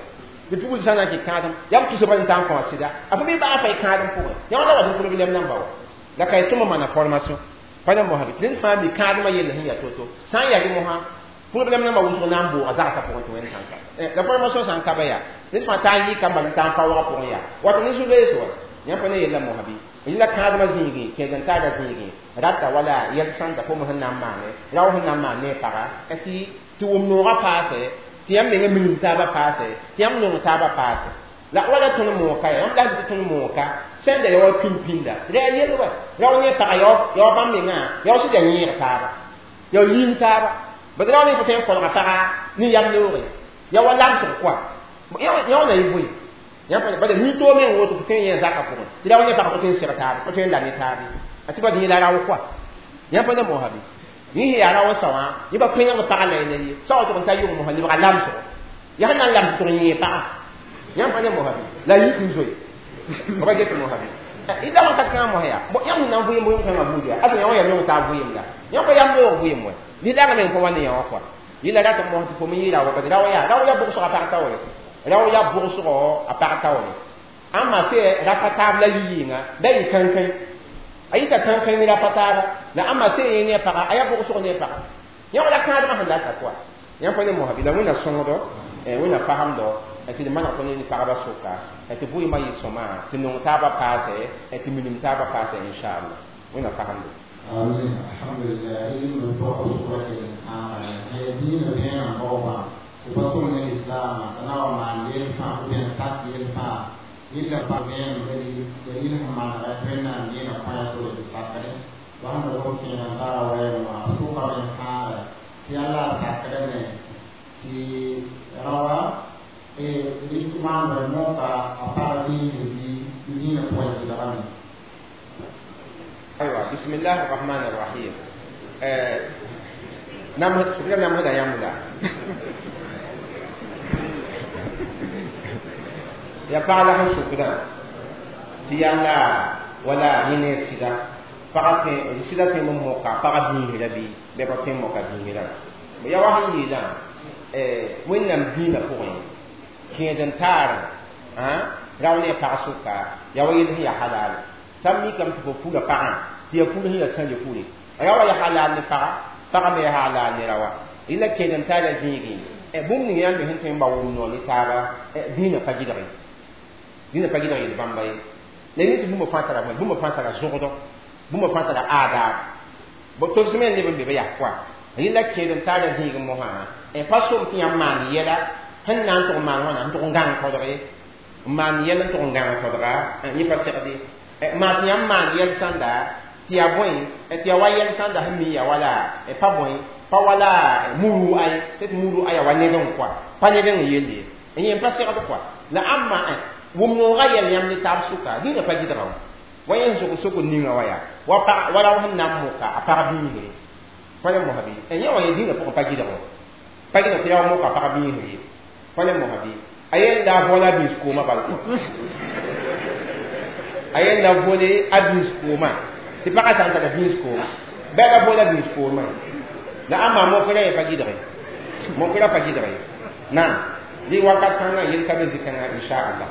bi-pugl sã n na n kẽ kãadem yaa b tusba n t'a n kõ sɩda a fo bɩ baa fa y kãadem pʋgẽ yã wã la wa tɩ problɛm namba wa la ka y tõm maana formation pa na mosã tɩ ned fãa mi kãademã yell sẽn yaa to-to sã n yaa mosã problɛm nambã wʋsg na n booga zagsã pʋgẽ tɩ wẽnd sãn ka la formation sã n ka ba yaa ned fãa t'a n yɩka n bal n t'a n pa wagã pʋgẽ yaa wato ne zu-loees wa yãmb pa ne yella mosã bɩ la kãademã zĩigẽ kẽed-n-taagã zĩigẽ rata wala yɛl sãnda fo sẽn na n maane rao sẽn na n maan ne paga tɩ wʋm noogã paase tɩ yãmb menga minim taabã paase tɩ yãmb nong taabã paase la wala tõnd mooka ya yãmb la tɩ tõnd mooka sẽn da ya wa pĩn-pĩnda ra yaa yel wa rao ne paga ya wa bãmb mengã ya wa sɩd ya yẽeg taaba ya wa liim taaba bad rao ne fo tõe n kolga paga ne yam loore ya wa lamsg koa yã wa na yɩ bõe bad mi-toog meng woto fo tõe n yẽ zakã pʋgẽ tɩ rao ne pag fo tõe n seg taaba fo tõe n la ne taabe a tɩ bad yẽ la rao koa yãmb pa na moosã bɩ yẽ sẽn yaa rao n sao wã yẽ pa pẽneg pagã la ye sa wa tʋg n ta yʋng mosã lebga lamsgo yaa sẽn na n lams tʋg n yẽ pagã yãmb pa ne moosã bɩ la yik n zoe ba get moosã bɩ y la wakat kãngã mosã yaa yãmb sẽn na n vʋɩɩm vʋɩɩm kãngã buud yaa asa yã wã yaa nong taab vʋɩɩm la yãmb pa yam loog vʋɩɩm wɛ lislaangã meng pa wa ne yã wã koa yɩla rat n mos tɩ fo me yɩ raoã bad rao yaa rao yaa bʋgsg a pag taoore rao yaa bʋgsgo a pag taoore ãmba sɛ rapa taab la yɩ-yɩɩnga da yɩ kãnkãe a yita kãnkãe ne rapa taaba la ãmba sɛ yẽ ne a paga a yaa bʋgsg ne a paga yã wala kãadmã sẽn data koa yãmb pa ne mosa bɩ la wẽnna sõngdo wẽnna fasemdo tɩ d maneg tõnd ne pagba sʋka tɩ vʋɩɩmã yɩ sõma tɩ nong taabã paase tɩ minim taabã paase inchallah wẽnna fasemdo. آمين الحمد لله علم الفقه سورة الإنسان هي دين بين بابا وبصون الإسلام أنا وما يلفا وبين سات يلفا إلا بين دليل ما رأينا دين قايا سورة السكر وهم لو كنا ترى وين سوق الإنسان في الله سكرنا في روا إيه ما نموك أفعل دين دين قوي أيوة بسم الله الرحمن الرحيم نعم شكرا نعم هذا يا يا بعد شكرا في الله ولا ينسى فقط سيدا في موقع فقط دين ربي بقى في موقع دين ربي يا واحد يلا وين نم دين فوقين كيدن تار ها راوني فاسوكا يا ويل هي حلال سمي كم تفوق فقط تي فوق هي سنج فوق يا ويل حلال نفقا فقط ما حلال نروا إلا كيدن تار زيني بوم نيان بهنتين باوم نولي تارا دين فجدري دين فجدري بامباي لأن بوم فاترا بوم فاترا زوجو bũmb fãa tara aadaab bo tɩ b sẽm neb n be ba yaa koa yẽla kẽed n taara zĩig mosã n pa som tɩ yãmb maan yɛla sẽn na n tʋg n maan wãna n tʋg n gãng kodge n maan yɛl n tʋg n gãng kodga yẽ pa segde maa tɩ yãmb maan yɛl sãnda tɩ yaa bõe tɩ yaa wa yɛl sãnda sẽn mi yaa wala pa bõe pa wala muru ay tɩ muru aya wa ned n koa pa ned n yelle ye yẽ pa segd koa la ãmba wʋm noogã yɛl yãmb ne taab sʋka dĩnã pa gɩdga wã wa yẽn zʋg soko ninga wa yaa wa pag wala sẽn na n moka a pag biisre pa ne mosa bɩ yẽ wã ye dĩnã pʋgẽ pa gɩdg wã pa gɩdg tɩ yaa wa moka pag biisre ye pa ne mosa bɩ a yen la vola biis koomã bal a yen la vole a biis koomã tɩ pagã sã n tara biis kooma bɩ a la vola biis koomã la ãmba mokra ye pa gɩdge mokra pa gɩdge naam dɩ wakat kãngã yel ka be zĩ-kãngã inchallah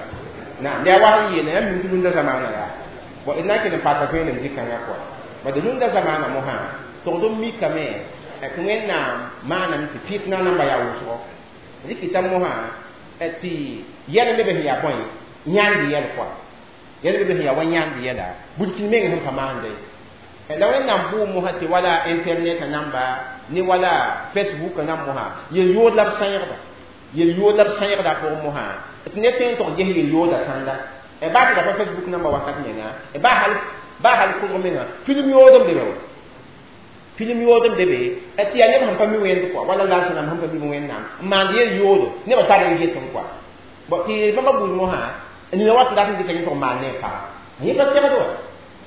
naam la yaa wa sẽn yeela yãmb mim tɩ rũndã zamaanã yaa bon ina ke pata ko ne zikanga ko ba de nunda zamana mo ha to do mi kame e ko na mana mi fitna na ba ya wuso zikita mo ha e ti yele me be ya boy nyandi yele ko yele be ya wan nyandi yela bulkin me ngam kamande e la wen na bu mo ha ti wala internet namba ni wala facebook na mo ha ye yo la sanyda ye yo la sanyda ko mo ha ti ne fen to je ye yo da sanda e ba ta Facebook namba wakat nenga e ba hal ko menga film yodom de be film yodom de be e ti ya ne han pa mi wen ko wala la sana han pa mi wen nam ma de yodo ne ba ta de ge ton ko bo ti ba ba bu mo ha ni wa ta de ke to ma ne pa Yẽ pa segd wa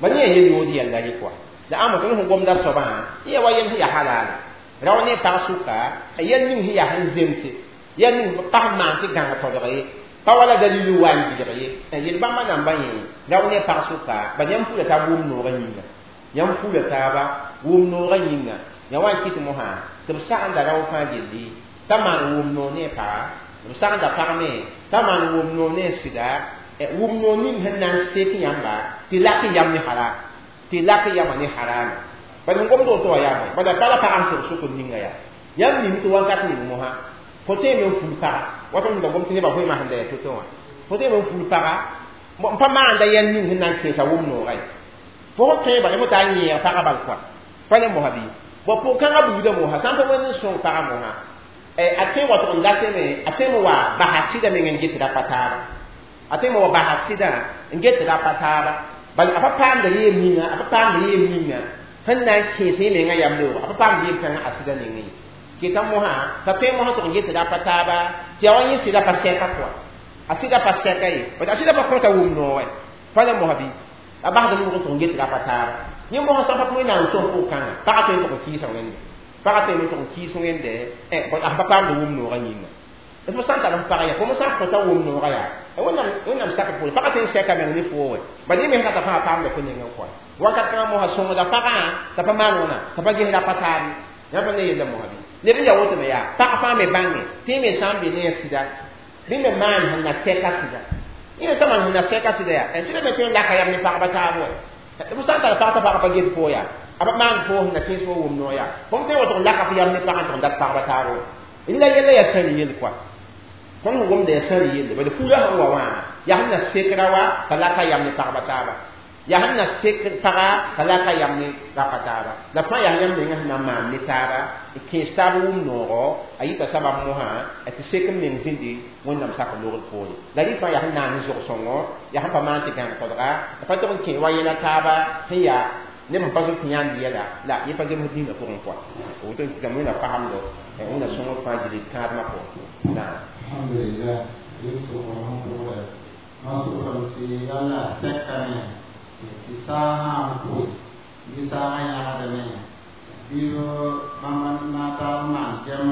ba ne yel yood yɛlla rɩ kɔa la ãmba tõnd sẽn gomda soabã yẽ wa yel sẽn yaa halaala rao ne pag sʋka a yɛl ning sẽn yaa sẽn zemse yɛl ning pag maan tɩ gãng todg ye pa wala dalil wa n gɩlg ye yel bãmba namba yẽ rao ne pag sʋka ba yãmb pʋʋla taab wʋm noogã yĩnga yãmb pʋʋla taaba wʋm noogã yĩnga ya wa n kɩt mosã tɩ b sagenda rao fãa gilli t'a maan wʋm noog ne paga b sagenda pag me t'a maan wʋm noog ne sɩda wʋm noog ning sẽn na n sek yãmba tɩ lak yam ne haram tɩ lak yama ne haram bad n gomd woto wa yaa bada bala pagã sẽn sʋk n ninga yaa yãmb ning tɩ wakat ning mosã fo tõeme n ful paga wat n da gom tɩ nebã goeemã sẽn da yaa to-to wã fo tõeme n ful paga n pa maanda yɛl ning sẽn na n kẽesa wʋm noogã ye fo fo tõe bala fo taa n yẽeg pagã bal kɔa pa ne mosã bɩ bõ pʋg-kãngã buudã mosã sã n pa wẽnd n sõng pagã mosã a tõe wa tʋg n dateme a tõeme wa basa sɩda meng n get ra pa taaba a tõeme wa basa sɩda n get ra pa taaba bal a pa paamda yeem ninga a pa paamda yeem ninga sẽn na n kẽes yẽ mengã yam-loog a pa paamd yeem kãngã a sɩda nengẽ ye keta mosã t'a tõe mosã tʋg n get ra pa taaba tɩ ya wa yẽ sɩda pa sɛka kɔa a sɩda pa sɛka ye a sɩda pa kõta wʋm noog pa la mosã bɩ a basd nʋg tʋg n get ra pa taaba yẽ mosã sã pa wẽnnaam sõm pʋg-kãngã pagã tõe n tʋg n kɩɩsa wẽnde pagã tõe n tʋg n kɩɩs wẽnde a pa paamd wʋm noogã yĩnga fo sã n tar f pag yaa fo sã n kõta wʋm noogã yaa wẽnnaam sak pʋʋre pagã tõe n sɛka meng ne foo wɛ bala yẽ me sẽn t'a fãa paamda fo nengẽ kɔa wakat kãngã mosã sõngda pagã t'a pa maan wãna t'a pa ges ra pa taabe yã pa ne yella mosã bɩ leb n yaa woto me yaa pag fãa me bãnge tɩ yẽ me sã n be ne sɩda bɩ me maan sẽn na sɛka sɩda yẽ sã maan sẽn na sɛka sɩda yaa sɩda me tõe n laka yam ne pagba taab wɛ fo sã n tar pag t'a pagã pa get foo yaa a pa maan foo sẽn na kẽes fo wʋm noog yaa fõm tõe n wa tʋg n laka fo yam ne pagã n tʋg n dat pagba taab wɛ la yɛla yaa sãr yel kɔa tõnd sẽn gomda yaa sãr yelle bala fuula sẽn wa wã yaa sẽn na sekra wa t'a laka yam ne pagba taaba yaa sẽn na sek paga t'a laka yam ne rapa taaba la fãa yaa yãmb menga sẽn na n maan ne taaba n kẽes taab wʋm noogo a yita sabab mosã tɩ sek n meng zĩndi wẽnnaam sak logr poore la rɩ fãa yaa sẽn naan n zog-sõngo yaa sẽn pa maan tɩ gãng todga a pa tʋg n kẽ wa yɛla taaba sẽn yaa neb sẽn pa zoet yãnd yɛla la yẽ pa zems dĩinã pʋgẽ kɔa woto n kɩtame wẽnna pasemdo wẽnna sõngr fãa gil kãadmã pʋgẽ naam. Alhamdulillah, sokr sẽn pʋgdã ma sʋgrame tɩ yalla sɛkame tɩ saag sã n koe bɩ saagã yãgdame bɩ bãmb na n taab n maan gɛm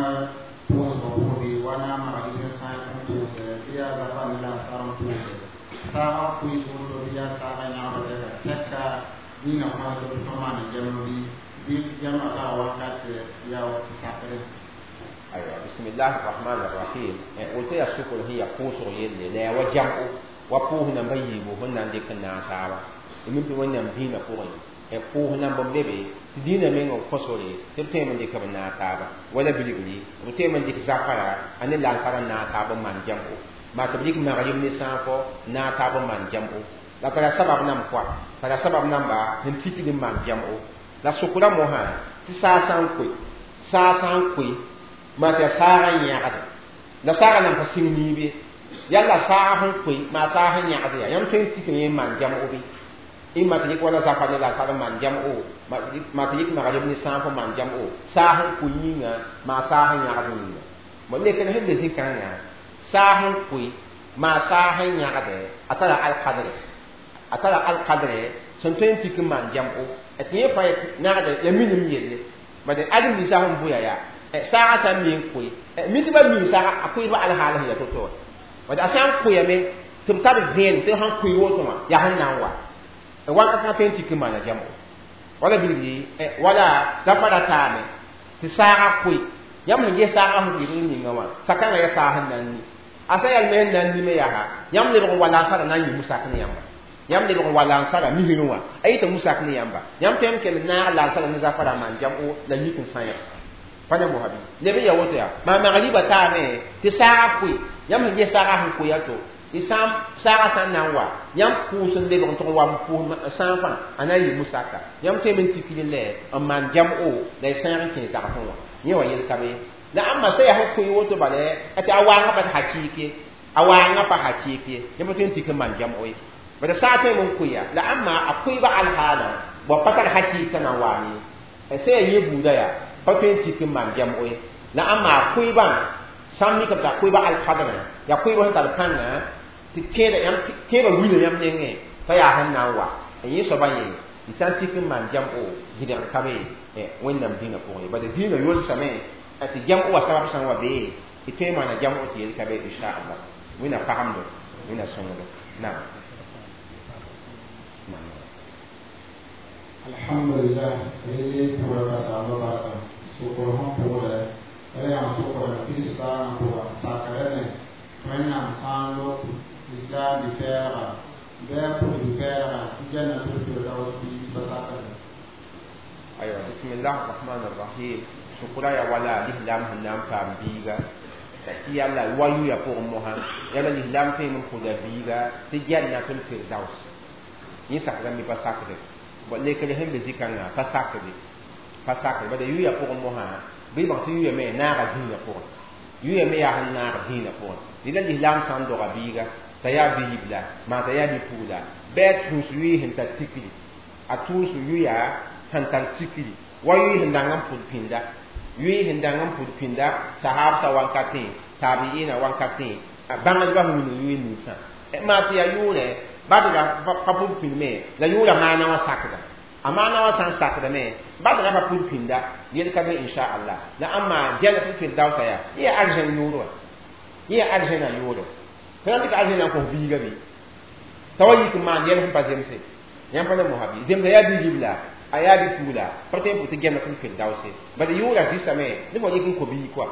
pʋʋsgã pʋgẽ bɩ wa na n magrib n sã n pʋʋsɛ bɩ yaa zafa ne la n sar n pʋʋsɛ saagã koees woto bɩ yaa saagã yãgda ka sɛka dĩinã kõs tɩ tõnd maan gɛm bɩ gɛmã taga wakat yaa tɩ sakre. Aywa, bismillah arrahman arrahim. Woto yaa sʋkr sẽn yaa pʋʋsg yelle la yaa wa jam'o wa pʋʋs namba yiibu sẽn na n dɩk n naag taaba mi tɩ wẽnnaam dĩinã pʋgẽ pʋʋs namba n be be tɩ dĩinã meng n kõsore tɩ b tõeme n dɩk b naag taaba wala bilgri b tõeme n dɩk zafara a ne lansara n naag taab n maan jam'o maa tɩ b dɩk magrib ne sãafɔ naag taab n maan jam'o la tara sabab nam kɔa tara sabab namba sẽn tikd n maan jam'o la sʋkra mosã tɩ saa sã n koe saa sã n koe maa tɩ yaa saagã n yãgde la saagã nan pa sĩng niibe yalla saag sẽn koe maa saag sẽn yãgd yaa yãmb tõe n tik yẽ n maan jam'o bɩ ɩ maa tɩ yik wala zafa ne la sar n maan jam'o maa tɩ yik magrib ne sãaf n maan jam'o saag sẽn koe yĩnga maa saag sẽn yãgd yĩnga bon lekr sẽn be zĩ-kãngã saag sẽn koe maa saag sẽn yãgde a tara alkadre a tara alkadre sẽn tõe n tik n maan jam'o tɩ yẽ fãa nagde ya minim yelle bad ãdem ninsã sẽn bʋya yaa saagã sã n mi n koe mi tɩ ba mi saaga a koeebã alhaal sẽn yaa to-to wã bad a sã n koeame tɩ b tar vẽenem tɩ sãn koe woto wã yaa sẽn na n wa wakat kãngã tõe n tik n maana jam'o wala bilgi wala zafa ra taame tɩ saagã koe yãmb sẽn ges saagã sẽn yɩg n ninga wã sakãngã yaa saag sẽn na n ni a sã yaa me sẽn na n nime yaa yãmb lebg n wa lansara na n yɩ musak ne yãmba yãmb lebg n wa lansara misrẽ wã a yɩta musak ne yãmba yãmb tõe n kell naag lansara ne zafara n maan jam'o la yik n sã pa ne mosã bɩ leb n yaa woto yaa maa magriba taame tɩ saagã koe yãmb sẽn ges saagã sẽn koe to tɩ saagã sã n na n wa yãmb pʋʋs n lebg n tʋg n wa n pʋʋs sãafã a na n yɩ musaka yãmb tõeme n tikd lɛ n maan jam'o la y sãag n kẽ zagsẽ wã yẽ wa yel ka be la ãmba sã yaa sẽn koe woto bala tɩ a waangã pa tɩ hakɩɩk ye a waangã pa hakɩɩk ye yãmb tõe n tik n maan jam'o ye bala saag tõeme n koe ya la ãmba a koeebã alhaalã bõ pa tar hakɩɩk na n waam ye sã yaa yẽ buuda yaa pa tõe n tik n maan jam'o ye la ãmba a koeebã sã n mikame t'a koeebã alkadrã yaa koeebã sẽn tar pãnga tɩ kẽeda yãmb kẽebã wila yãmb nengẽ Pa yaa sẽn na n wa n yẽ soabã yẽ d sã n tik n maan jam-o gɩdgr ka be Wẽnnaam dĩinã pʋgẽ ye. Bala dĩinã yolsame tɩ jam-o wã sabab sã n wa bee d tõe n maana jam-o tɩ yel ka be inchallah. Wẽnna pagemdo, Wẽnna sõngdo. Naam. Alhamdulillah, rele pʋgra ka saamba barka sokr sẽn pʋgdɛ wala yã sokra kiristãanã pʋga sakrame Wẽnnaam sã n lob lislaam bɩ-pɛɛlga bɩ a pʋd bɩ-pɛɛlga tɩ jannatul firdaus bɩ pa sakre. Aywa, bismillah arrahman arrahim. Sokra ya wala lislaam sẽn na n paam biiga tɩ yalla wa yʋya pʋgẽ mosã yala lislaam tõe n pʋda biiga tɩ jannatul firdaus yẽ sakrame pa sakre. Bon lekr sẽn be zĩ-kãngã pa sakde, pa sakre. Bala yʋya pʋgẽ mosã bɩ bãng tɩ yʋyame naaga dĩinã pʋgẽ, yʋyame yaa sẽn naag dĩinã pʋgẽ. Dɩ la lislaam sã n doga biiga t'a yaa bi-ribla maa t'a yaa bi-pugla bɩ a tũus yʋɩ sẽn tar tikri, a tũus yʋya sẽn tar tikri wa yʋɩ sẽn dang n pʋd pĩnda, yʋɩ sẽn dang n pʋd pĩnda sahaabsã wankatẽ, taabiina wankatẽ, bãngdbã sẽn wilg yʋɩ ninsã maa tɩ yaa yʋʋrɛ badga pa pʋd pĩndme la yʋʋra maana wã sakda. A maana wã sã n sakdame badga pa pʋd pĩnda yel ka be inchallah. La ãmma jannatul firdausa yaa yẽ yaa arzẽn yʋʋr wã, yẽ yaa arzẽnã yʋʋre. Fo na n dɩka arzẽnã n kos biiga bɩ t'a wa yik n maan yɛl sẽn pa zemse yãmb pa na mosã bɩ zemsa yaa bi-ribla a yaa bi-pugla pa tõe n pʋ tɩ jannatul firdause. Bala yʋʋra zɩsame ne fo yik n kõ biig koa,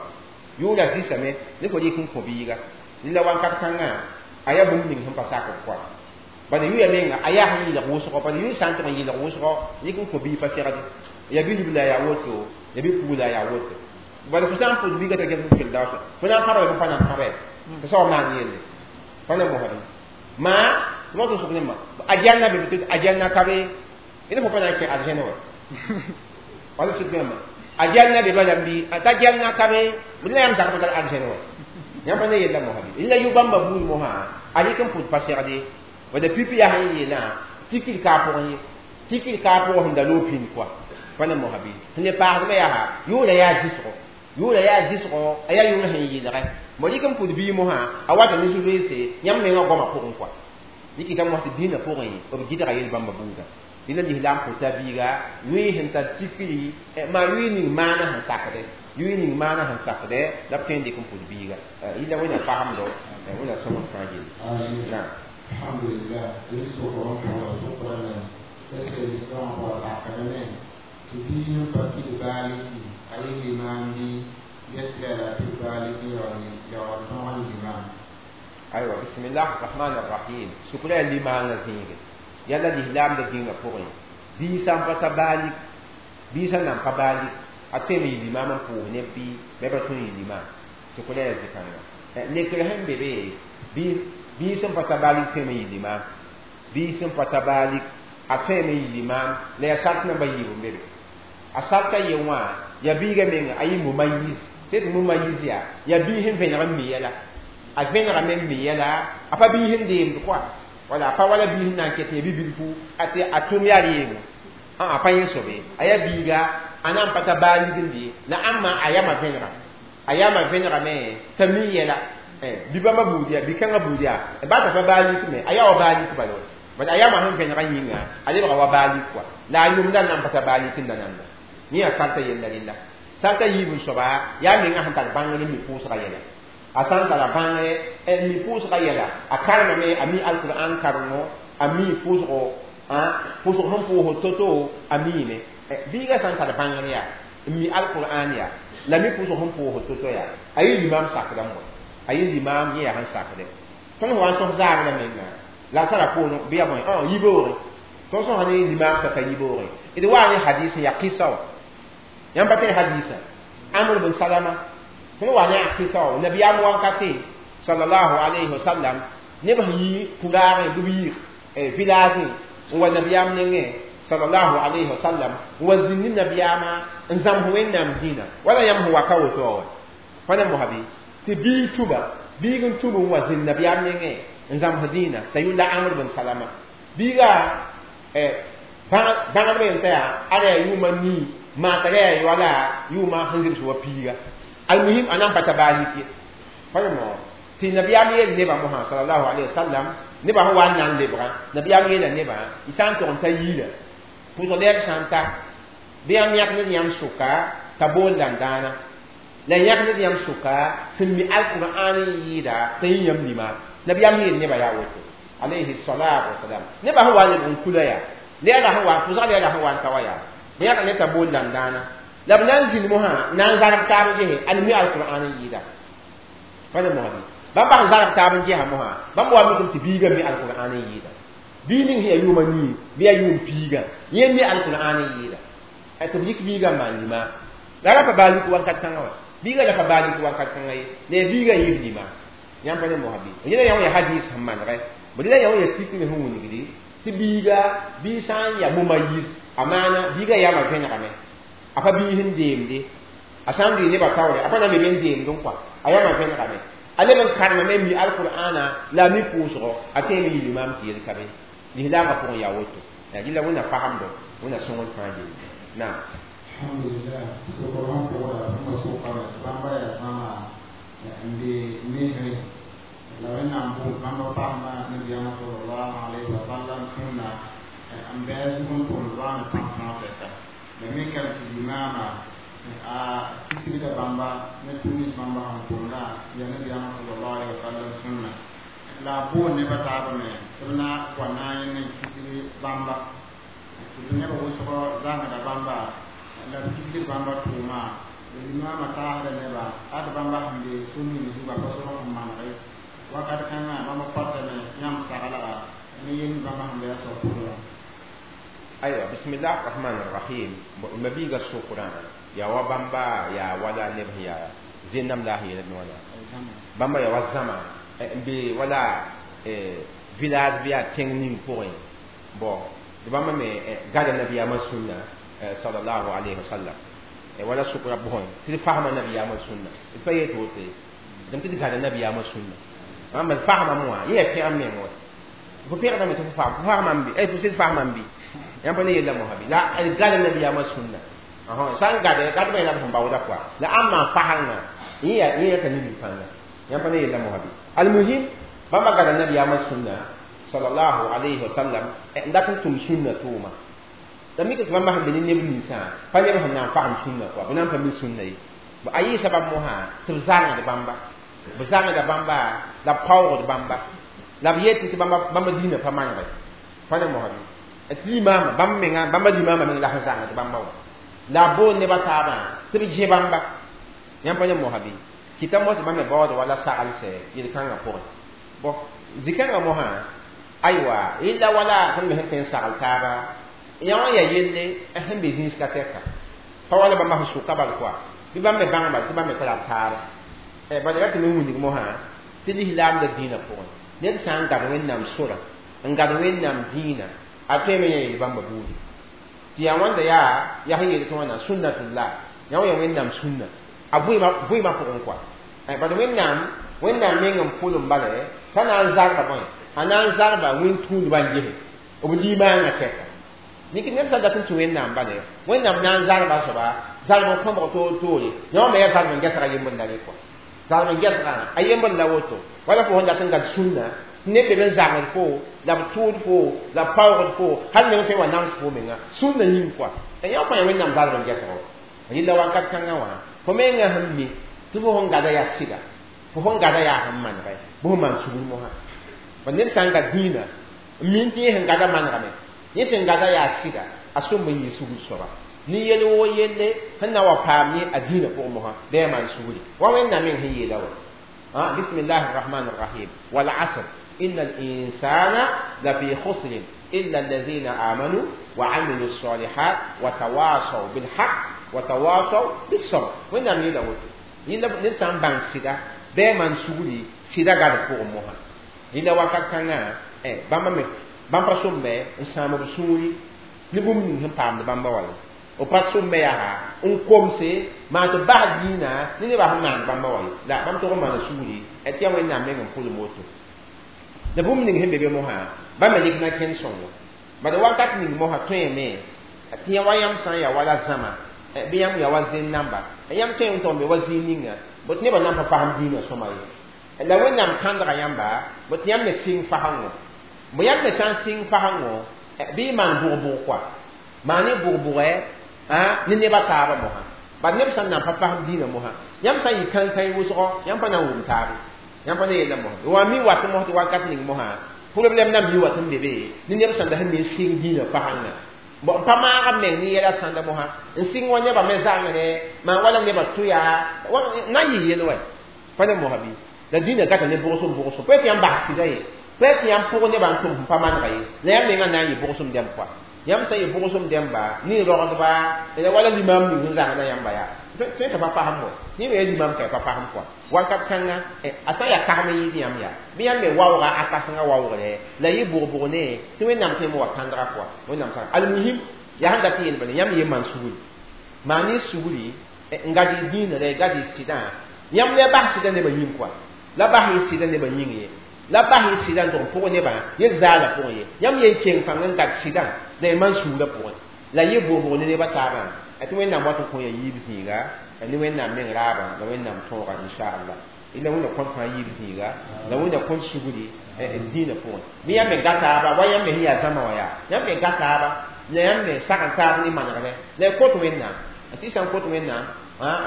yʋʋra zɩsame ne fo yik n kõ biiga. La wakat kãngã a yaa bũmb ning sẽn pa sakd koa. Bala yʋya menga a yaa sẽn yɩlg wʋsgo, bala yʋy sã n tʋg n yɩlg wʋsgo yik n kõ biig pa segde ya bi-ribla yaa woto, ya bi-pugla yaa woto. Bala fo sã n pʋd biiga t'a jannatul firdausa fo na n pãbra bɩ pa na n pãbe tɩ soab maan yelle pa na mosã bɩ maa tɩ tɩ sʋk ne a janna be tɩ a janna ka be ne fo pa na n kẽ arzẽne wã wala sʋk yãmba a janna be bala n bɩ t'a janna ka be la yãmb zagb tar arzẽne wã yãmb pa ne yella mosã bɩ la yʋ-bãmba buud mosã a rɩk n pʋd pa segde wala pipi yaa sẽn yeelã tikr ka a pʋgẽ ye, tikr ka a pʋgẽ sẽn da loog pĩnd koa pa ne mosã bɩ sẽn le paasdmã yaa yʋʋra yaa zɩsgo, yʋʋra yaa zɩsgo a yaa yʋʋr sẽn yɩlgɛ mo rɩk n pʋd biig mosã a wata ne zu-loeese yãmb mengã goamã pʋgẽ koa. Yikita mosã tɩ dĩinã pʋgẽ b gɩdga yel-bãmba buudã. Dẽna lislaam pʋta biiga yʋɩ sẽn tar tikri maa yʋɩ ning maana sẽn sakdɛ, yʋɩ ning maana sẽn sakdɛ la b tõe n dɩk n pʋd biiga. Yɩla Wẽnna pagemdo, Wẽnna sõngd fãa gilli. Naam. Alhamdulillah, rel sokr n pʋgra sokrame est ce que lislaamã pʋga sakrame tɩ biig n pa pid baaliki a yɩ limaam bɩ get la pid baaliki yaool tõog n limaam? Aywa, bismillah arrahman arrahim. Sukra yaa limaangã zĩige yala lislaamda dĩngã pʋgẽ bii sã n pa ta baalik, bii sã nan pa baalik a tõeme yɩ limaam n pʋʋs neb bɩ bɩ pa tõe n yɩ limaam. Sukra yaa zĩ-kãnga lekr sẽn be be bii sẽn pa ta baalik tõeme yɩ limaam, bii sẽn pa ta baalik a tõeme yɩ limaam la yaa sart namba yiib n be be. A sarta ye wã yaa biiga menga a yɩ mumayiz tɩ mumayiz yaa yaa bii sẽn vẽneg n mi yɛla, a vẽnegame n mi yɛla a pa bii sẽn deemd koa wala a pa wala bii sẽn na n ket yã bi-bilfu tɩ a tʋm yaa reego a pa yẽ sobe a yaa biiga a na n pa ta baalik n de la ãmba a yama vẽnega, a yama vẽnegame t'a mi yɛla bi-bãmba buud yaa bi-kãngã buud yaa ba t'a pa baalik me a yaa wa baalik bala bala a yama sẽn vẽnegã yĩnga a lebga wa baalik koa la a yʋmda n na n pa ta baalik n da nanda. Yẽ yaa sarta yella rella. Sarta yiib n soaba yaa menga sẽn tar bãngr n mi pʋʋsga yɛla. A sã n tara bãngre n mi pʋʋsga yɛla a karemame a mi alkur'an karengo a mi pʋʋsgo pʋʋsg sẽn pʋʋsd to-to a miime. Biiga sã n tar bãngr yaa n mi alkur'an yaa la mi pʋʋsg sẽn pʋʋsd to-to yaa a yɩ limaam sakdã n wa a yɩ limaam yẽ yaa sẽn sakdɛ. Tõnd wa n sõs zaabra menga la a tara poorẽ bɩ yaa bõe yibeoogẽ tõnd sõsa ne limaam t'a ka yibeoogẽ d waa ne hadis yaa kɩsa wã yãmb pa tẽn hadisa Amr bin Salama tõnd wa ne a kɩsa wã nabiyaam wankate sallallahu alayhi wa sallam neb sẽn yi kuraagẽ bɩ b yɩ village n wa nabiyaam nengẽ sallallahu alayhi wa sallam n wa zĩnd ne nabiyaamã n zãms Wẽnnaam dĩinã wala yãmb sẽn wa ka woto wã pa na mosã bɩ tɩ biig tũba biig n tũb n wa zĩnd nabiyaam nengẽ n zãms dĩinã t'a yʋlla Amr bin Salama biiga bãngdbã yem t'a yaa ada yaa yʋʋma nii maa t'a yaa wala yʋʋma sẽn zems wa piiga almuhim a na n pa ta baalik ye pa ne mo Tɩ nabiyaam yeel nebã mosã sallallahu alayhi wa sallam nebã sẽn wa n na n lebgã nabiyaam yeela nebã y sã n tog n ta yiira pʋʋsg lɛɛg sã n ta bɩ yãmb yãk ned yãmb sʋka t'a bool dãn-dãana la yãk ned yãmb sʋka sẽn mi alqur'an n yɩɩda t'a yĩ yãmb lima nabiyaam yeel nebã yaa woto alayhi salatu wasalam nebã sẽn wa n lebg n kula yaa lɛɛga sẽn wa pʋʋsg lɛɛga sẽn wa n ta wa yaa bɩ yãk ned t'a bool dãn-dãana la b na n zĩnd mosã na n zarb taab n gese ad mi alqur'an n yɩɩda pa ne mosã bãmb sẽn zarb taab n gesa mosã bãmb wa mikame tɩ biigã mi alqur'an n yɩɩda bii ning sẽn yaa yʋʋma nii bɩ yaa yʋʋm piigã yẽ mi alqur'an n yɩɩda tɩ b yik biigã n maan lima la ra pa baa lik wakat kãngã wã biigã ra pa baa lik wakat kãngã ye la yaa biigã yɩɩb lima yãmb pa ne mosã bɩ yẽla yã wã yaa hadis sẽn manegɛ b dela yã wã yaa tikr sẽn wilgdi tɩ biiga bii sã n yaa moma yir a maana biigã yaama vẽnegame a pa bii sẽn deemde a sã n dɩ nebã taoore a pa na n be n deemd n kɔa a yaama vẽnegame a leb n karemame mi alqur'ana la a mi pʋʋsgɔ a tõeme yɩ limaam tɩ yel ka be lislaamã pʋgẽ yaa woto yaa gilla wẽnna fagemdo wẽnna sõngd fãa yelle naam. Alhamdulillah sokr sẽn pʋgda bãmba sʋkame tɩ bãmba yaa zãma n be mesre la wẽnnaam bool bãmba pasma nabiyaamã sallallahu alayhi wa sallam sũnna n bɩ a zug n tʋmd waame pãn-fãag tɛka la mikame tɩ limaama a kisgda bãmba ne tʋʋm bãmba sẽn tʋmdã yaa nabiyaamã sallallahu alayhi wa sallam sũnna la a bool nebã taabã me tɩ b na wa na n yẽ ne kisg bãmba tɩ b nebã wʋsgɔ zãmsda bãmba la b kisgd bãmba tʋʋma la limaamã taasda nebã ad bãmba sẽn be sũ-ning zuga pa sor sẽn manege wakat kãngã bãmba pattame yãmb saglga ne yel bãmba sẽn be a soab pʋgẽ. Aywa, bismillah rahman rahim. Ma biiga sʋkrã yaa wa bãmba yaa wala neb sẽn yaa zẽnnam la a sẽn yeeld wãna bãmba yaa wa zãma n be wala village bɩ yaa tẽng ning pʋgẽ bon tɩ bãmba me gada nabiyaamã sũnna sallallahu alayhi wa sallam wala sʋkrã pʋgẽ tɩ d fasma nabiyaamã sũnna d pa yet woto ye dẽm tɩ d gada nabiyaamã sũnna bãmba d fasmame wã yẽ yaa pẽgem meng wa fo pẽgdame tɩ fo fasmame bɩ fo sɩd fasmame bɩ yãmb pa ne yella mosã bɩ la d gada nabiyaamã sũnna sã n gade gadbã yẽla b sẽn baooda kɔa la ãmb maan fasengã yẽ yaa ka nimd pãnga yãmb pa ne yella mosã bɩ almuhim bãmba gada nabiyaamã sũnna sallallahu alayhi wa sallam n dat n tʋm sũnna tʋʋma la mika tɩ bãmba sẽn be ne neb ninsã pa neb sẽn na n fasem sũnna kɔa bɩ na n pa mi sũnna ye a yɩɩsa bãmb mosã tɩ b zãngd bãmba b zãngda bãmba la b paoogd bãmba la b yetɩ tɩ bãmba dĩinã pa manegɛ pa ne mosã bɩ tɩ limaamã bãmb menga bãmba limaamã meng la sẽn zãngd bãmba wã la a bool nebã taabã tɩ b dẽ bãmba yãmb pa ne mosã bɩ kɩta mos tɩ bãmb me baood wala saglsɛ yel-kãngã pʋgẽ bon zĩ-kãngã mosã aywa yella wala sẽn me sẽn tõe n sagl taaba yã wã yaa yelle sẽn be zĩisga tɛka pa wala bãmba sẽn sʋka bal kɔa bɩ bãmb me bãng bal tɩ bãmb me tara b taaba bala ra tɩ me wilg mosã tɩ lislaamda dĩinã pʋgẽ ned sã n gad wẽnnaam sora n gad wẽnnaam dĩinã a tõeme yã yel bãmba buudi tɩ yaa wãnda yaa yaa sẽn yeel tɩ wãna sunnatullah yã wã yaa wẽnnaam sũnna a vɩɩmã pʋgẽ kɔa bad wẽnnaam meng n pʋlem bala t'a na n zarba bõe a na n zarba wẽn-tũudbã n gese b limaangã tɛka nik ned sã dat n tũ wẽnnaam bale wẽnnaam na n zarba soaba zarb n kõbg toor toore yã wã me yaa zarb n gɛsga yembr la re kɔa zarb n gɛsgã a yembr la woto wala fo sẽn dat n gad sũnna neb be n zagd fo la b tʋʋd fo la b paoogd fo hal meng tõe n wa nams fo menga sũnna yĩng kɔa yã wã fãa yaa wẽnnaam zarb n gɛsgo yella wakat kãngã wã fo menga sẽn mi tɩ fo sẽn gada yaa sɩda fo sẽn gada yaa sẽn manegɛ bɩ fo maan sugr mosã ba ned sã n gad dĩinã n min tɩ yẽ sẽn gada manegame yẽ sẽn gada yaa sɩda a sõm n yɩ sugr soaba ne yel woo yelle sẽn na wa paam yẽ a dĩinã pʋgẽ mosã bɩ a maan sugri wa wẽnnaam meng sẽn yeela wa bismillahi rrahmani rrahim wal asr inna al insana la fi khusrin illa alladhina amanu wa amilu الصالحات وتواصوا بالحق وتواصوا بالصبر wẽnnaam yeela woto yẽnda ned sã n bãng sɩda bɩ a maan sugri sɩda gad pʋgẽ mosã yẽnda wakat kãngã bãmba me bãmb pa sõmbe n sãam b sũuri ne bũmb ning sẽn paamd bãmba wala b pa sõmbe yaa n komse maan tɩ bas dĩinã ne nebã sẽn maand bãmba wa ye la bãmb tog n maana sugri tɩ yaa wẽnnaam meng n pʋlem woto la bũmb ning sẽn be be mosã bãmb me yik na kẽnd sõngo bala wakat ning mosã tõeme tɩ yã wa yãmb sã n yaa wala zãma bɩ yãmb yaa wa zẽn namba yãmb tõe n tog n be wa zĩig ninga bot nebã nan pa fasem dĩinã sõma ye La wẽnnaam kãndga yãmba bõ tɩ yãmb me sɩng fasẽngo bõ yãmb me sã n sɩng fasẽngo bɩ y maan bʋg-bʋg koa maan y bʋg-bʋgɛ ne nebã taabã mosã bad neb sẽn na n pa fasem dĩinã mosã yãmb sã n yɩ kãn-kãe wʋsgɔ yãmb pa na n wʋm taabe yãmb pa ne yella mosã wa mi wat mos tɩ wakat ning mosã problème na mi wat n be be ne neb sẽn da sẽn me sɩng dĩinã fasẽngã bon pa maaga meng ne yɛla sãnda mosã n sɩng wa nebã me zãngre maan wala nebã tʋ yaa na n yɩ yel wɛ pa ne mosã bɩ la dĩinã gata ne bʋgsem bʋgsem pa tɩ yãmb bas sɩda ye pa tɩ yãmb pʋg nebã n tʋm sẽn pa manega ye la yãmb mengã na n yɩ bʋgsem dɛmb koa yãmb sã n yɩ bʋgsem dɛmba ne rogdba la wala limam ning sẽn zãngda yãmba yaa tõe t'a pa fasem wɛ yẽ me ya limam ka pa fasem koa wakat kãnga a sã n yaa kasem n yɩɩd yãmb yaa bɩ yãmb me waooga a kãsengã waoogre la yɩ bʋg-bʋg ne tɩ wẽnnaam tõe wa kãndga koa wẽnnaam kãng almuhim yaa sẽn dat n yeel bala yãmb ye maan sugri maan y sugri n gad y dĩinã gad y sɩdã yãmb la bas sɩdã nebã yĩng koa la bas y sɩdã nebã yĩng ye la bas y sɩdã n tʋg n pʋg nebã yel zaala pʋgẽ ye yãmb yen keng pãng n gad sɩdã la y maan sugrã pʋgẽ la yɩ bʋg-bʋg ne nebã taabã tɩ wẽnnaam wat n kõ ya yiib zĩiga ne wẽnnaam meng raabã la wẽnnaam tõoga inchallah ila wẽnna kõn fãa yiib zĩiga la wẽnna kõn sugri dĩinã pʋgẽ bɩ yãmb me ga taaba wa yãmb me sẽn yaa zãma wã yaa yãmb me ga taaba la yãmb me sag n taab ne manegrẽ la y kot wẽnnaam tɩ sã n kot wẽnnaam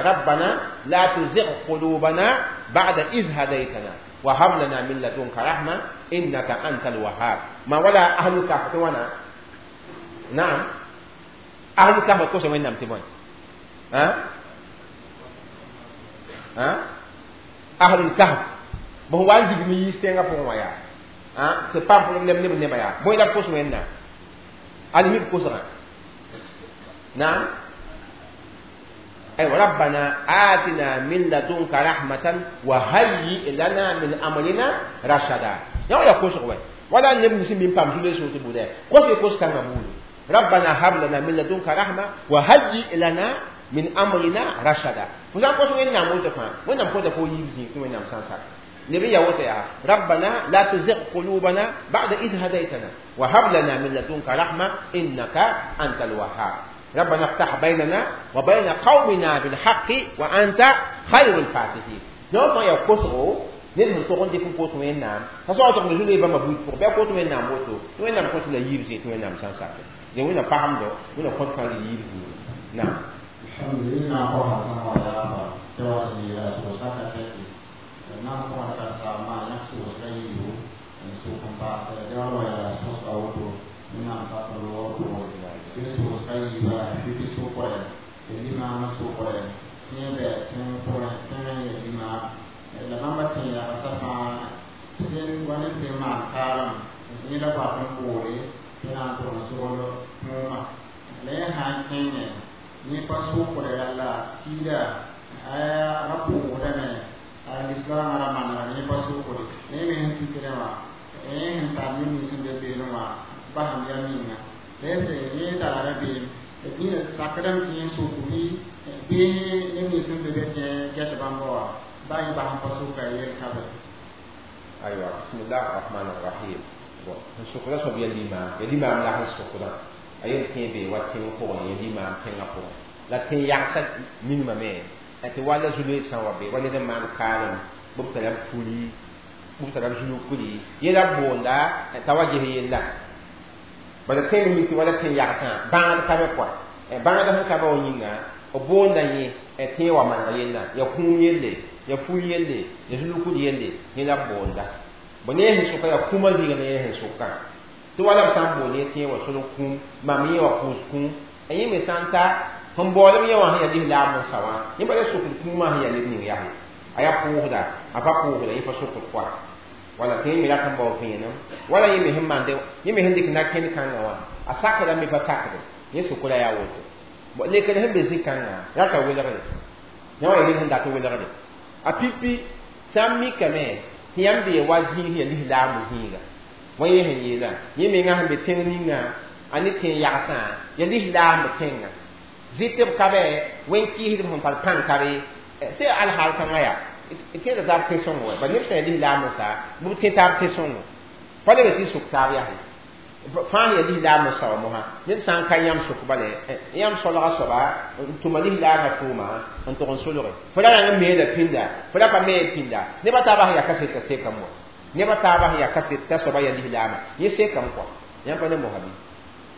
ربنا لا تزغ قلوبنا بعد إذ هديتنا وهب لنا من لدنك رحمة إنك أنت الوهاب ما ولا أهل الكهف وانا نعم أهل الكهف كوسا وين نعم تبون ها ها أهل الكهف بهو عندي مي سينغا فون ويا ها c'est pas problème ne ne baya boy la kos wenna alimi kosa نعم أي ربنا آتنا من لدنك رحمة وهيئ لنا من أمرنا رشدا يا يا كوس ولا نبني سمين بام جولي سوتي بوده كوس كوس كان بولو ربنا هب لنا من لدنك رحمة وهيئ لنا من أمرنا رشدا فزان كوس وين نعم وتفهم وين نعم كوس كوي يبزي وين نعم سانسا نبي يا وتيا ربنا لا تزغ قلوبنا بعد إذ هديتنا وهب لنا من لدنك رحمة إنك أنت الوهاب ربنا افتح بيننا وبين قومنا بالحق وأنت خير الفاتحين نوم يا كوسو نين تقول دي فون كوسو وين نام فسو تقول جولي بما بوت فوق بيا كوسو وين نام وتو وين نام كوسو لا يبزي وين نام سانسا دي وين فهم دو وين كوسو كان يبزي نعم الحمد لله قوها سما يا جوار لي رسول سكتي نعم قوها سما نفسه وسكيو سوق باس جوار يا رسول سكوتو نعم سكوتو sʋʋsga yiiba pipi sʋkre tɩ limaamã sʋkre tẽeg bɛ tẽng pʋgẽ tẽng n ya limaam la bãmba tẽ yagsã fãa sẽn wa ne sẽn maan kaalem yẽ la bat n boole tɩ na n tʋg n sogl kũumã la yẽ sã n kẽngẽ yẽ pa sʋkre la tiida a ra pʋʋgdame a lislaamã ra manegame yẽ pa sʋkre la yẽ me sẽn tikdẽ wã yẽ sẽn tar neb-nins sẽn be beelẽ wã basem yam yĩnga lɛsɛ yẽ tara rabeem dĩinã sakdame tɩ yẽ sʋk bɩ bɩ neb nins sẽn be be tẽ gɛt bãmba wã ba yẽ bas n pa sʋka yel ka be aywa bismillah arrahman arrahim bon n sʋkda soab ya limaam ya limaam la sẽn sʋkdã a yen tẽ be wa tẽng pʋgẽ ya limaam tẽngã pʋgẽ la tẽ yagsã minimame tɩ wala zulue sã n wa be wa ned n maan kaalem b tara b puli b tara b zulukuli yela boonda t'a wa ges yella bala tẽng mi tɩ wala tẽ yagsã bãagd ka be koa bãagd sẽn ka be wa yĩnga b boonda yẽ tẽ wa maneg yella ya kũum yelle ya ful yelle ya zulukd yelle yẽ la b boonda bõ ne sẽn sʋka ya kũumã zĩig ne yẽ sẽn sʋkã tɩ wala b sã n boond yẽ tẽ wa solg kũum mam yẽ wa pʋʋs kũum yẽ me sã n ta sẽn baoolem yẽ wã sẽn ya lislaam n sa wã yẽ bala sʋkd kũumã sẽn ya ned ning yaa a yaa pʋʋsda a pa pʋʋsda yẽ pa sʋkd koa wala tɩ yẽ me rat n bao vẽenem wala yẽ me sẽn maande yẽ me sẽn dɩk na-kẽnd kãngã wã a sakda me pa sakde yẽ sʋkra yaa woto lekr sẽn be zĩ-kãngã rata welgre yã wã yaa ned sẽn dat welgre a pipi sã n mikame tɩ yãmb bee wa zĩig sẽn ya lislaam zĩiga wa yẽ sẽn yeelã yẽ mengã sẽn be tẽng ninga a ne tẽng yagsã ya lislaam tẽngã zɩtb ka bɛ wẽn-kɩɩsdb sẽn tar pãng ka be sɩ alhaal kãngã yaa tẽeda taab tẽ-sõngo wɛ ba neb sã ya lislaam n sa bɩ b tẽ taab tẽ-sõngo pa leb tɩ sʋk taab yaa Fãa ya lislaam n sao mosã ned sã n ka yãmb sʋk bale yãmb solga soaba n tʋma lislaamã tʋʋma n tʋg n solge fo ra rãng n meela pĩnda fo ra pa mee pĩnda nebã taabã sẽn yaa kaset t'a sekame wa nebã taabã sẽn yaa kaset t'a soaba yaa lislaamã yẽ sekame kɔa yãmb pa ne mosa bɩ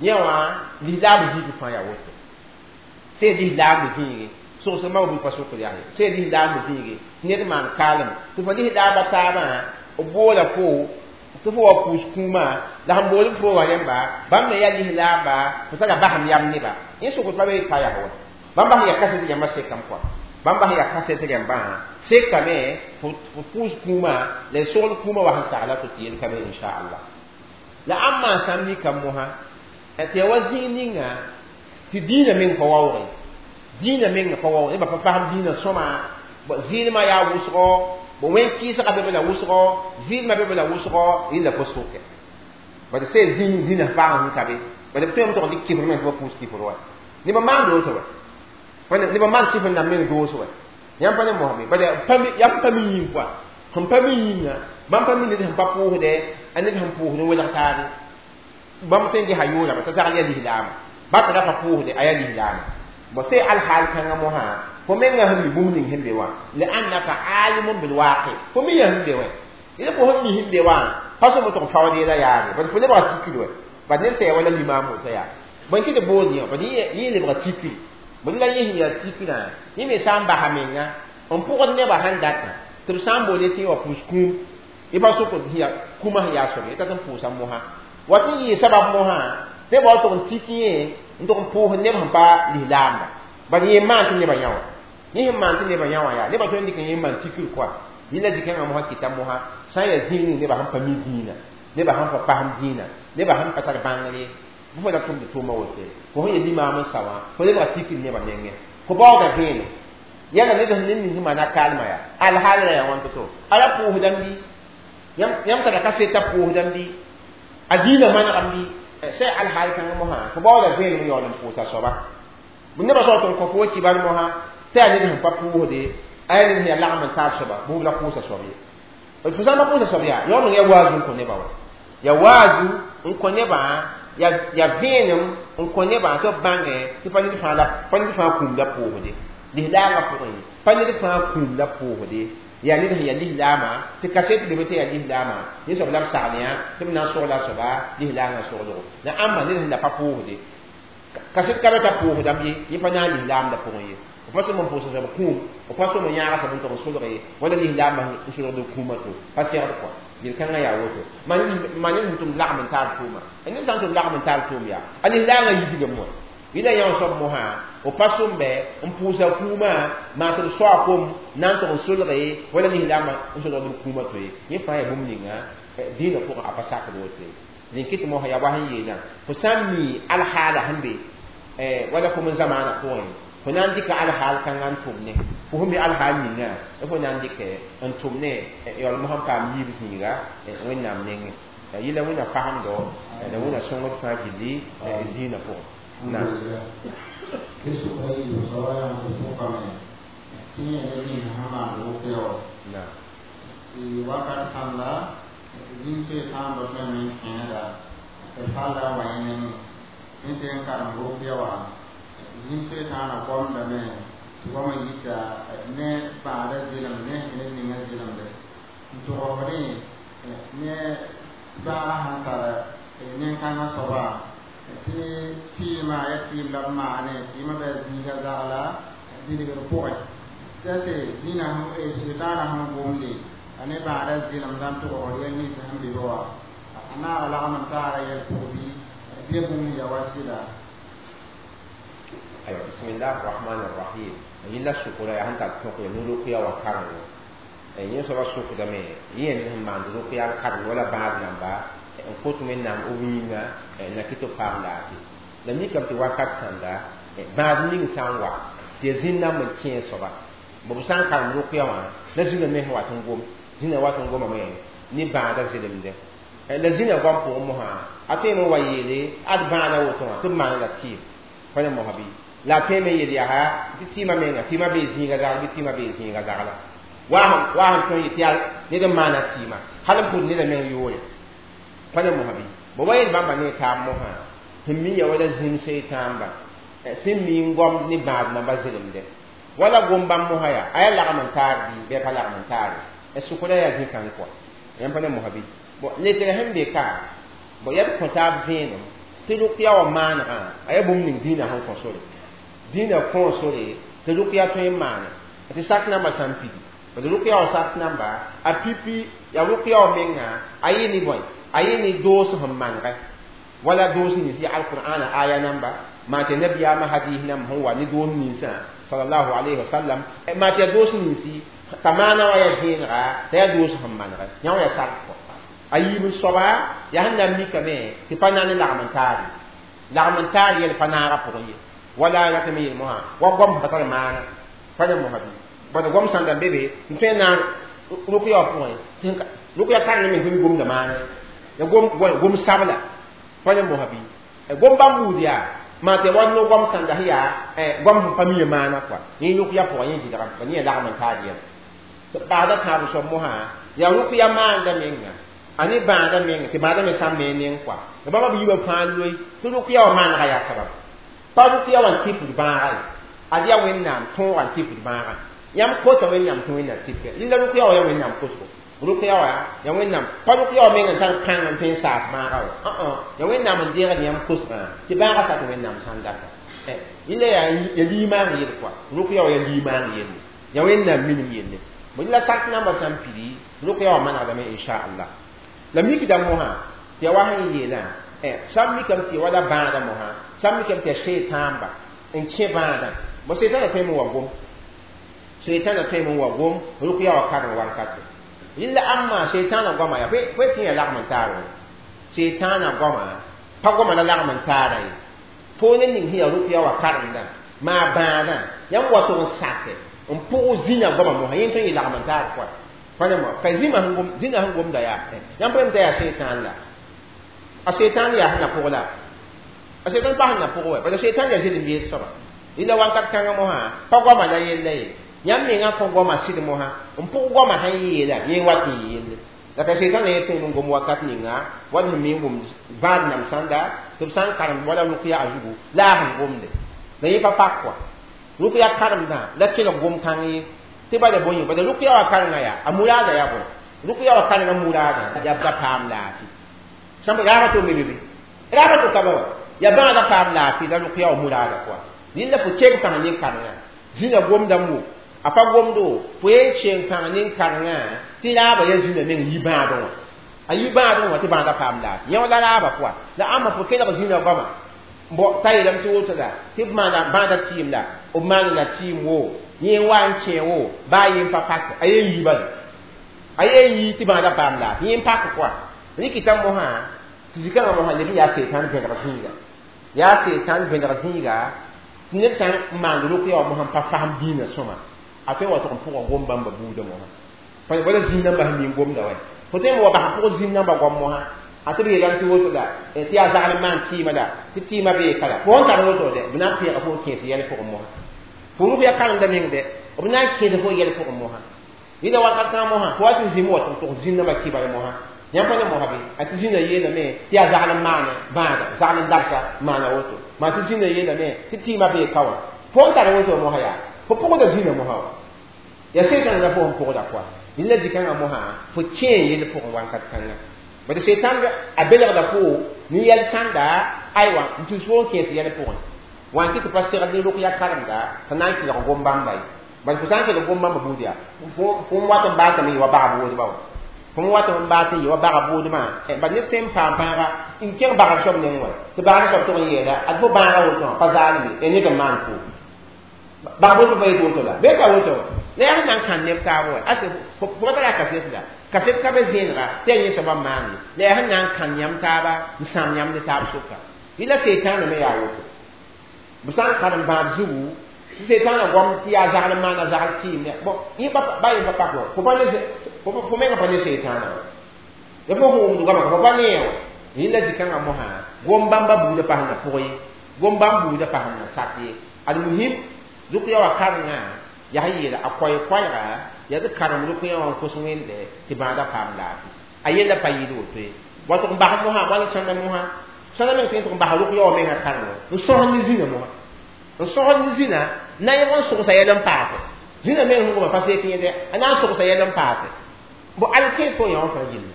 yẽ wã lislaam zĩig fãa yaa woto sẽn lislaam zĩige sogsg ma b pa sokd yaa ye sẽn lislaam zĩige ned maan kaalem tɩ fo lislaamã taabã b boola fo tɩ fo wa pʋʋs kũumã la sẽn bool b fo wã rẽmba bãmb me yaa lislaamba fo tara basem yam neba yẽ sokd pa be pa yaa wa bãmb sẽn yaa kaset rãmbã sekame kɔa bãmb sẽn yaa kaset rãmbã sekame fo pʋʋs kũumã la y sogl kũumã wa sẽn sagla tɩ tɩ yel ka be inchallah la ãmb maan sãmb nikam mosã tɩ ya wa zĩig ninga tɩ dĩinã meng pa waoogẽ dĩinã meng pa waoogẽ nebã pa fasem dĩinã sõma zɩɩlmã yaa wʋsgo bo wẽn kɩɩsgã be be la wʋsgo zɩɩlmã be be la wʋsgo yella pa soke bad sẽn zĩig dĩnã paam sẽn ka be bad b tõeme tɩg dɩk kɩfr meng tɩ ba pʋʋs kɩfr wa nebã maan doos wa nebã maan kɩfr nan meng doos wa yãmb pa ne mosame bad yaa pa mi yĩng pʋa sẽn pa mi yĩnga bãmb pa mi ned sẽn pa pʋʋsdɛ a ned sẽn pʋʋsd n welg taabe bãmb tõe n gesa yʋʋrame t'a zagl yaa lislaama ba tɩ ra pa pʋʋsde a yaa lislaama bon sẽn alhaal kãngã mosã fo menga sẽn mi bũmb ning sẽn be wã liannaka alimun bilwaqi fo mi ya sẽn be wã yẽl fo sẽn mi sẽn be wã pa sõm tɩg faood yɛla yaare bad fo lebga tikir wɛ bad ned sẽn ya wala limaam woto yaa bõe kɩ tɩ bood yẽ bad yẽ lebga tikir bõe la yẽ sẽn yaa tikirã yẽ me sã n basa menga n pʋgd nebã sãn datã tɩ b sã n boole tɩ wa pʋʋs kũum y pa sokd kũmã sẽn yaa soab ye t'a tɩ n pʋʋsa mosã wa tɩ n yɩɩ sabab mosã nebã wa tʋg n tik yẽ n tʋg n pʋʋs neb sẽn pa lislaamba bad yẽ maan tɩ nebã yã wã yẽ sẽn maan tɩ nebã yã wã yaa nebã tõe n dɩk n yẽ maan tikr kɔa yẽla dɩkãngã mosã kɩta mosã sã n yaa zĩig ning nebã sẽn pa mi dĩinã nebã sẽn pa pasem dĩinã nebã sẽn pa tar bãngr ye bɩ fo ra tʋmd tʋʋmã woto fo sẽn ya limaam n sa wã fo lebga tikr nebã nengẽ fo baooga vẽenem yãla ned sẽn ned nins maana kaalmã yaa alhaal ra yaa wãn to-to a ra pʋʋsdame bɩ yãmb tara kaseta pʋʋsdame bɩ a dĩinã manegame bɩ sẽn alhaal kãngã mosã fo baooda vẽenem yaool n pʋʋsa soaba nebã soab tɩ n kõ fo wa kibar mosã tɩ yaa ned sẽn pa pʋʋsde a yaa ned sẽn yaa lagem n taab soaba bũmb la pʋʋsa soab ye fo sã n pa pʋʋsa soab yaa yaool n yaa waazu n kõ nebã wa yaa waazu n kõ nebã yaa vẽenem n kõ nebã tɩ b bãngẽ tɩ pa ned fãa kũum la pʋʋsde lislaamã pʋgẽ pa ned fãa kũum la pʋʋsde yaa ned sẽn yaa lislaamã tɩ kaset lebe tɩ yaa lislaamã yẽ soab la b sagl yã tɩ b na n sogla a soaba lislaangã soglgo la ãmba ned sẽn la pa pʋʋsde kaset ka be t'a pʋʋsdame ye yẽ pa na n lislaamdã pʋgẽ ye b pa sõm n pʋʋsa soab kũum b pa sõm n yãaga soab n tʋg n solg ye wala lislaamã n solgd kũumã to pa segd kɔa yel-kãngã yaa woto maa ned sẽn tʋm lagm n taab tʋʋma ned sã n tʋm lagm n taab tʋʋm yaa a lislaangã yidgame wã yẽla yã soab mosã b pa sõmbe n pʋʋsa kũumã maa tɩ b soa kom na n tʋg n solge wala lislaamã n solgd b kũumã to ye yẽ fãa yaa bũmb ninga dĩinã pʋgẽ a pa sakd woto ye dẽn kɩt mosã yaa wa sẽn yeelã fo sã n mi alhaala sẽn be wala fo m zamaanã pʋgẽ fo na n dɩka alhaal kãngã n tʋm ne fo sẽn be alhaal ninga fo na n dɩkɛ n tʋm ne yaool mosã n paam yiib zĩiga wẽnnaam nengẽ yɩla wẽnna fasemdo la wẽnna sõngd fãa gilli dĩinã pʋgẽ. نعم. نعم. wakat sãnda zĩig-soe-tãamba tõeme n kẽeda tɩ falla wa yẽ nengẽ sẽn seg n karem rʋkya wã zĩig-soe-tãana goamdame tɩ goamã yita ne bãada zɩlem ne ned ninga zɩlemde n togsdẽ ne bãaga sãn tar nen-kãngã soaba tɩ tɩɩmã ya tɩɩm la b maane tɩɩmã bɩ a zĩiga zagla bilgr pʋgẽ t'a se zĩnã sʋtaanã sẽn gomde a ne bãada zɩlemdã n togsd yɛl nins sẽn be be wa a naag lagm n taara yɛl pʋg bɩ bɩa bũmb ya wa sɩda. Aywa, bismillah rahman rahim yẽla sʋkra yaa sẽn tar tõk ya no-rʋkya wa karengo yẽ soaba sʋkdame yẽ sẽn maand rʋkya n kareng wala bãad rãmba n kot wẽnnaam b yĩnga na kɩ tɩ b paam laafɩ la mikame tɩ wakat sãnda bãad ning sã n wa tɩ ya zĩn-nãmb n kẽe soaba b sã n karem rʋkya wã la zĩna me sẽn wat n gom zĩna wat n gomame ne bãada zelemdẽ la zĩna goam pʋgẽ mosã a tõeme n wa yeele ad bãada woto wã tɩ b maana la tɩɩm pa ne mosã bɩ la a tõeme n yel yaa tɩ tɩɩmã menga tɩɩmã bee zĩiga zagl bɩ tɩɩmã bee zĩiga zagla wa sẽn tõe n yetɩ yaa ned n maana tɩɩmã hal n pʋd neda meng yʋʋre pa ne mosã bɩ Bo wa yel bãmba ne taab mosã sẽn mi ya wala zĩm seytãamba sẽn mi n goamd ne bãad namba zelemdẽ wala gom bãmb mosã yaa a yaa lagm n taar bɩ bɩ a ka lagm n taare sʋkra yaa zĩ-kãng kɔa yãmb pa ne mosã bɩ bon letrã sẽn be ka bon yaa d kõ taab vẽenem tɩ rʋkya wã maanegã a yaa bũmb ning dĩinã sẽn kõ sore dĩinã kõ sore tɩ rʋkya tõe n maane tɩ sak namba sã n pidi bad rʋkya wã sak namba a pipi yaa rʋkya wã menga a yɩ ne bõe a yɩ ne doos sẽn manegɛ wala doos nins yaa alqur'ana aya namba maa tɩ nabiyaamã hadis nam sẽn wa ne doos ninsã sallallahu alayhi wa sallam maa tɩ yaa doos ninsi t'a maana wã yaa vẽenega t'a yaa doos sẽn manegɛ yã wã yaa sak kɔ a yiib n soaba yaa sẽn na n mikame tɩ pa na ne lagm n taar ye lagm n taar yɛl pa naagã pʋgẽ ye wala ratame yel mosã wa goam sẽn ka tar maana pa ne mosã bɩ bad goam sãn da n be be n tõe n na n rʋkya wã pʋgẽ rʋkya karengã me sẽn gomda maana ya gom sabla pa ne mosã bɩ gom bãmb buud yaa maa tɩ wa no goam sãnda sẽn yaa goam sẽn pa mi maana kɔa yẽ rʋkya pʋgẽ yẽ zɩlgame ba yẽ lagm n taar yɛla tɩ paasda tãab soab mosã yaa rʋkya maanda menga a ne bãada menga tɩ bãada me sã n me neng kɔa la bãmba b yiibã fãa loe tɩ rʋkya wã maanegã yaa sabab pa rʋkya wã n tɩpd bãaga ye ad yaa Wẽnnaam tõogã n tɩpd bãagã yãmb kota Wẽnnaam tɩ Wẽnnaam tɩpke rẽnda rʋkya wã yaa Wẽnnaam kosgo rʋkya wã yaa Wẽnnaam pa rʋkya wã meng n tar kãng n tõe n saas bãaga wa yaa Wẽnnaam n deegd yãmb kosgã tɩ bãagã sak Wẽnnaam sãn data rẽnda yaa limaang yel kɔa rʋkya wã yaa limaang yelle yaa Wẽnnaam minim yelle la sak namba sã n pidi rʋkya wã manegdame inchallah la mikda mosã tɩ ya wa sẽn yeelã sã n mikame tɩ wala bãada mosã sã n mikame tɩ ya seetãamba n kẽ bãadã bo seetãna tõeme n wa gom seetãna tõeme n wa gom rʋkya wã kareng wankate rẽnda ãmma seetãna goama yaa fo tɩ yã lagm n taar wã seetãna goama pa goama la lagm n taara ye fo ne ning sẽn yaa rʋkya wã karengdã maa bãadã yãmb wa tʋg n sake n pʋg zĩna goama mosã yẽ tõe n yɩ lagm n taar pʋa pa ne mo ka zĩma sẽn gomda yaa yãmb pa yem t'a yaa seetãn la a seetãn yaa sẽn na pʋg la a seetãn pa sẽn na pʋg wɛ bala seetãn yaa zelem yeel soaba rẽnda wakat kãngã mosã pa goama la yella ye yãmb mengã kõ goama sɩd mosã n pʋg goama sẽn yeela yẽ wat n yelle la ka seetãn la yẽ tõe n gom wakat ninga wat sẽn me n gom bãad nam sãnda tɩ b sã n karemd wala rʋkya a zugu la a sẽn gomde la yẽ pa pak kɔa rʋkya karemdã la kelg gom-kãng ye tɩ bala bõe bala rʋkya wã karengã yaa a muraada yaa bõe rʋkya wã karengã muraada yaa da paam laafɩ sãmb raaba to me be raaba to ka ba wa yaa bãada paam laafɩ la rʋkya wã muraada pʋa rẽnda fo keng pãng nin-karengã zĩna gomdame wo a pa gomdo fo yen keng pãng nin-karengã tɩ raaba yaa zĩna meng yi bãadẽ wã a yi bãadẽ wã tɩ bãada paam laafɩ yẽ la raaba pʋa la ãmba fo kelg zĩna goama bo t'a yeelame tɩ woto la tɩ b maana bãada tɩɩm la b maana la tɩɩm wo yẽ wa n kẽ wo baa yen pa pak a yen yi bala a yen yi tɩ bãada paam laafɩ yẽ n pak kɔa rɩkɩta mosã tɩ zikãngã mosã leb n yaa seetãn vẽneg zĩiga yaa seetãn vẽneg zĩiga tɩ ned sã n maand rʋkya wã mosã n pa fasem dĩinã sõma a tõe n wa tʋg n pʋga gom bãmba buudã mosã wala zĩig nambã sẽn mi n gomda wa fo tõe n wa bas n pʋg zĩig nambã goam mosã a tɩ b yeelame tɩ woto la tɩ yaa zagl n maan tɩɩmã la tɩ tɩɩmã bee ka la fo n tar woto dɛ b na n pẽega fo n kẽes yɛl pʋgẽ mosã fo rʋk ya karemda meng dɛ b na n kẽes fo yɛl pʋgẽ mosã rẽnda wakat kãngã mosã fo wa tɩ zĩm wa tʋg tʋg zĩig nambã kɩbar mosã yãmb pa ne mosã bɩ a tɩ zĩnã yeelame tɩ yaa zagl n maane bãada zagl n dabsa maana woto maa tɩ zĩnã yeelame tɩ tɩɩmã bee ka wã fo n tar woto mosã yaa fo pʋgda zĩnã mosã wa yaa seetãn la fo sẽn pʋgda kɔa rẽnda zĩ-kãngã mosã fo kẽe yell pʋgẽ wakat kãngã bad seetãn a belgda fo nin-yɛl sãnda aywa n tus fo n kẽes yɛl pʋgẽ wã n kɩ tɩ pa segd ne rʋkya karemda t'a na n kelg gom bãmba ye bad fo sã n kelg gom bãmba buud yaa fo n wat n baasame yɩ wa bag boodbã wa fo n wat n baas n yɩ wa bag boodmã bad ned tõe n paam bãaga n kẽng bagr soab neng wa tɩ bagr soab tʋg n yeela ad fo bãaga woto wã pa zaalme ya ned n maan fo bag boodbã pa yet woto la bee ka woto wa la yaa sẽn na n kãn neb taab wa ase fo pa tara kaset la kaset ka be zẽenega tɩ yaa yẽ soabã n maan ye la yaa sẽn na n kãn yãmb taaba n sãam yãmb ne taab sʋka rɩla seetãanã me yaa woto b sã n karem bãad zugu tɩ seetãanã goam tɩ yaa zagl n maana zagl tɩɩm bon yẽ ba yẽ pa pak wa fo menga pa ne seetãanã wa ya fo sẽn wʋmd goamã ka fo pa nee wa rẽnda zĩ-kãngã mosã gom bãmba buudã pa sẽn na pʋg ye gom bãmb buudã pa sẽn na sak ye almuhim rʋkya wã karengã yaa sẽn yeela a koɛɛ-koɛɛga yaa d karem rʋkya wã n kos Wẽnde tɩ bãada paam laafɩ a yella pa yɩɩd woto ye. Wa tɩg n bas mosã wala sãnda mosã sãnda meng tõe n tɩg n bas rʋk yaoog mengã karengo n sõsd ne zĩnã mosã n sõsd ne zĩnã na yẽg n sogsa yɛl n paase zĩnã meng sẽn goma pa seek yẽde a na n sogsa yɛl n paase bo al kẽes fo yã wã fãa gilli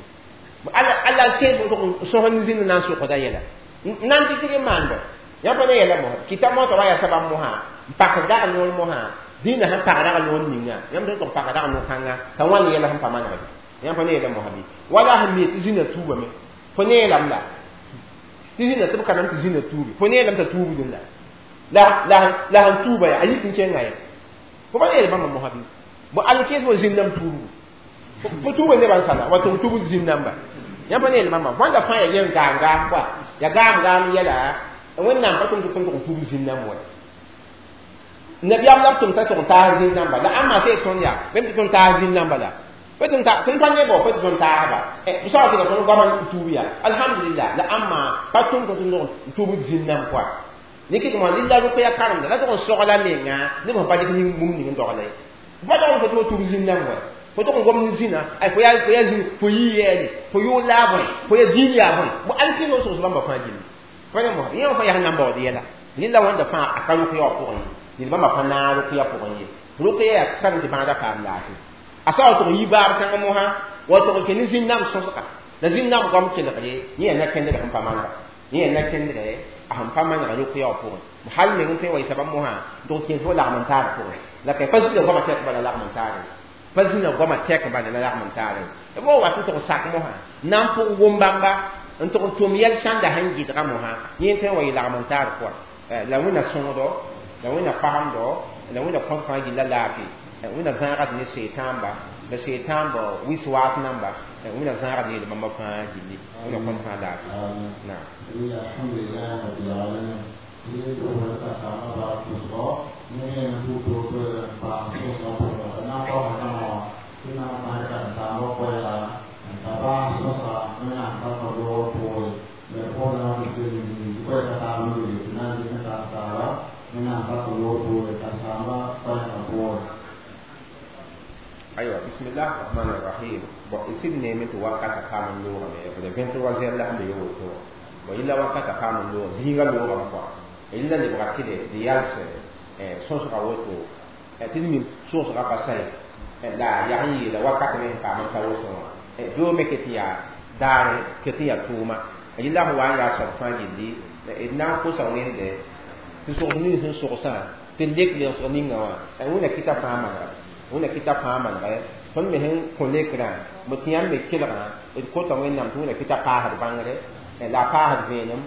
alla kẽes fo tɩg n sõsd ne zĩnã na n sokda yɛla n na n dɩk n maan bã yã pa ne yɛla mosã kɩta mosã wa yaa sabam mosã n pak dag noor mosã dĩinã sẽn pag rag noor ninga yãmb sẽn tɩg pag rag no-kãnga t'a wãn yɛla sẽn pa manegd yãmb pa ne yɛla mosã bɩ wala sẽn mi tɩ zĩnã tuubame fo neelame la tɩ zĩnã tɩ b ka nam tɩ zĩnã tuubi fo neelame t'a tuubdẽ la la sẽn tuuba yaa a yik n kẽnga ye fo pa neel bãmba mosã bɩ bo al kẽes fo zĩn-dãmb tuubgu fo tuuba nebã n sala wa tɩ f tuubd zĩn-dãmba yãmb pa neel bãmba bõnda fãa ya yem gaam gaam koa ya gaam gaam yɛla wẽnnaam pa tʋm tɩ tõnd tʋg n tuubd zĩn-dãmb wa nabiyaam la b tʋm t'a tʋg n taas zĩn-dãmba la ãmba sẽn tõnd yaa bẽmb tɩ tõnd taas zĩn-dãmba la pa tɩ tõnd pa nebɔ pa tɩ tõnd taasba b soaba tɩ la tõnd goam n tuub yaa alhamdulillah la ãmba pa tʋm tɩ tõnd n tuubd zĩn-dãmb koa dɩk tɩ lilla rʋkya karemda la tʋg n sogla menga neb sẽn pa dɩk bũmb ning n dogla ye pa dog n fo tɩ fo tuub zĩn-dãmb wa fo tʋg n gom ne zĩnã ay fo yaa fo yaa zĩ fo yii yɛɛle fo yʋʋl la a bõe fo yaa zĩig yaa bõe bo al kẽes f sogs bãmba fãa gilli pa ne mosã yẽ wã fãa yaa sẽn na n baood yɛla lilla wãnda fãa a ka rʋk yaoog pʋgẽ ye ned bãmba pa naag rʋkya pʋgẽ ye rʋkya yaa karem tɩ bãagda paam laafɩ a sa wa tʋg n yi baab kãngã mosã wa tʋg n kẽ ne zĩn-dãmb sõsga la zĩn-dãmb goam kelgre yẽ yaa na-kẽndgã sẽn pa manega yẽ yaa na-kẽndgã a sẽn pa manega rʋk yaoog pʋgẽ hal meng n tõe n wa yɩ sabab mosã n tʋg kẽes fo lagm n taar pʋgẽ la ka pa zĩna goamã tɛk bala lagm n taare pa zĩna goamã tɛk bala la lagm n taare b wa wat n tʋg sak mosã na n pʋg wʋm bãmba n tʋg n tʋm yɛl sãnda sẽn gɩdga mosã yẽ tõe n wa yɩ lagm n taar pʋga la wẽnna sõsdo la wẽnna fagemdo la wẽnna kõt fãa gilla laafɩ wẽnna zãagd ne seetãamba la seetãamba wis-waas namba wẽnna zãagd ne yel-bãmba fãa gilli wẽnna kõt fãa laafɩ naam. Alhamdulillah rabbil alamin. Ni do ka sama ba kusgo ni ne tu to to pa so so ko na ko na mo ina ma ka sama ko ya ta ba so sa na sa ko do ko le ko na ko ni ko sa ta lu ni na ni ka sa ba na sa ko do ko ta sama ko na ko. Aywa, bismillah rahman rahim. Bon, ici ne me to wakata paam n loogame b 23 heures la sẽn be woto bon yella wakata paam n loog zĩiga loogame kɔa yella lebga tɩ d yals sõsga woto tɩ d mim sõsga pa sã la yaa n yeela wakat me sẽn paam n ta woto wã doo me ket n yaa daar ket n yaa tʋʋma yella sẽn wa n yaa soab fãa gilli d na n kosa wẽnde tɩ sogs nins sẽn sogsã tɩ d lek lensg ninga wã wẽnna kɩta fãa manega wẽnna kɩta fãa manega tõnd me sẽn kõ lekrã b tɩ yãmb me kelgã d kota wẽnnaam tɩ wẽnna kɩta paasd bãngre la a paasd vẽenem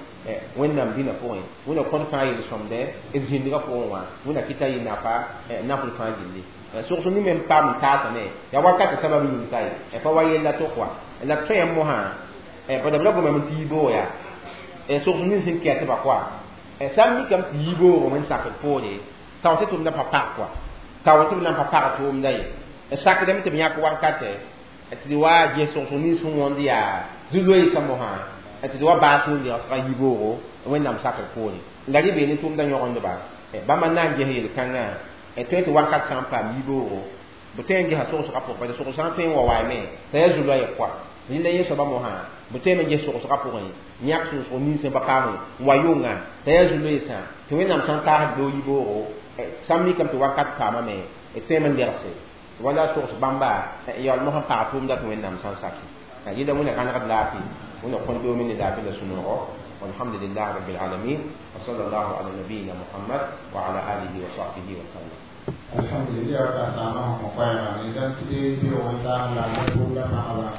wẽnnaam dĩnã pʋgẽ wẽnna kõt fãa yel-sõmdɛ d zĩndgã pʋgẽ wã wẽnna kɩta yɩ nafa nafl fãa gilli sogs ning me n paam n taasame yaa wakatã sabab yĩng ka ye pa wa yella tʋk wa la b tõe mosã bad b ra gomame tɩ yiboog yaa sogs ning sẽn kɛtba koa sã n mikame tɩ yiboog wẽn sakd poore tao tɩ tʋmdã pa pag koa tao tɩ b na n pa pag tʋʋmda ye sakdame tɩ b yãk wakatɛ tɩ d wa ges sogs nins sẽn wõnd yaa zu-loeesã mosã tɩ d wa baas n legsga yiboogo wẽnnaam sakr poore la rɩ bee ne tʋʋmdã yõgendba bãmba na n ges yel-kãngã tõe tɩ wakat sã n paam yiboogo b tõe n gesa sogsgã pʋgẽ parce sogs sã n tõe n wa waame t'a yaa zu-loɛɛ koa rẽnda yẽ soaba mosã b tõeme n ges sogsgã pʋgẽ yãk sũsg ninsẽ ba paam n wa yʋnga t'a yaa zu-loeesã tɩ wẽnnaam sã n taasd doo yiboogo sã n mikame tɩ wakat paamame d tõeme n legse wala sogs bãmba yaool mosã pag tʋʋmda tɩ wẽnnaam sã n saki yɩla wẽnna gãnegd laafɩ wẽnna kõn doome ne laafɩ la sũ-noogo. والحمد لله رب العالمين وصلى الله على نبينا محمد وعلى آله وصحبه وسلم. Alhamdulillah ka sama ko ko ya ni dan ti bi o ta la ko la ma ala.